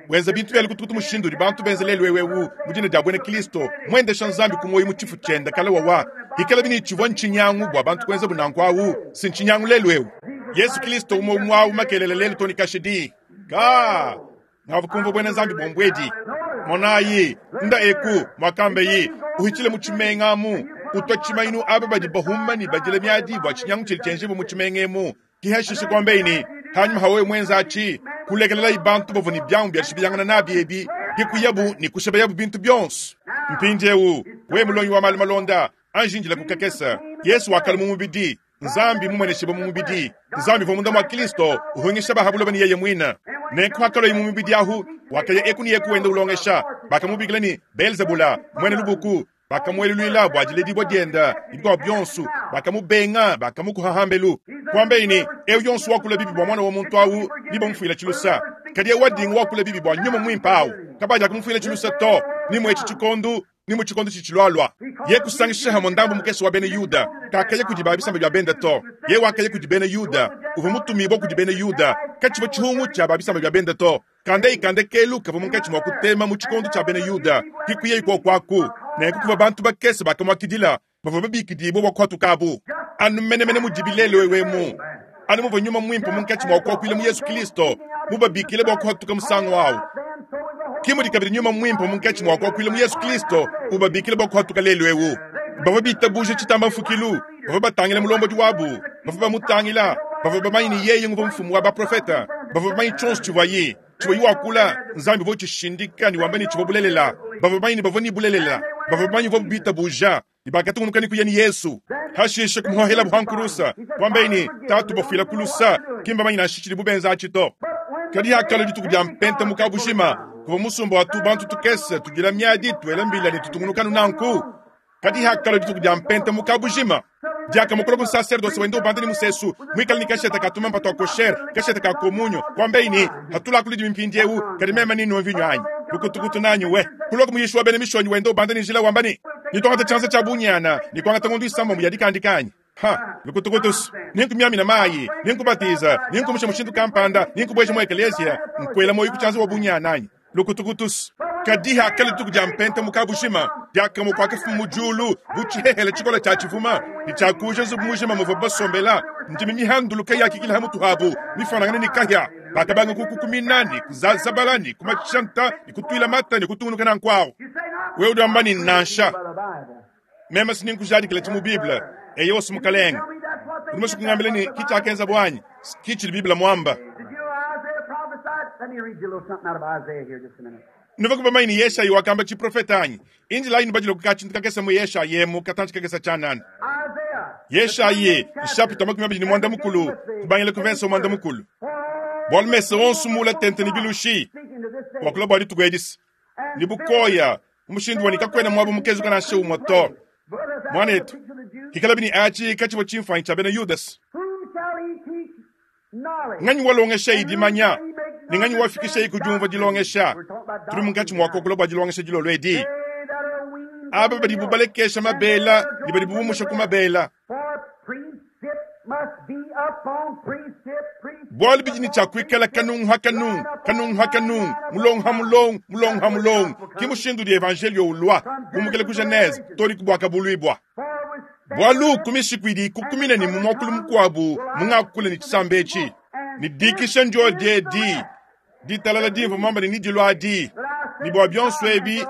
wenza bintu byali kutukutu mushindu bantu benzelelwe wewu mujina dia bwene Kristo mwendesha nzambi kumoyi muchifu chenda kala wawa hikalabiri chivwa nchinyangu bwa bantu kwenza bunankwawu sinchinyangu lelwewu Yesu Kristo umomwawu makelele lelo toni kashidi ka ngavukumva bwene nzambi bombwedi monayi nda eku mwakambe yi uhichile muchimengamu utwa chimainu aba badi bahuma ni badile miadi bwa chinyangu chili chenjibu muchimengemu kihashishe kwambeini hanyuma hawe mwenza achi kulekelela ibantu bovu ni byangu bya shibiyangana nabi ebi hikuyabu ni kusheba yabu bintu byonso mpinjewu we mulonyi wa mali malonda anjinjila kukakesa Yesu wakali mumubidi Nzambi mumueneshibue mu mubidi. Nzambi uvua munda mua Kristo uhungisha ba ha buloba ne yeye muine. Nenku hakalua mu mubidi ahu, wakaya eku ne eku wenda ulongesha. Bakamubikila ne Belzebula, muena lubuku. Bakamueluluila bua diledibua dienda ne bikuabu bionso. Bakamubenga, bakamukuha hambelu. Kuambaye ne, eu yonso wakula bibi bua mwana wa muntu awu nibamufuila tshilusa. Kadi eu wadinga wakula bibi bua nyuma muimpe awu kabaja kumufuila tshilusa to, ni mu etshi tshikondu ni mu tshikondo tshitshilualua. Ye kusangisha hamwe ndambu mukese wa bena Yuda, kakaya kudi ba bisamba bia benda to. Ye wakaya kudi bena Yuda, uvua mutumibue kudi bena Yuda, katshivua tshihungu tshia ba bisamba bia benda to. Kanda ikande kelu kavua munkatshi mua kutema mu tshikondo tshia bena Yuda, kikuye ikuokuaku. Nenku kuvua bantu bakese bakamuakidila, bavua babikidibue bua kuhatukabu. Anu menemene mudibi lelu ewemu, anu muvua nyuma muimpe munkatshi mua kuakuila mu Yesu Kristo, mubabikile bua kuhatuka musangu awu. Ki mudi kabidi nyuma muimpe munkatshi mua kuakuila mu Yesu Kristo, ubabikile bua kuhatuka lelu ewu. Bavua bitabuje tshitamba mfukilu, bavua batangila mulombodi wabu, bavua bamutangila, bavua bamanye ne yeye nguvua mfumu wa baprofeta, bavua bamanye tshionso tshivuaye. Tshivuaye wakula, Nzambi uvua utshishindika ne wamba ne tshivua bulelela. Bavua bamanye ne bavua ne bulelela, bavua bamanye bavua bitabuja, ne bakatungunuka ne kuya ne Yesu. Hashishe kumuhohela buhankurusa, kuambaye ne, Tatu bafuila kulusa, ki mbamanye nansha tshidibu benza atshi to. Kadi hakalua dituku dia mpenta mu kabushima, kuvua musumba wa tu bantu tukese tudila miadi tuela mbila ne tutungunuka nanku. Kadi hakalua dituku dia mpenta mu kabushima, diakamukola ku sacerdoce wenda ubanda ne musesu, muikale ne kasheta ka tumampa tua kosher, kasheta ka komunyo, kuambaye ne, hatula kuli mpindi eu, kadi meme ni nwa vinyo anyi. Lukutukutu nanyi we. Kuloka muyishi wa bena mishonyi wenda ubanda ne njila wamba ne, nitwangata tshianza tshia bunyana, nikwangata ngondu isamba mu yadikandika Ha, lukutukutus, ninkumyamina mayi, ninkubatiza, ninkumusha mushindu kampanda, ninkubwesha mu eklesia, nkwela moyo kuchanza wa bunyana anyi. Lukutukutus. Kadi hakalua dituku dia mpenta mu kabushima, diakamu kwakafumu mu julu, bu tshihehele tshikola tshia tshivuma, ne tshiakuja nzubu mujima muvua basombela, ndimi mihanduluka yakikila ha mutu habu, mifanangane ne kahia. Bakabanga kukukumina ne kuzazabala ne kumachanta ne kutuila mata ne kutungunuka nanku. Wewe udi wamba ne nansha. Meme sininkujadikila tshi mu Bible, eyo osu mukalenge. Udi musue kungambila ne kitshia bwanyi, kitshidi Bible mwamba. Let me read you a little something out of Isaiah here just a minute. Nuva kuba maini Yeshayi wakamba chiprofeta anyi. Injila inu bajilo kukachi kakesa mu Yeshayi mu katanchi kakesa chanana. Isaiah. Yeshayi, chapter makumi abiri ni mwanda mukulu, kubangila ku verse mwanda mukulu. Bwalu mese wonso mula tente ni bilushi. Speaking to this day. Wakula bwa dituku edisi. Ni bukoya, umushindu wa nikakwena mwabo mukezu kana she umwato. Mwanetu, hikala bini achi kachiwa chimfanyi cha bena Yudas. Whom shall he teach knowledge? Nganyi walongesha idimanya, ni nganyi wafikisha ikujumva dilongesha. Tuli munkatshi mwako bwa dilongesha dilolo edi. They that are weaned Aba badi bubalekesha mabela, ni badi bubumusha ku mabela. For precept must be upon precept, precept. Bwalu bidi ni tshiakuikala kanungu ha kanungu, kanungu ha kanungu, mulongo ha mulongo, mulongo ha mulongo. Ki mushindu di evangelio ulwa, kumukele ku Genese, toli kubwaka buluibwa. For with Bwalu kumishiku idi kukumina ni mumwakulu mukwabu, mungakule ni tshisambe etshi. Ni dikisha njo die di, ditalala dimva mwamba ni nidilo adi. Ni bwa bionso ebi,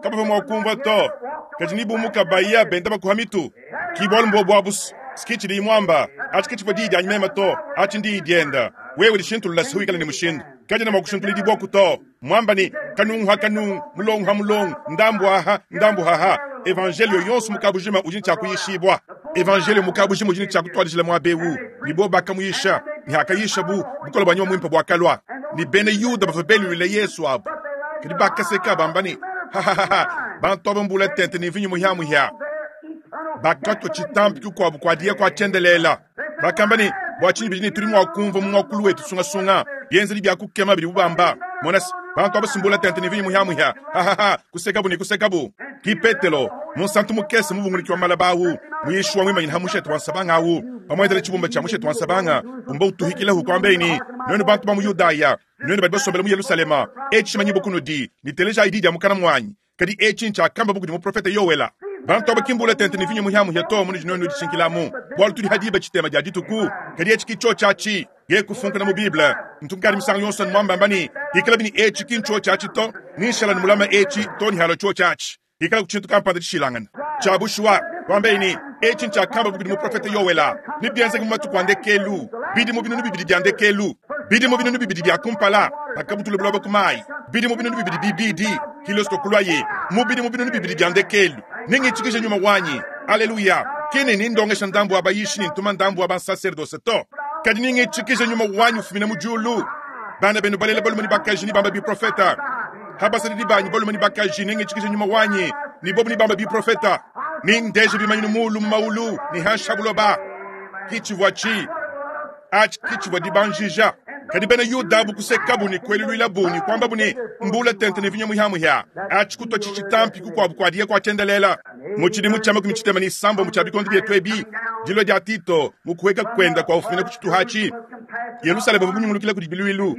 kabava mwakumva to, kadi ni bumuka baya benda bakuha mitu. Ki bwalu mbo bwabusu, sikichi di mwamba, achi kichifo di di mema to, achi ndi dienda. Wewe lishintulula sihuikala ni mushindu. Kaji na mwakushintula di bwaku to. Mwamba ni kanungu ha kanungu, mulongu ha mulongu, ndambu aha, ndambu haha. Evangelio yonso mukabujima ujini cha kuyishibwa. Evangelio mukabujima ujini cha kutwadijila mwa bewu. Ni bo bakamuyisha, ni hakayisha bu, bukola bwa nyuma mwimpe bwakalwa. Ni bene Yuda bava belulile Yesu abu. Kadi bakaseka bamba ni, ha ha ha ha, bantu aba mbula tente ni vinyu muhya muhya. Bakatwa chitambi kikwabu kwa dia kwa chendelela. Bakamba ni, bwa chini bidini turi mwakumva mu mwakulu wetu sungasunga. Bienzeli bya kukema bidi bubamba. Monasi, bantu aba simbula tente ni vinyu muhya muhya. Ha ha ha, kusekabu ni kusekabu. Ki Petelo, munsantu mukese mubunguliki wa malabawu, muyishu wa mwimanyina ha mushete wa nsabanga awu. Pamwenzele tshibumba tshia mushete wa nsabanga, umba utuhikila hu kwambeni, nwenu bantu ba mu Yudaya, nwenu badi basombela mu Yerusalema, etshi manyibo kunudi, niteleja idi dia mukana mwanyi. Kadi etshi ntshiakamba buku di muprofeta Yowela. Bantu aba kimbula tente ni vinyo muhya muhya to munu nwenu dishinkilamu. Bwalu tudi hadiba tshitema dia dituku, kadi etshi ki tshiatshi, ye kufunka mu Bible. Ntunkari misango yonso mwamba mbani, ikala bini etshi ki tshiatshi to, nishala ni mulama etshi to ni halo tshiatshi. Ikala kuchintu kampanda tshishilangana. Tshiabushwa, wambeni, etshi ntshiakamba buku di muprofeta Yowela. Ni bianze mu matuku a ndekelu, bidi mu binunu bibidi bia ndekelu, bidi mu binunu bibidi bia kumpala, bakabutula buloba ku mayi, bidi mu binunu bibidi bibidi, Kristo kulwaye, mu bidi mu binunu bibidi bia ndekelu. Ningitshikije nyuma wanyi. Haleluya. Kini nindongesha ndambu wa bayishi nintuma ndambu wa bansaserdose to. Kadi ningitshikije nyuma wanyu ufumina mu diulu. Bana benu balela balume ni bakaji ni bamba biprofeta. Habasadidi banyi balume ni bakaji ningitshikije nyuma wanyi ni bobu ni bamba biprofeta. Nindeje bimanyinu mulu mu maulu ni hansha buloba. Kichivwa chi achi kichivwa dibanjija. Kadi bena Yuda bu kusekabu ni kwelulwila bu ni kwamba bu ni mbula tente ni vinyo muhyamuhya. Achi kutwa chichitampi kukwabu kwa diye kwa chendelela. Muchidimu chama kumichitema ni sambo muchabikondi byetu ebi. Dilo dia Tito mukuweka kwenda kwa ufumina kuchituhachi. Yerusalemu bunyungulukile kudi biluilu.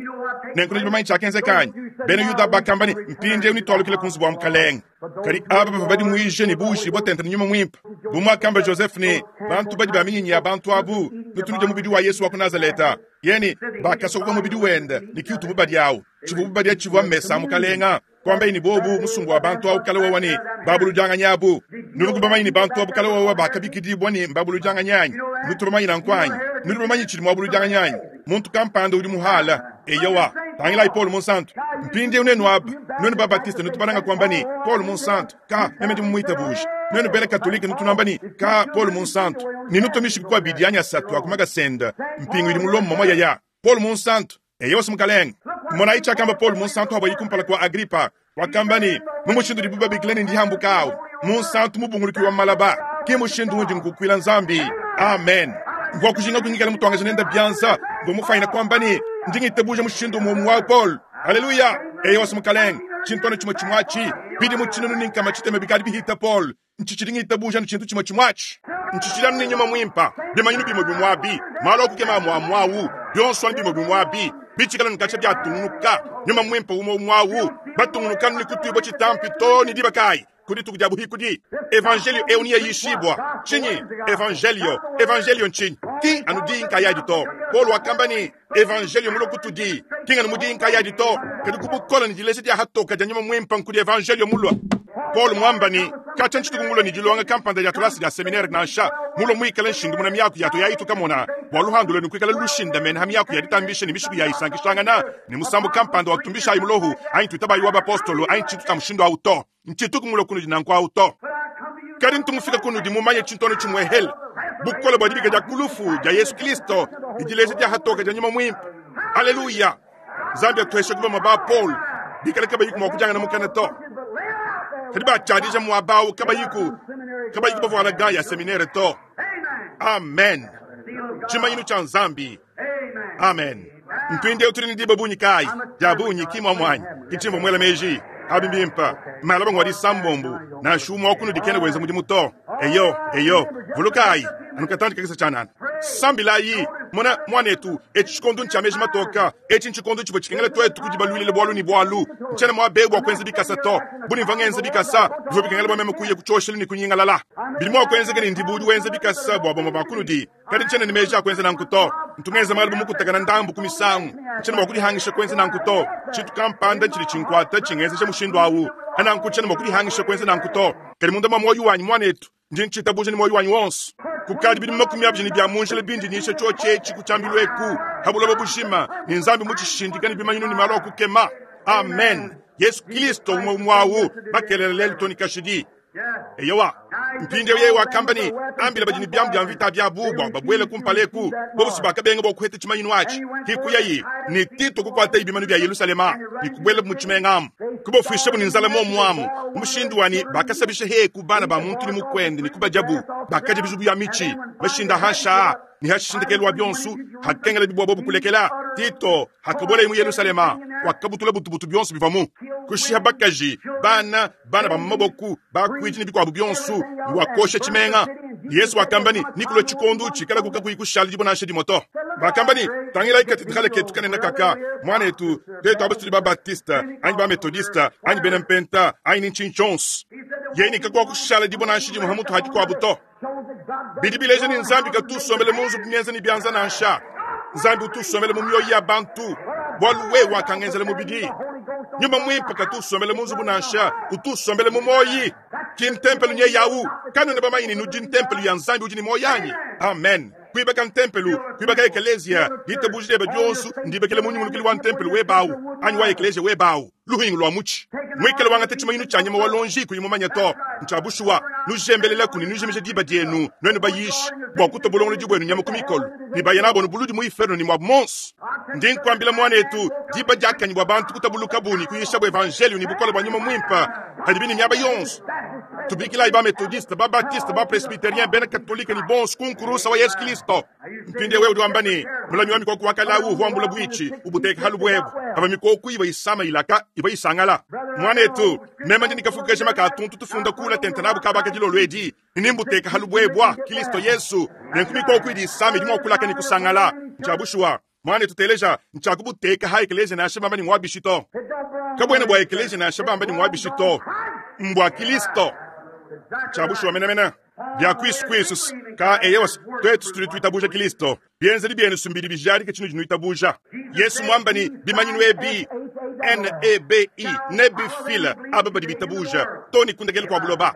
Nenkuno dibamanyi chakenzekanyi. Bena Yuda bakamba ni mpinde unitwalukile kunzubu wa mukalenge. Kadi aba bava badi muije ni bushi botente ni nyuma mwimpa. Bumwakamba Joseph ni bantu badi baminyinyi ya bantu abu nutunuja mubidi wa Yesu wa ku Nazareta. Yeni bakasokoka mubidi wenda ni kiutu mubadi awu. Chivu mubadi achivu mmesa mukalenga. Kwamba ini bobu musungu wa bantu awu kale wawa ni babulujanga nyabu. Nurugu bamanyi ni bantu abu kale wawa bakabikidibwa ni mbabulujanga nyanyi. Nutubamanyi na nkwanyi. Nurubamanyi chili mwabulujanga nyanyi. Muntu kampanda udi muhala. Eyowa. Tangila Paul Monsanto. Mpinde unenu aba. Nwenu Babatiste nutubalanga kwamba ni Paul Monsanto. Ka meme ndi mumuita buji. Nwenu bele Katolika nutunamba ni ka Paul Monsanto. Ninutomishi kwa bidi anya satu akumaga senda. Mpingu ili mulomo mama yaya. Paul Monsanto. Eyowa simukaleng. Mona icha kamba Paul Monsanto haba yikumpala kwa Agrippa. Wakamba ni mumushindu dibuba bikileni ndi hambukao. Monsanto mubunguluki wa malaba. Ki mushindu undi nkukwila nzambi. Amen. Ngwa kujinga kunyikala mutwanga nenda byanza. Ngo mufaina kwamba ni ndingitebuja mushindu mumu wa Paul. Haleluya. Eyowa simukaleng. Chintwana chimwe chimwachi. Bidi muchinunu ninkama chiteme bikali bihita Paul. Nchichiringitebuja nchintu chimwe chimwachi. Nchichiranu ni nyuma mwimpa. Bimanyinu bimwe bimwabi. Malo kukema mwamwawu. Byonswa bimwe bimwabi. Bichikala nkacha byatungunuka. Nyuma mwimpa umo mwawu. Batungunuka ni kutwibo chitampi to ni dibakai. Kudi tukujabu hikudi. Evangelio eunia yishibwa. Chinyi. Evangelio. Evangelio nchinyi. Ki anudi nkaya dito. Paul wakamba ni Evangelio mulo kutudi. Ki anumudi nkaya dito. Kadi kubukola ni dilese dia hatoka dia nyuma mwimpa nkudi Evangelio mulwa. Paul mwamba ni kacha nchitukungula ni dilonga kampanda ya tulasi ya seminari nansha mulo mwikala nshindu muna miaku yato yaitu kamona bwaluhandule nukwikala lushinda mena ha miaku yaditambishe ni mishiku yayisankishangana ni musambu kampanda wa kutumbisha ayi mulohu ayi tuitabayi wa bapostolo ayi nchitu ta mushindu auto nchitukungula kunu dinanku auto kadi ntumufika kunu dimumanye chintono chimwehele bukola bwa dibika dia kulufu dia Yesu Kristo idilese dia hatoka dia nyuma mwimpa. Haleluya. Zambia tuheshe kuba mwaba Paul bikala kabayiku mwakujanga na mukana to kadi bachadija mwabao kabayiku kabayiku bavwala gaya seminere to. Amen. Chimanyinu cha Nzambi. Amen. Mpinde utuli ni diba bunyi kai. Dia bunyi kimwa mwanyi. Kichimbo mwela meji. Abimbimpa. Malaba ngwadi sambombu. Na shumwa okunu dikene weza mudimu to. Eyo, eyo. Vulukai. Anukatandi kakisa chanana. Sambilayi. Mona mwanetu. Echi chikondu ncha meji matoka. Echi nchikondu chibo chikengele twetu kujibalwilile bwalu ni bwalu. Nchene mwa begu wa kwenze bikasa to. Buni mvangenze bikasa. Bivo bikengele bwa meme kuye kuchosheli ni kunyingalala. Bilimo kwenze gani ndibudi wenze bikasa bwa boma bakunu di. Kadi nchene ni meji akwenze na nkuto. Ntungenze malubu mukutakana ndambu kumisangu. Nchene mwa kudihangisha kwenze na nkuto. Chitu kampanda nchili chinkwata chingeze cha mushindu awu. Ana nkuchene mwa kudihangisha kwenze na nkuto. Kadi munda mwa moyo wanyu mwanetu. Ndi nchitabuja ni moyo wanyu wonse. Kukadi bidi makumi abiri ni bya munjele bindi nishe choche chikuchambilweku. Habulobo bushima ni nzambi muchishindikani bimanyinu ni malo kukema. Amen. Yesu Kristo umwe mwawu bakelele toni kashidi. Eyowa. Mpinde yewa kambani ambila bajini byambu bya mvita bya bubwa babwele kumpaleku bobusi bakabenga bokuhete chimanyinu achi hikuyayi ni Tito kukwata ibimanu bya Yerusalema ni kubwele muchimengamu kubofisha bu ninzala mo mwamu umushindu wani bakasabisha he kubana ba muntu ni mukwende ni kubajabu bakaje bizubu ya michi bashinda hasha ni hashindekelwa byonsu hakengela bibwa bobu kulekela Tito hakabole mu Yerusalema wakabutula butubutu byonsu bivamu kushiha bakaji bana bana ba maboku bakwiji ni bikwabu byonsu wakosha chimenga Yesu wakambani nikulo chikondu chikala kuka kuikushala jibona shedi moto bakambani tangila ikatedrale ketu kanena kaka mwana etu tetu abasuli ba Baptista anyi ba Metodista anyi benempenta anyi nchinchons yeni kakwa kushala jibona shedi muhamutu haji kwa buto bidibileje ni nzambi katusomele munzu kunyenza ni byanza nansha nzambi utusomele mu myoyo ya bantu bwaluwe wakangenzele mubidi nyuma mwimpa katusomele munzu bunansha utusomele mu moyi kintempelu nye yawu kanu ne bamayini nudi ntempelu ya nzambi udi ni moyanyi. Amen. Kuibaka ntempelu, kuibaka ekeleziya, ditabuja diebe dionso ndibekele mu nyungulukilu wa ntempelu webawu anyi wa ekeleziya webawu, luhingu lwa mutshi. Mwikale wangata tshimanyinu tshia nyama wa lonji kuyi mumanye to. Ntshia bushuwa, nujembelelaku ne nujimija diba dienu nuenu bayishi bua kutua bulongolodi buenu nyama ku mikolo ne baya nabo buludi mu inferno ne muabu monso. Ndi nkuambila muanetu, diba diakanyi bua bantu kutabulukabu ne kuyishabu evangelio ne bukole bua nyuma muimpe hadibi ne miaba yonso. Tubikilayi ba methodiste, ba baptiste, ba presbyterien, bena katolike ne bonso ku nkurusa wa Yesu Kristo. Mpindiewu wewe udi wamba ne mulami wa mikoko wa kalawu uvua wambula buitshi ubuteka halu buebu aba mikoko iba isama ilaka iba isangala. Muanetu, meme ndi nikafuka jema ka tuntu tufunda kula tente nabu kabaka dilolo edi nimbuteka halu buebu Kristo Yesu nenku mikoko idi isama idi mua kulaka ne kusangala. Ntshia mwanetu teleja ntshiakubuteka ha ekeleziya nansha bamba ni mwabishi to. Kabwena bwa ekeleziya nansha bamba ni mwabishi to. Mbwa Kristo. Tshia menamena. Bia kwisu kwisu ka eyewas twetu tudi tuitabuja Kristo. Bienzedi bienu sumbidi bijadika tshinu dinuitabuja. Yesu mwamba ni bimanyinu ebi N E B I nebifila aba badi bitabuja to ni kundekele kwa buloba.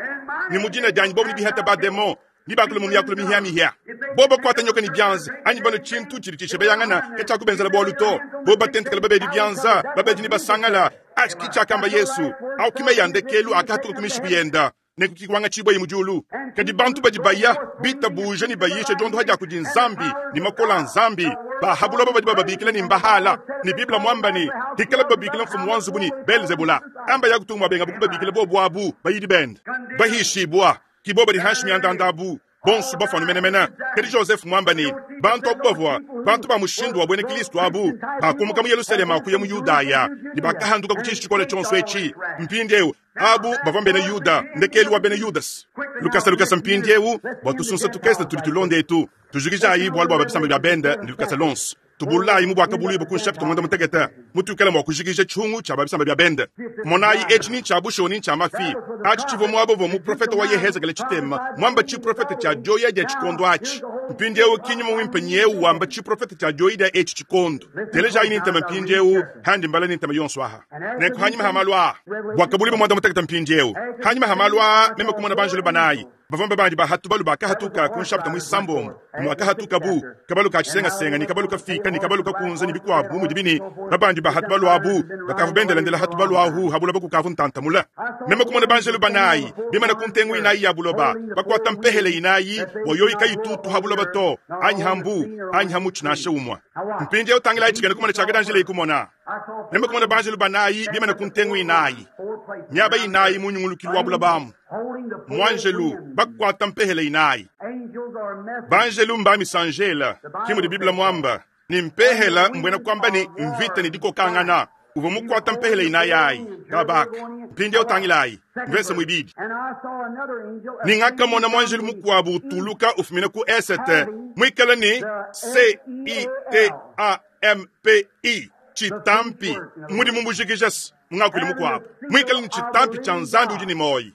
Ni mudina dianyi bobu ni bihata ba demon ni bakula mu myakula mihia mihia. Boba kwata nyoka ni byanza anyi bano tshintu tshidi tshishebeyangana ke tshakubenzela bwalu to. Boba tentekela babedi byanza babedi ni basangala atshi tshiakamba Yesu au kime yandekelu akatuka kumishiku yenda nekukikwanga tshibwa yi mujulu. Kadi bantu badi baya bitabuja ni bayisha jondo haja kudi nzambi ni makola nzambi bahabuloba badi bababikila ni mbahala ni Biblia mwamba ni hikala babikila mfumu wa nzubu ni Belzebula amba yakutumwa benga bukubabikila bobu abu bayidi bende bahishibwa kiboba di hashmi andandabu bonsu bafanu menemena. Kadi Joseph mwamba ni bantu abu bavua bantu ba mushindu wa bwene Kristo abu bakumuka mu Yerusalema akuya mu Yudaya ni bakahanduka ku tshishi tshikole tshonso etshi mpindiewu abu bavua bena Yuda ndekelu wa bena Yudas. Lukasa lukasa mpindiewu bua tusunsa tukese tudi tulonde etu tujukijayi bualu bua babisamba bia benda ni lukasa lonso tubulayi mu bwakabulu ibu ku nshapita mwanda mutekete mutukela mwa kujikija tshungu tshia babisamba bia benda. Monayi etshi ni tshia busho ni tshia mafi atshi tshivua muaba uvua muprofeta wa Yehezekele tshitema mwamba tshiprofeta tshia dioya dia tshikondo atshi. Mpindiewu kinyuma wimpe nyewu wamba tshiprofeta tshia dioya dia etshi tshikondo. Telejayi ni ntema mpindiewu handi mbala ni ntema yonso aha nenku hanyima ha malu aa bwakabulu ibu mwanda mutekete mpindiewu hanyima ha malu aa meme kumona banjelu banayi bavamba bandi bahatu balu bakahatuka ku nshapita mwisambombo mwakahatuka bu kabalu ka tshisengasenga ni kabalu kafika ni kabalu kakunza ni bikwabu bu mudi bini babandi bahatu balu abu bakavu bendelendela hatu balu ahu habula bakukavu ntantamula. Meme kumona banjelu banayi bimana ku ntengu inayi ya buloba bakwata mpehele inayi boyoyi kayitutu habuloba to anyi hambu anyi hamutshi nansha umwa. Mpindiewu tangilayi tshikene kumona tshiakadanjela ikumona. Meme kumona banjelu banayi bimana ku ntengu inayi miaba inayi mu nyungulukilu wa bulobamu mwanjelu bakwata mpehele inayi. Banjelu mba misanjela kimu di Biblia mwamba ni mpehela mbwena kwamba ni mvita ni dikokangana uva mukwata mpehele inayi ayi kabaka mpindiewu tangilayi mvese mwibidi. Ningakamona mwanjelu mukwabu utuluka ufumina ku esete mwikala ni C I T A M P I chitampi mudi mumbujikijas mungakuli mukwabu mwikala ni chitampi cha nzambi udi ni moyi.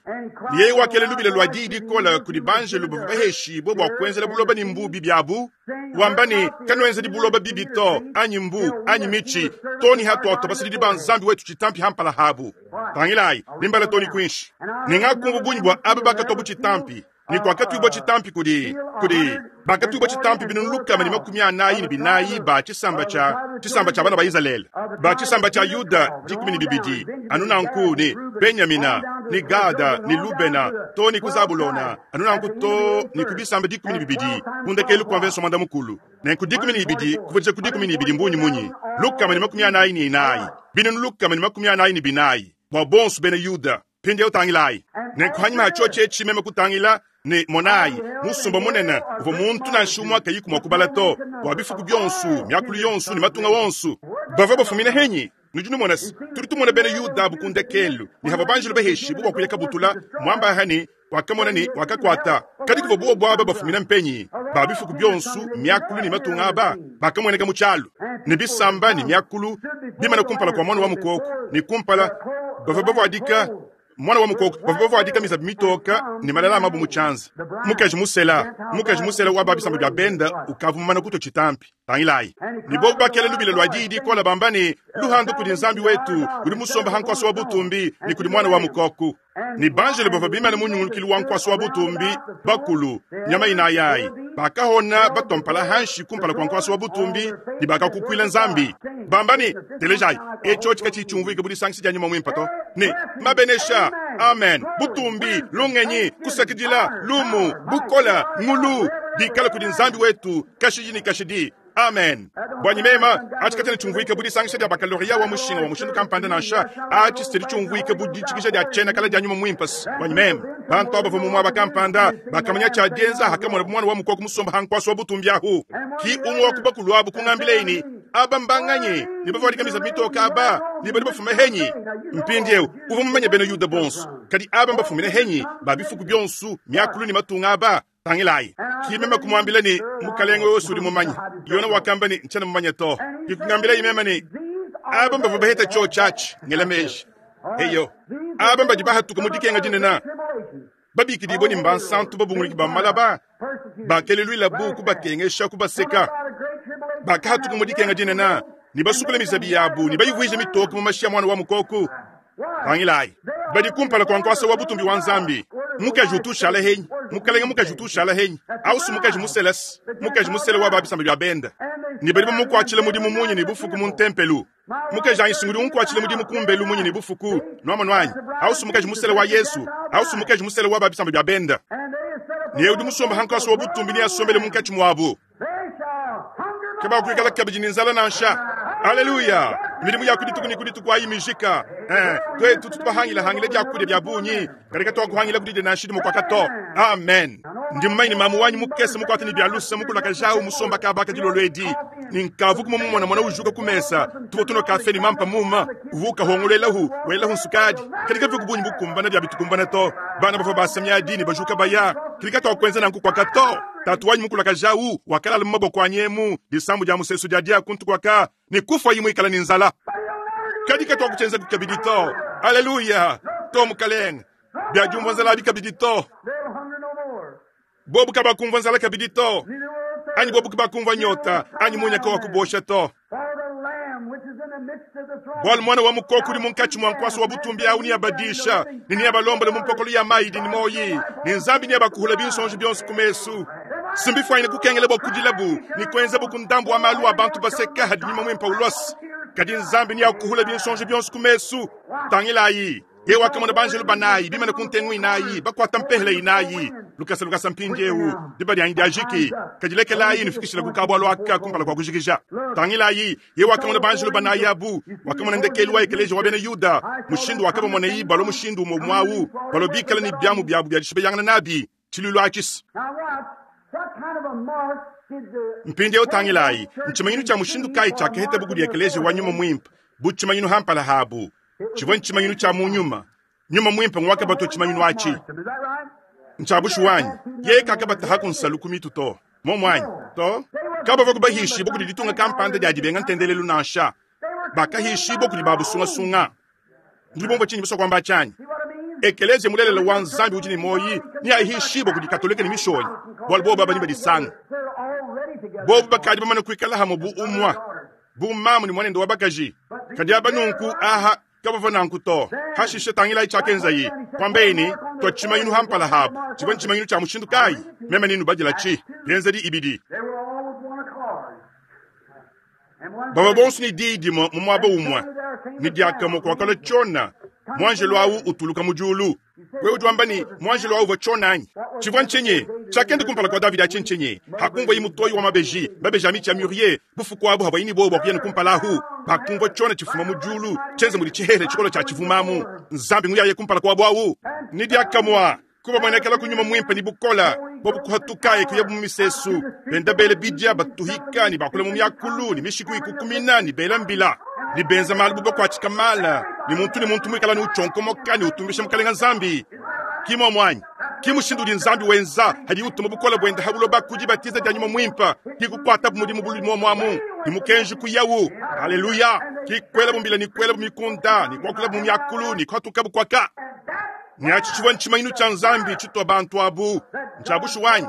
Yeye wakele lubile lwa didi kola kudi banjelu bavua baheshibwe bua kuenzela buloba ni mbu bibi abu wamba ni kanuenzeli buloba bibi to anyi mbu anyi michi toni hatuato basilidi ba nzambi wetu chitampi hampala habu. Tangilayi nimbala toni kwinshi ningakumbu bunyi bua aba bakatwa bu chitampi ni kwakatwibwa chitampi kudi kudi bakatwibwa chitampi binunu lukama ni makumi anayi ni binayi ba chisamba cha chisamba cha bana ba Israeli ba chisamba cha Yuda dikumi ni bibidi anunanku ni Benyamina ni Gada ni Lubena to ni kuzabulona anunanku to ni kubisamba dikumi ni bibidi kundekelu kwa mvenso mwanda mukulu nenku dikumi ni bibidi kuvuja ku dikumi ni bibidi mbunyi munyi lukama ni makumi anayi ni inayi binunu lukama ni makumi anayi ni binayi bwa bonsu bena Yuda pindi utangilayi nenku hanyuma hachoche chimeme kutangila ni monayi musumba munene uva muntu nansha umwe akayiku mwa kubala to bwa bifuku byonsu myakulu yonsu ni matunga wonsu bava bafumina henyi nudi numona tudi tumona bena Yuda bukundekelu ni hava banjelu baheshi bubwa kuyeka butula mwamba hani wakamona ni wakakwata kadi kuva buwo bwaba bafumina mpenyi ba bifuku byonsu myakulu ni matunga aba bakamweneka mu tshialu ni bisamba ni myakulu bimana kumpala kwa mwana wa mukoko ni kumpala bava bavwadika mwana wa mukoko bava bavwadika mizabi mitoka ni malala amabu mu tshianza mukaji musela mukaji musela wa babisamba bya benda ukavumana kuto chitampi. Tangilayi ne bobu bakela lubila lwa diyi dikola bamba ne luhandu kudi Nzambi wetu udi musomba ha nkuasa wa butumbi ne kudi mwana wa mukoku. Ne banjelo bavua bimane mu nyungulukilu wa nkuasa wa butumbi bakulu nyama inayi bakahona batompala hanshi kumpala kwa nkuasa wa butumbi ne bakakukuila Nzambi bamba ne telejayi echo chikachi chumvuike budisankisi dia nyuma mwimpa to ne mabenesha amen butumbi lungenyi kusakidila lumu bukola ngulu bikala kudi Nzambi wetu kashidi ne kashidi amen. Bwanyi mema achikatene chumvuike budisangisha dia bakaloria wa mushinga wa mushindu kampanda nansha achisitedi chumvuike budichikisha dia chena kala dia nyuma mwimpa. Bwanyi mema bantu aba mu mwaba kampanda bakamanya cha dienza hakamona mwana wa mukoko musomba hankwasa wa butumbi ahu ki umwe wa kubakulu abu kungambile aba mbanganye ni bavwadika misa mitoka aba ni bali bafume henyi mpindiewu uva mumanye bena Yuda bonso kadi aba mbafumine henyi babifuku byonsu myakulu ni matunga aba tangilayi kimema kumwambila ni mukalenge wose uri mumanye yona wakamba ni nchana mumanye to kikungambila imema ni aba mbava baheta cho chachi ngelameji eyo aba mbadi bahatuka mudikenga dinena babikidibwa ni mbansantu babunguliki bamalaba bakelelwila buku bakengesha kubaseka bakahatuka mudikenga dinena ni basukula mizabi yabu ni bayivwije mitoka mu mashi ya mwana wa mukoku. Tangilayi badi kumpala kwa nkwasa wa butumbi wa Nzambi mukaji utushala henyi mukalenge mukaji utushala henyi ausu mukaji muselesi mukaji musele wa babisamba bya benda ni badi bamukwachile mudimu munyi ni bufuku mu ntempelu mukaji anyi unkwachile mudimu kumbelu munyi ni bufuku nwama nwanyi ausu mukaji musele wa Yesu ausu mukaji musele wa babisamba bya benda ni udi musomba hankwasa wa butumbi ni asombele munkachi mwabu kaba kuikala kabidi ni nzala nansha. Haleluya. Milimu ya kudituku ni kudituku ayi mijika. Eh, twetu tutubahangila hangila dia kudia bya bunyi. Karika to kuhangila kudide na shidi mukwakato. Amen. Ndi mmaini mamu wanyu mukese mukwata ni bya lusa mukula kajao musomba kabaka dilolwedi. Ni nkavu kuma mumona mwana ujuka kumesa. Tuko tuno kafe ni mampa muma. Uvuka hongolela hu, wela hu nsukadi. Karika vuku bunyi bukumbana bya bitukumbana to. Bana bafa basamya dini bajuka baya. Karika to kwenza na nkukwakato. Tatu wanyu mukula kajau wakala maboko anyemu disambu dia musesu dia dia kuntu kwaka ni kufa yimu ikala ni nzala kadika to kuchenza kukabidito. Haleluya to mukaleng bya jumva nzala bikabidito bobu kaba kumva nzala kabidito anyi bobu kaba kumva nyota anyi munya kwa kubosha to bwal mwana wa mukoko uri munkachi mwa nkwaso wa butumbi au ni abadisha ni ni abalomba mu mpokolo ya maidi ni moyi ni nzambi ni abakuhula binsonje byonse kumesu simbifaine kukengele bokudilabu ni kwenza bukundambu wa malu abantu baseka hadi nyuma mwimpa ulosi kadi nzambi ni akuhula binsonje byonse kumesu tangilayi ye wakamona banjelu banayi bimene kuntengu inayi bakwata mpehele inayi lukasa lukasa mpindiewu dibadi yanyi diajiki kadilekelayi nifikishila kukabwa lwaka kumpala kwa kujikija tangilayi ye wakamona banjelu banayi abu wakamona ndekelu wa ekeleji wa bena Yuda mushindu wakabamona balo mushindu umwe mwawu balo bikala ni byamu byabu bya dishibeyangana nabi chilulu akisi mpindiewu tangilayi nchimanyinu cha mushindu kai chakehete buku dia ekeleji wa nyuma mwimpa buchimanyinu hampala habu chivwa nchimanyinu cha munyuma nyuma mwimpa ngwaka bato chimanyinu achi nchabushu wanyi ye kakabata hakunsalu kumitu to momwanyi to kaba vakubahishi bokudi ditunga kampanda dia dibenga ntendelelu nansha bakahishi bokudi babusungasunga ndibombo chinyi biso kwamba chanyi ekeleze mulelela wa Nzambi udi ni moyi ni ahishi bokudi katolika ni mishonyi bwali bobo baba ni badisanga bobo bakadi bamana kuikala hamo bu umwa bu mamu ni mwanendo wa bakaji kadi abanunku aha kabava nanku to hashishe tangila ichakenza yi kwambeini to chimayinu hampala habu chibwa nchimayinu cha mushindu kai mema ninu badila chi byenzedi ibidi baba bonso ni didi mu mwaba umwa ni diakamo kwa kala chona mwanjelo awu utuluka mujulu wewe ujwamba ni mwanjelo awu vachonanyi chivwa nchenye chakende kumpala kwa David achencenye hakumva imutoyi wa mabeji mabeji amichi ya murier bufuku abu habayini bobo bakuyene kumpala hu bakumva chona chifuma mujulu chenze muli chihere chikolo cha chivumamu nzambi nguyaye kumpala kwa abu awu ni diakamwa kuba mwenekela kunyuma mwimpe ni bukola bobu kuhatukaye kuya mu misesu benda bele bidya batuhika ni bakula mu myakulu ni mishiku ikukumina ni bela mbila ni benza malu buba kwa chikamala ni muntu ni muntu mwikala ni uchonkomoka ni utumbisha mukalenga nzambi kimo mwanyi kimushindu di nzambi wenza hadi utuma bukola bwenda habulo bakuji batiza dia nyuma mwimpa kikukwata bumudi mubuli mwamu ni mukenji kuyawu haleluya kikwela bumbila ni kwela bumikunda ni kwakula bumyakulu ni kwatuka bukwaka ni achichiwa nchimayinu cha nzambi chitwa bantu abu nchabushu wanyi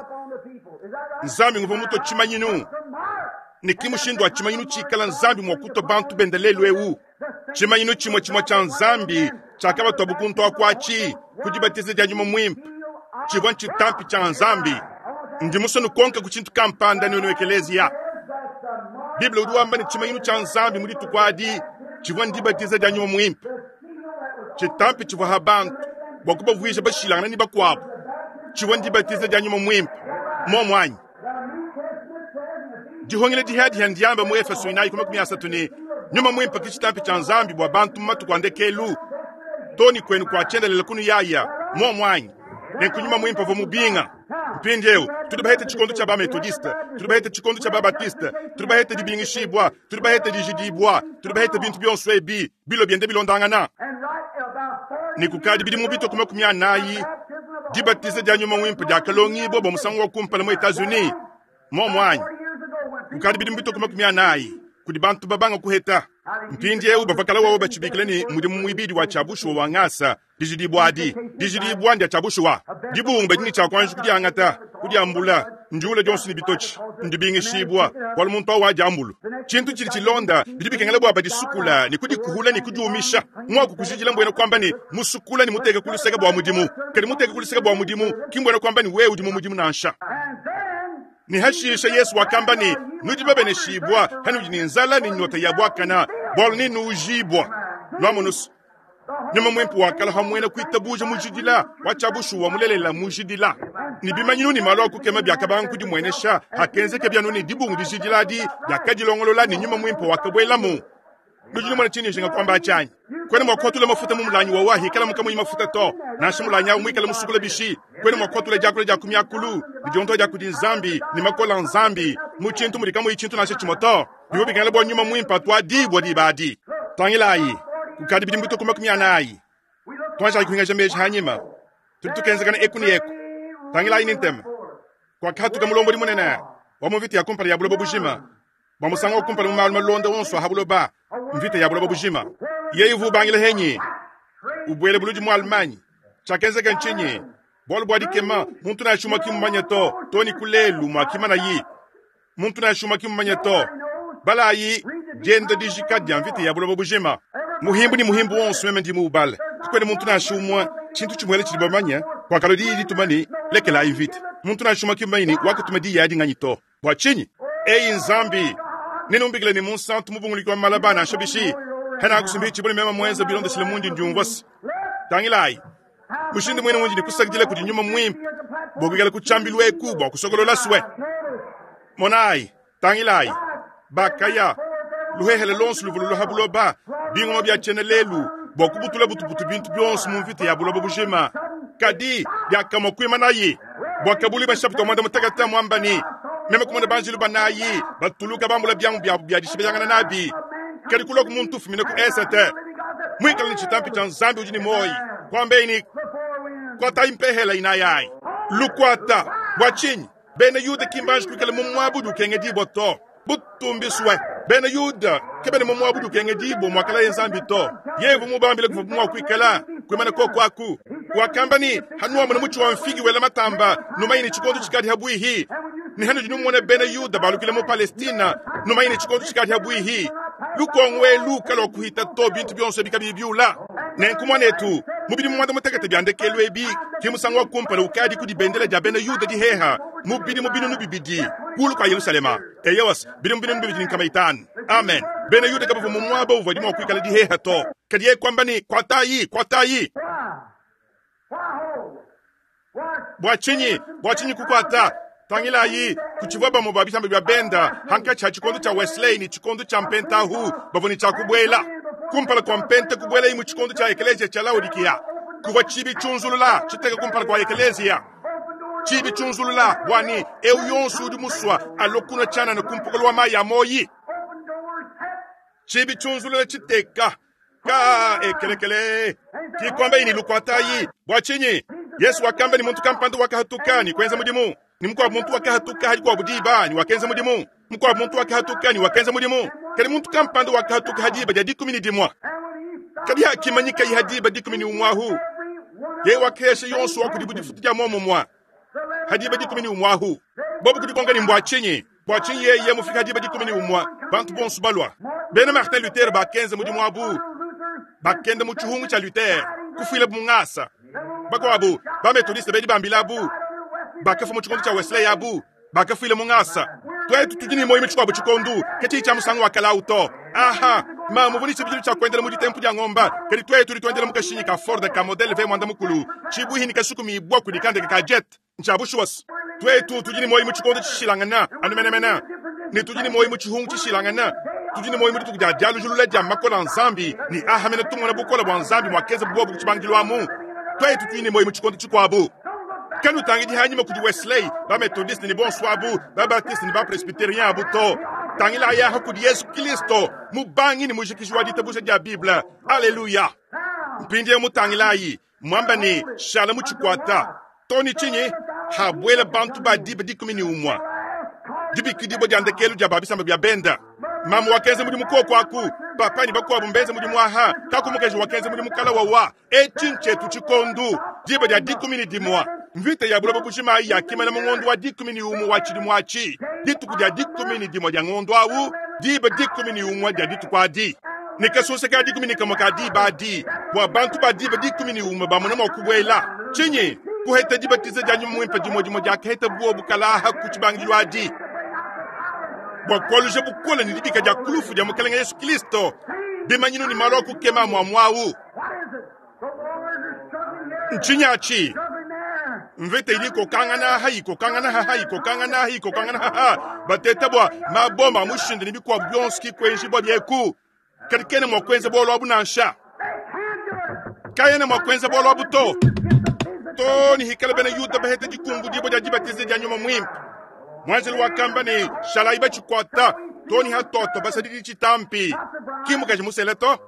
nzambi nguva muto chimanyinu Ne ki mushindu wa tshimanyinu tshikala Nzambi mua kutua bantu bende lelu eu. Tshimanyinu tshimue tshimue tshia Nzambi tshiakabatua kuntu akuatshi ku dibatiza dia Nyuma Muimpe tshivua ntshitampi tshia Nzambi. Ndi musue nukonka ku tshintu kampanda nuenu ekeleziya. Bible udi wamba ne tshimanyinu tshia Nzambi mu dituku adi tshivua ndibatiza dia Nyuma Muimpe. Tshitampi tshivua ha bantu bua kubavuija bashilangana ne bakuabu tshivua ndibatiza dia Nyuma Muimpe. Momu anyi dihongela dihadiha ndiamba mu Efeso inayi ku makumi asatu ne Nyuma Muimpe ki tshitampi tshia Nzambi bua bantu mu matuku a ndekelu toni kwenu kwa tshiendelela kunu yaya momu anyi nenku Nyuma Muimpe uvua mubinga. Mpindieu tudi bahete tshikondo tshia bametodiste, tudi bahete tshikondo tshia babatiste, tudi bahete dibingishibwa, tudi bahete dijidibwa, tudi bahete bintu bionso ebi bilo biende bilondangana. Ne kukadi bidimu bitue ku makumi anayi dibatiza dia Nyuma Muimpe diakalongibwa bua musangu wa kumpala mu Etats-Unis. Momu anyi kukadi bidimu bitue ku makumi anayi kudi bantu babanga kuheta. Mpindieu bavakala wawo batshibikila ne mudimu muibidi wa tshiabushuwa wa ngasa dijidibwa adi dijidibwa ndia tshiabushuwa dibungu badini tshia kuanji kudiangata kudiambula ndiula dionso ne bitotshi ndibingishibwa bualu muntu awu wadiambulu. Tshintu tshidi tshilonda bidi bikengela bua badisukula ne kudikuhula ne kudiumisha mwaku kujidila mbwena kuamba ne musukula ne muteke kuluseka bua mudimu kadi muteke kuluseka bua mudimu ki mbwena kuamba ne wewe udi mu mudimu nansha. Ne hashisha Yesu wakamba ne nudi babeneshibwa hanudi ne nzala ne nyota ya bwakana bualu ne nuujibwa. Lwamunusu Nyuma Muimpe wakala hamwena kuitabuja mujidila wa tshiabushuwa mulelela mujidila ne bimanyinu ne malu akukema biakabanga kudimwenesha hakenzeka bianu ne dibungu dijidila adi diakadilongolola ne Nyuma Muimpe wakabuelamu. Nudi numona tshinyi nshinga kuamba tshianyi kwena mua kuatula mafuta mu mulanyi wawa hikala mukamuyi mafuta to nansha mulanyi awu muikala musukula bishi kwena mua kuatula diakula dia ku miakulu ne dionto dia kudi Nzambi ne makola Nzambi mu tshintu mudi kamuyi tshintu nansha tshimue to bivua bikengela bua Nyuma Muimpe atuadibua diba adi. Tangilayi kukadi bidimu bitue ku makumi anayi tuanjayi kuhingaja meji hanyima tudi tukenzekana eku ne eku. Tangilayi ne ntema kuakahatuka mulombodi munene wa mu mvita ya kumpala ya buloba bujima bua musangu wa kumpala mu malu malonda wonso aha buloba mvita ya buloba bujima. Yeye uvu ubangila henyi ubwele buludi mu Allemagne tshiakenzeka ntshinyi bualu bua dikema muntu nansha umue kimumanye to to ni kulelu muakimana yi muntu nansha umue kimumanye to balayi dienda dijika dia mvita ya buloba bujima. Muhimbu ni muhimbu wonso meme ndi muubale kukwene muntu nansha umue tshintu tshimuele tshidi bamanya kuakalo diyi dituma ne lekelayi mvita muntu nansha umue kimumanye ne wakatuma diyi adi nganyi to bua tshinyi eyi Nzambi nenumbikile ne munsantu mubunguliki wa malaba nansha bishi hena akusumbi tshibone mema mwenza bilondeshile mundi ndiumvwasi. Tangilayi mushindu mwene mundi nikusakidila kudi Nyuma Muimpe bua kuikala kutshambilu eku bua kusokolola swe. Monayi tangilayi bakaya luhehele lonso luvua luluha buloba bingoma bia tshiena lelu bua kubutula butubutu bintu bionso mu mvita ya buloba bujima kadi diakamua kuimanayi bua kabuli bashapita mwanda mutakata mwamba ni meme kumona banjilu banayi batuluka bambula byangu byabu bya dishibeyangana nabi kadi kulwa ku muntu ufumine ku esete mwikala ni tshitampi tshia Nzambi udi ni moyi kwambeni kwata impehela inayayi lukwata bua tshinyi bena Yuda kimbanji kuikala mu mwabudu ukengedibwa to butumbiswe bena Yuda kebene mu mwabudu ukengedibwa mwakala ye Nzambi to yevu mubambile kuva mwa kuikala kwimana kokwaku wakamba ni hanuwa muna muchi wa mfigi wela matamba numayini tshikondo tshikadi habwihi ni hanu dinumona bena Yuda balukile mu Palestina numayini tshikondo tshikadi habwihi lukongwe luka lwa kuhita to bintu bionso bikabi biula nenkumwanetu mubidi mwanda mutekete byandekelu ebi kimusango wa kumpala ukadi kudi bendela dia bena Yuda diheha mubidi mubinu nubibidi kulu kwa Yerusalema eyewas bidi mubinu nubibidi nkama itanu amen. Bena Yuda kabavu mu mwaba uvua dimwa kuikala diheha to kadi ye kwamba ni kwatayi kwatayi bua tshinyi bua tshinyi kukwata tangilayi kuchivua bamwe ba bitamba bya benda hanka cha tshikondo cha Wesley ni tshikondo cha mpentahu bavua ni tshakubwela kumpala kwa mpente kubwela imu tshikondo cha ekelezia cha Laodikia kuvua tshibi tshunzulula tshiteka kumpala kwa ekelezia tshibi tshunzulula bwani eu yonso udi muswa alokuna tshana ne kumpokolo wa mayi ya moyi tshibi tshunzulula tshiteka ka ekelekele kikwamba ini lukwatayi bua tshinyi Yesu wakamba ni muntu kampanda wakahatuka ni kwenza mudimu ni mukwa muntu wakahatuka hadi kwa budiba ni wakenza mudimu mukwa muntu wakahatuka ni wakenza mudimu kali muntu kampanda wakahatuka hadi ba dikumi ni dimwa kadi hakimanyika hadi ba dikumi ni umwahu ye wakesha yonso wakudibu difutu dia momo mwa hadi ba dikumi ni umwahu bobu kudikonga ni mbwa chinyi Bua tshinyi yeye mufika diba dikumi ne umue, bantu bonso balua. Bena Martin Luther bakenza mudimu wabu, bakenda mu tshihungu tshia Luther, kufuila mu ngasa. Bakuabu ba Methodiste bedi bambilabu, bakafua mu tshikondo tshia Wesley abu, bakafuila mu ngasa. Twetu tudi ne muoyo mu tshikuabu tshikondo, ke tshiyi tshia musangu wa kala to. Aha, mamu vuni tshibidilu tshia kuendela mu ditempu dia ngomba, kadi twetu tudi tuendela mu kashinyi ka Ford ka model V mwanda mukulu, tshibuhi ni kasukumibwa kudi kandeke ka jet. Ntshia bushuwa. Twetu tudi ne muoyo mu tshikondo tshishilangana, anu menemene. Ne tudi ne muoyo mu tshihungu tshishilangana. Tudi ne muoyo mu dituku dia dialujulula dia makola a Nzambi, ne aha mene tumona bukole bua Nzambi muakeza buobu ku tshibangidilu amu. Twetu tudi ne muoyo mu tshikondo tshikuabu. Kanutangidi hanyima kudi Wesley, ba Methodiste ne bonso abu, ba Baptiste ne ba Presbyterien abu to. Tangila ayaha kudi Yesu Kristo, mubangi ne mujikiji wa ditabuja dia Bible. Haleluya. Mpindieu mutangilayi, mwamba ne shala mu tshikwata. Toni tshinyi habwela bantu ba diba dikumi ne umwe. Dibikidibwa dia ndekelu dia babisamba bia benda. Mamu wakenza mudimu koko aku, papa ni bakuabu mbenze mudimu aha, kaku mukaji wakenza mudimu kala wawa. Etshi ntshetu tshikondu, diba dia dikumi ne dimue. Mvita ya buloba bujima ya kimana mu ngondo wa dikumi ne umue wa tshidimu atshi. Dituku dia dikumi ne dimue dia ngondo awu, diba dikumi ne umue dia dituku adi. Ne kasonsa ka dikumi ne kamue ka diba adi, bua bantu ba diba dikumi ne umue bamona mua kubuela. Tshinyi? Kuheta dibatiza dia nyuma muimpe dimue dimue diakaheta buobu kalaha ku tshibangidilu adi. Bua kualuja bukole ne dibika dia kulufu dia Mukalenge Yesu Kristo, bimanyinu ne malu a kukema muamuawu. Ntshinyi atshi? Mvita idi ikokangana ha ikokangana ha ikokangana ha ikokangana ha bateta bua mabomba a mushinde ne bikuabu bionso kikuenjibua bieku. Kadi kena mua kuenza bualu abu nansha. Kayena mua kuenza bualu abu to. To ni hikala bena Yuda baheta dikumbudibua dia dibatiza dia nyuma muimpe. Mwanjelu wakamba ne shalai batshikwata to ni hatoto basadidi tshitampi. Ki mukaji musele to.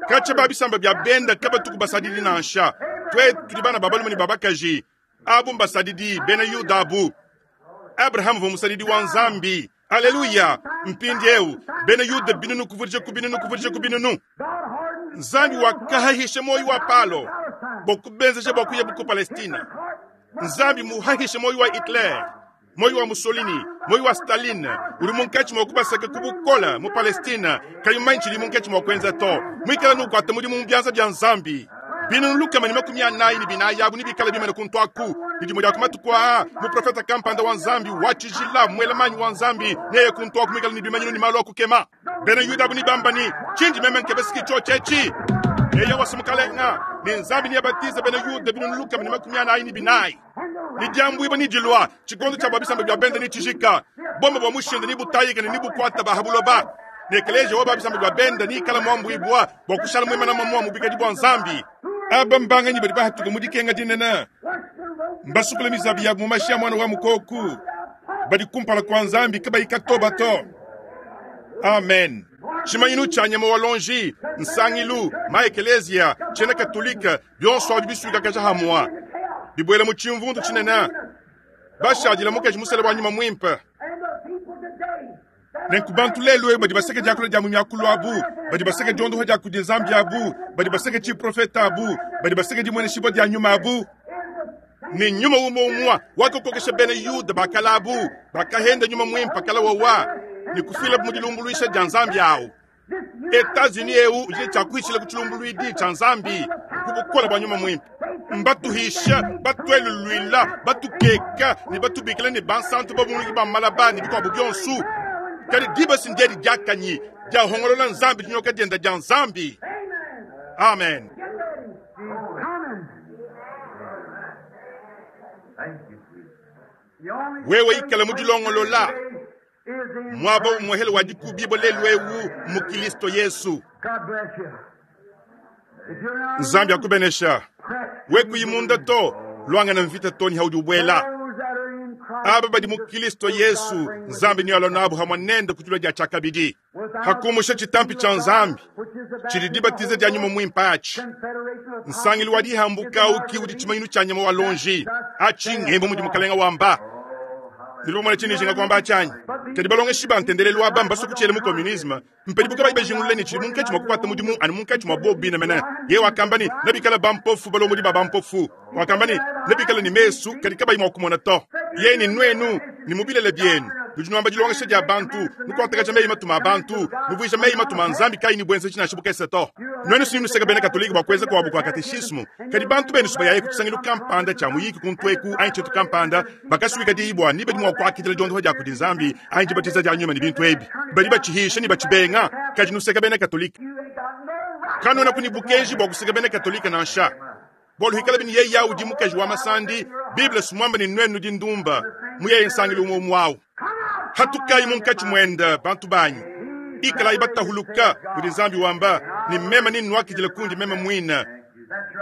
Katshia ba bisamba bia benda kabatuku basadidi nansha. Twetu tudi bana ba balume ne ba bakaji. Abu mbasadidi bena Yuda abu. Abraham uvua musadidi wa Nzambi. Haleluya. Mpindieu bena Yuda binunu kuvudija ku binunu kuvudija ku binunu. Nzambi wakahahisha moyo wa Palo bua kubenzeja bua kuya ku Palestina. Nzambi muhahisha moyo wa Hitler, moyo wa Mussolini, moyo wa Stalin, uri munkatshi mua kubasaka ku bukola mu Palestina, kayi tshidi munkatshi mua kuenza to. Muikala nukuata mudimu mu bianza bia Nzambi. Binunu lukama ne makumi anayi ne binayi abu ne bikala bimane kuntu aku. Bidi dia kumatuku aa, muprofeta kampanda wa Nzambi wa tshijila, mwelamanyi wa Nzambi, neye kuntu aku muikala ne bimanyinu ne malu a kukema. Bena Yuda abu ne bamba ne, tshindi meme nkebesiki tshio tshetshi. Eye wasimukalenga, ne Nzambi niyabatiza bena Yuda binunu lukama ne makumi anayi ne binayi. Ni diambuibwa ni dilua, tshikondo tshia babisamba bia benda ni tshijika. Bomba bua mushinde ni butayika ne ni bukwata ba habuloba. Ne ekeleziya wa babisamba bia benda ni ikala muambuibwa bua kushala muimana mamua mu bikadi bua Nzambi. Aba mbanganyi badi bahatuka mu dikenga dinene. Mbasukula mizabi yabu mu mashi a mwana wa mukoku. Badi kumpala kua Nzambi kabayi katoba to. Amen. Tshimanyinu tshia nyama wa lonji, nsangilu, ma ekeleziya, tshiena katolika, bionso abi bisuikakaja hamua. Bibwela mu tshimvundu tshinene. Bashadila mukaji musele wa nyuma muimpe. Nenku bantu lelu ebu badi baseka diakula dia mu miakulu abu, badi baseka diondoha dia kudi Nzambi abu, badi baseka tshiprofeta abu, badi baseka dimueneshibua dia nyuma abu. Ne nyuma umue umue wakakokesha bena Yuda bakala abu, bakahenda nyuma muimpe kala wawa, ne kufila mu dilumbuluisha dia Nzambi awu. Etats-Unis eu udi tshiakuhishila ku tshilumbuluidi tshia Nzambi ku bukole bua nyuma muimpe. Mbatuhisha, batueluluila, batukeka ne batubikila ne bansantu babunguluki ba malaba ne bikuabu bionso. Kadi diba sindiedi diakanyi dia hongolola Nzambi dinyoka dienda dia Nzambi. Amen. Wewe ikala mu dilongolola. Mwaba umuhele wa dikubibo lelu ewu mu Kristo Yesu. Nzambi akubenesha. We kuyimunda to, lwangana mvita to ni haudi ubwela. Aba badi mu Kristo Yesu, Nzambi ni alonabu hamwe nende kutulwa dia chakabidi. Hakumusha chitampi cha Nzambi, chili dibatiza dia nyuma muimpe achi. Nsangilu wa dihambuka uki udi tshimanyinu tshia nyama wa lonji, achi ngembo mudi mukalenga wamba. Nudi bamona tshindi njinga kuamba tshianyi? Kadi balongeshi ba ntendelelu aba mbasue kutshiela mu communisme, mpadibu kabayi bajingulule ne tshidi munkatshi mua kukuata mudimu anu munkatshi mua bobu bine mene. Yeye wakamba ne, nebikale bampofu balombodi ba bampofu. Wakamba ne, nebikale ne mesu kadi kabayi mua kumona to. Yeye ne nuenu ne mu bilele bienu nudi nuamba dilongesha dia bantu, nukuatakaja meyi matuma a bantu, nuvuija meyi matuma a Nzambi kayi ne buenzeji nansha bukese to. Nuenu si nuseka bena Katolike bua kuenza kuabu kua kateshismu, kadi bantu benu si bayaye ku tshisangilu kampanda tshia muyiki kuntu eku anyi tshintu kampanda, bakasuika diyi bua ni badi mua kuakidila diondopa dia kudi Nzambi anyi dibatiza dia nyuma ne bintu ebi, badi batshihisha ne batshibenga, kadi nuseka bena Katolike. Kanuenaku ne bukenji bua kuseka bena Katolike nansha. Bualu hikala bini yeye udi mukaji wa masandi, Bible si muamba ne nuenu nudi ndumba, muyeye nsangilu umue umue awu. Hatukayi munkatshi muende bantu banyi, ikalayi batahuluka kudi Nzambi wamba ne meme ninnuakidila kundi meme muine.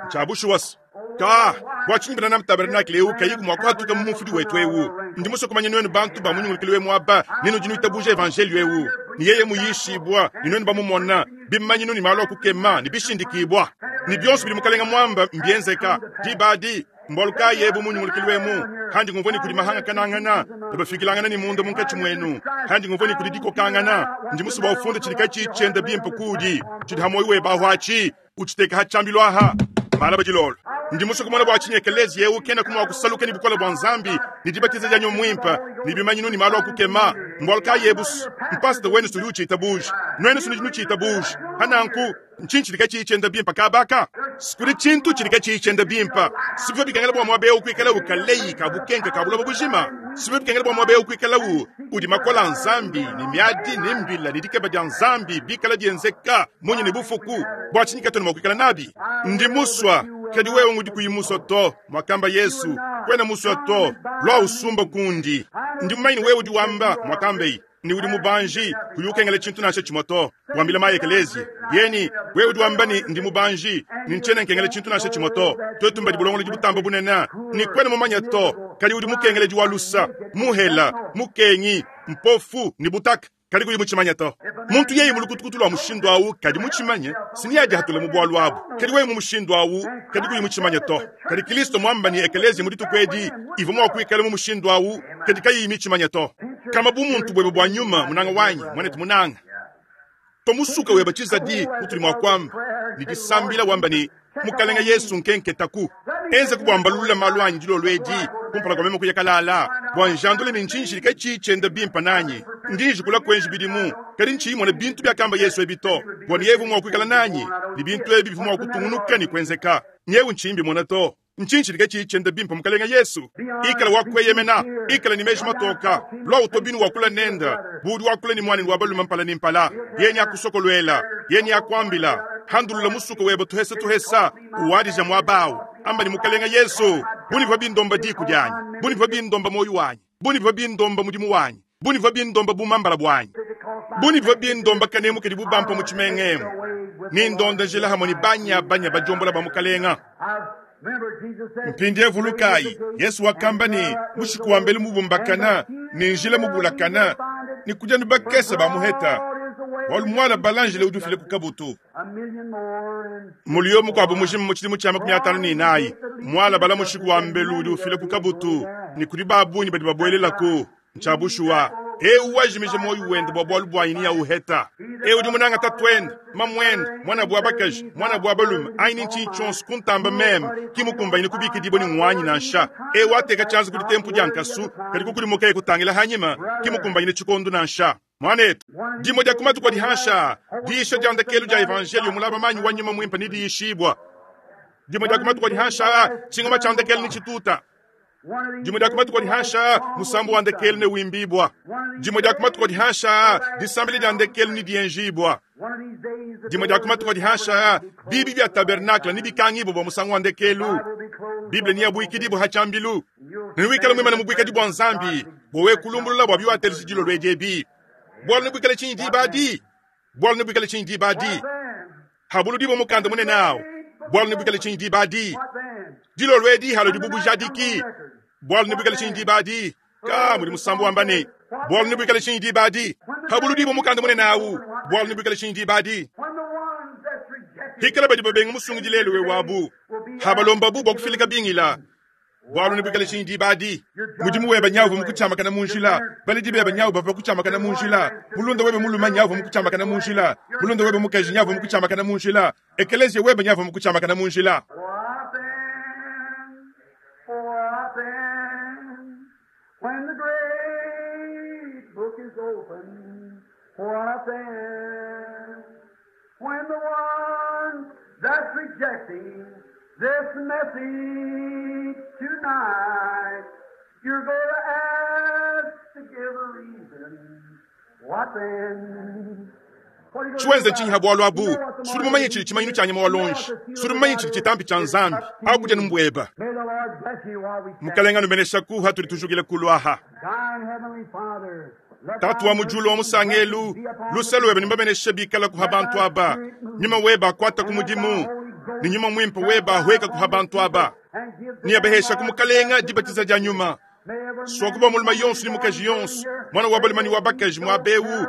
Ntshia bushuwa se ka bua tshinyi Branham Tabernacle eu kayiku mua kuhatuka mu mufudi wetu eu. Ndi musue kumanya nuenu bantu ba munyungulukilu wemu aba ne nudi nuitabuja evanjelio eu ne yeye muyishibua ne nuenu bamumona bimanyinu ne malu a kukema ne bishindikibua ne bionso bidi mukalenga muamba mbienzeka diba adi. Mbualu kayi ebu munyungulukilu wemu handi ngumvua ne kudi mahangakanangana ne bafikilangana ne munda munkatshi muenu, handi ngumvua ne kudi dikokangana. Ndi musue bua ufunde tshidi katshiyi tshienda bimpe kudi tshidi ha muoyo webe ahu atshi utshiteka ha tshiambilu aha malaba dilolo. Ndi musue kumona bua tshinyi ekelezia eu kenaku mua kusaluka ne bukole bua Nzambi ne dibatiza dia nyuma muimpe ne bimanyinu ne malu a kukema. Mbualu kayi ebu? Mpasita wenu sudi utshitabuja, nuenu sudi nutshitabuja. Hananku ntshinyi tshidi katshiyi tshienda bimpe kabaka? Kudi tshintu tshidi katshiyi tshienda bimpe. Sivyo bikengela bua muaba eu kuikala ukaleyi ka bukenke ka buloba bujima. Sivyo bikengela bua muaba eu kuikala u udi makola a Nzambi ne miadi ne mbila ne dikeba dia Nzambi bikala bienzeka munyi ne bufuku. Bua tshinyi katuena mua kuikala nabi? Ndi musua, kadi wewe ngudi kuyi musua to, mwakamba Yesu. Kwena musua to, lua usumba kundi. Ndi mumanye ne wewe udi wamba, mwakambei ni udi mubanji, kuyi ukengela tshintu nansha tshimue to. Wambila mayi ekelezi yeni, wewe udi wamba ni ndi mubanji, ni ntshiena nkengela tshintu nansha tshimue to. Twetu mbadi bulongolodi butamba bunene, ni kwena mumanya to, kadi udi mukengeledi wa lusa, muhela, mukengi, mpofu ni butaka, kadi kuyi mutshimanya to. Muntu yeye mulukutukutu lua mushindu awu kadi mutshimanye, sini yadi hatula mu bualu abu. Kadi wewe mu mushindu awu kadi kuyi mutshimanya to. Kadi Kristo muamba ni ekelezi mu dituku edi ivua mua kuikala mu mushindu awu kadi kayiyi mitshimanya to. Kama bu muntu bwebe bua nyuma munanga wanyi mwanetu munanga tomusuka weba tshizadi utuli mua kuamba ni disambila wamba ni mukalenga Yesu nkenketaku enze kubwambalulula malu anyi dilolo edi kumpala kwa meme kuya kalala bua njandule ne ntshinyi katshi tshienda bimpa nanyi ndi njikula kuenji bidimu kadi ntshiyimona bintu biakamba Yesu ebi to bua ni yevu mua kuikala nanyi ni bintu ebi bivua mua kutungunuka ni kuenzeka nyewu ntshiyimbi mona to. Ntshinyi katshi tshienda bimpa mukalenga Yesu ikala wakweyemena ikala ni meji matoka lwa utobinu wakula nenda budi wakula ni mwana wa baluma mpala ni mpala yeni akusokolwela yeni akwambila handulula musuko weba tuhesa tuhesa uwadija mwabawu amba ni mukalenga Yesu buni bwa bindomba diku dyanyi buni bwa bindomba moyo wanyi buni bwa bindomba mudimu wanyi buni bwa bindomba bumambala bwanyi buni bwa bindomba kanemu kadi bubampa mu tshimengemu nindonda njila hamwe ni banya banya bajombola ba mukalenga. Mpindie vulukayi Yesu wakamba ni mushiku wa mbele mubumbakana ni njila mubulakana ni kuja ni bakesa ba muheta walu mwana balanjile udufile ku kabutu mulio mukwabo mujimu mu tshidimu tshia makumi atanu ni inayi mwala bala mushiku wa mbelu udi ufile ku kabutu ni kudi babunyi badi babuelelaku ntshia bushuwa eu wajimije moyo wende bua bualu bwanyi ni ya uheta eu udi munanga tatuende mamwende mwana bwa bakaji mwana bwa balume aini ntshinyi tshionso kuntamba meme kimukumbanyine kubikidibwa ni ngwanyi nansha eu ateka tshianza kudi tempu dia nkasu kadi kukudimuka kutangila hanyima kimukumbanyine tshikondo nansha. Mwanetu dimo dia kumatu kwa dihansha diisha dia ndekelu dia evangelio mulaba manyi wa nyuma mwimpe ni diishibwa dimo dia kumatu kwa dihansha tshingoma tshia ndekelu ni tshituta dimo dia kumatu kwa dihansha musambu wa ndekelu ne wimbibwa dimo dia kumatu kwa dihansha disambili dia ndekelu ni dienjibwa dimo dia kumatu kwa dihansha bibi bya tabernacle ni bikangibo bwa musangu wa ndekelu Bible ni yabuikidibo hachambilu niwikala mwimana mubuikadi bwa Nzambi bowe kulumbulula bwa biwatelisi dilo lwejebi bwalu nibwikale tshinyi dibadi bwalu nibwikale tshinyi dibadi habulu dibo mukanda munene awo bwalu nibwikale tshinyi dibadi dilo lwedi halo dibubujadiki bwalu nibwikale tshinyi dibadi ka mudi musambu wambane bwalu nibwikale tshinyi dibadi habulu dibo mukanda munene awu bwalu nibwikale tshinyi dibadi hikala badi babenga musungu dilelo we wabu habalomba bu bwa kufilika bingila Bwalu ne shinyi dibadi. Mudimu weba nyawu mukuchamakana munjila. Baledi beba nyawu bava kuchamakana munjila. Mulunda weba muluma nyawu mukuchamakana munjila. Mulunda weba mukaji nyawu mukuchamakana munjila. Ekelezia weba nyawu mukuchamakana munjila. What then? When the great book is opened, what then? When the one that's rejecting this message tonight, you're going to ask to give a reason. What then? Chiwenze chinyi bwalu abu. Suri mumanye chili chimanyi cha nyama walonji. Suri mumanye chili chitambi cha nzambi. Akuja numbweba. Mukalenga numenesha kuha tuli tujugile kulwaha. Tatu wa mujulu wa musangelu. Luselu webe nimbamenesha bikala kuha bantu aba. Nyuma weba kwata kumudimu. Ni nyuma mwimpa weba hweka kuha bantu aba. Ni abehesha kumukalenga dibatiza ja nyuma. Swakuba muluma yonsu ni mukaji yonsu. Mwana wabalimani wabakaji mwabewu.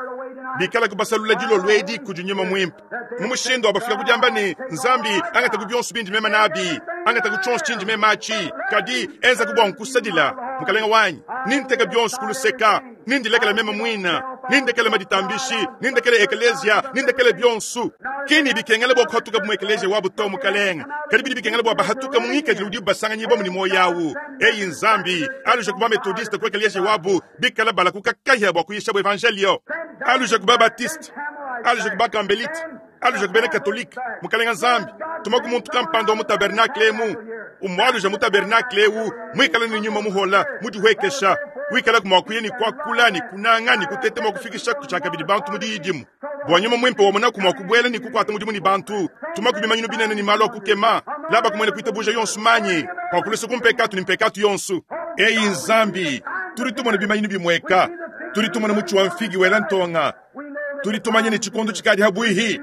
Bikala kubasalula dilo lwedi kujunyuma mwimpa. Mumushindo abafika kujamba ni nzambi angata kubyonsu bindi mema nabi. Angata kuchonsu chinji mema achi. Kadi enza kubwa nkusadila. Mukalenga wanyi. Ninteka byonsu kuluseka. Nindilekele mema mwina. Nindekele maditambishi. Nindekele ekelezia. Nindekele byonsu. Kini bikengele bwa kuhatuka mu ekelezia wabu to mukalenga. Kadi bidi bikengele bwa bahatuka mu ngika jiludi basanga nyibo mu moyawu. Eyi nzambi. Aluja kuba metodiste kwa ekelezia wabu. Bikala bala kukakaya bwa kuyisha bwa evangelio. Aluja kuba baptiste. Aluja kuba kambelite. Aluja kuba katolike. Mukalenga nzambi. Tumaku muntu kampando mu tabernacle mu. Umwaluja mu tabernacle wu. Mwikala ni nyuma muhola. Mudiwekesha. Wikala kumwakuye ni kwakula ni kunanga ni kutetema kufikisha kuchakabidi bantu mudiyidimu. Bwanyuma mwimpe wamona kumwakubwela ni kukwata mudimu ni bantu. Tumaku bimanyinu binene ni malo kukema. Laba kumwene kuitabuja yonsu manyi. Kwa kulusu kumpekatu ni mpekatu yonsu. Eyi nzambi. Turi tumone bimanyinu bimweka. Turi tumone muchu wa mfigi wela ntonga. Turi tumanye ni chikondo chikadi habwihi.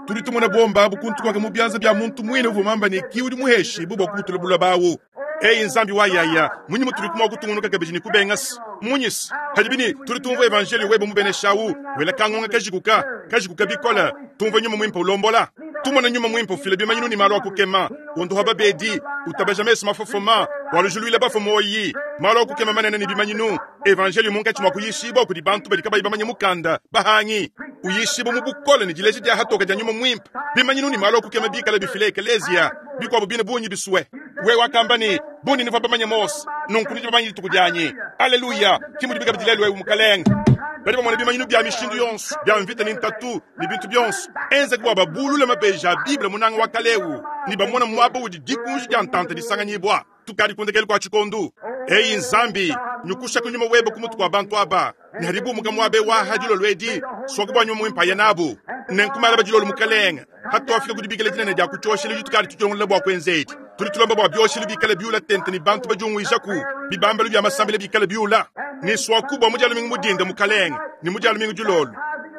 Turi tumone bomba bukuntu kwa mubyanza bya muntu mwine uvumamba ni kiudi muheshi bubwa kubutula bawo. Eyi nzambi wayaya munyi muturi kuma kutungunuka kabeji ni kubengas munyis hadibini turi tumva evangeli webo mubeneshawu wela kangonga kajikuka kajikuka bikola tumva nyuma mwimpa ulombola tumona nyuma mwimpa ufile bimanyinu ni malo akukema undu haba bedi utabaja meso mafofoma walujuluila bafomoyi malo akukema manene ni bimanyinu evangeli munkachi mwakuyishiba kudi bantu bali kabayi bamanye mukanda bahangi uyishiba mubukole ni jileje dia hatoka dia nyuma mwimpa bimanyinu ni malo akukema bikala bifile ekelezia bikwabo bine bunyi biswe we wakamba ni bundi niva bamanye Mose nunku niji bamanye lituku Haleluya kimu dibika bidilelwe umukalenga bali bamona bimanyinu bya mishindu yonsu bya mvita ni ntatu ni bintu byonsu enza kuba babulula mabeja a Biblia munanga wa kalewu ni bamona mwaba udi dikunji dia ntanta disanganyibwa tukali kundekele kwa chikondu eyi nzambi nyukusha kunyuma webe kumutu kwa bantu aba ni haribu muka mwabe wa hadilo lwedi swakubwa nyuma mwimpaya nabu nenkumala bajilolu mukalenga hato afika kudibikele dinene dia kuchoshele jutukali tuchongole bwa kwenzeti tuli tulomba bwa byoshele bikale byula tente ni bantu bajungwishaku bibambelo bya masambele bikale byula ni swakubwa mujalo mingu mudinda mukalenga ni mujalo mingu julolu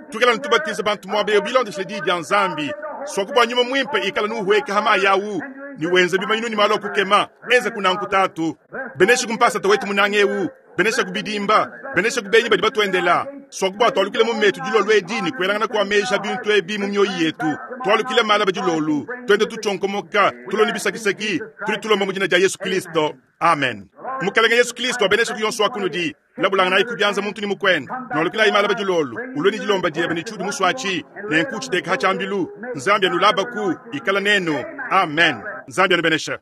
tukela ntubatiza bantu mwabe bilondeshele di dia nzambi swakubwa nyuma mwimpe ikala nuhweka hama yawu ni wenze bimanyinu ni malo kukema enza kunanku tatu benesha kumpasa tawetu munangewu benesha kubidimba benesha kubenyi badi batwendela swakubwa twalukile mu metu dilolu edini kwelangana kwa mesha bintu ebi mu myoyi yetu twalukile mala badilolu twende tuchonkomoka tuloni bisakisaki tuli tulomba mu jina dia Yesu Kristo amen. Mukalenga Yesu Kristo abenesha kuyonso akunudi labulanga nayi kubyanza muntu ni mukwenda nolukila imala badilolu uloni dilomba diebe ni chudi muswachi nenkuchi deka hachambilu nzambi anulabaku ikala neno amen. Nzambi anubenesha.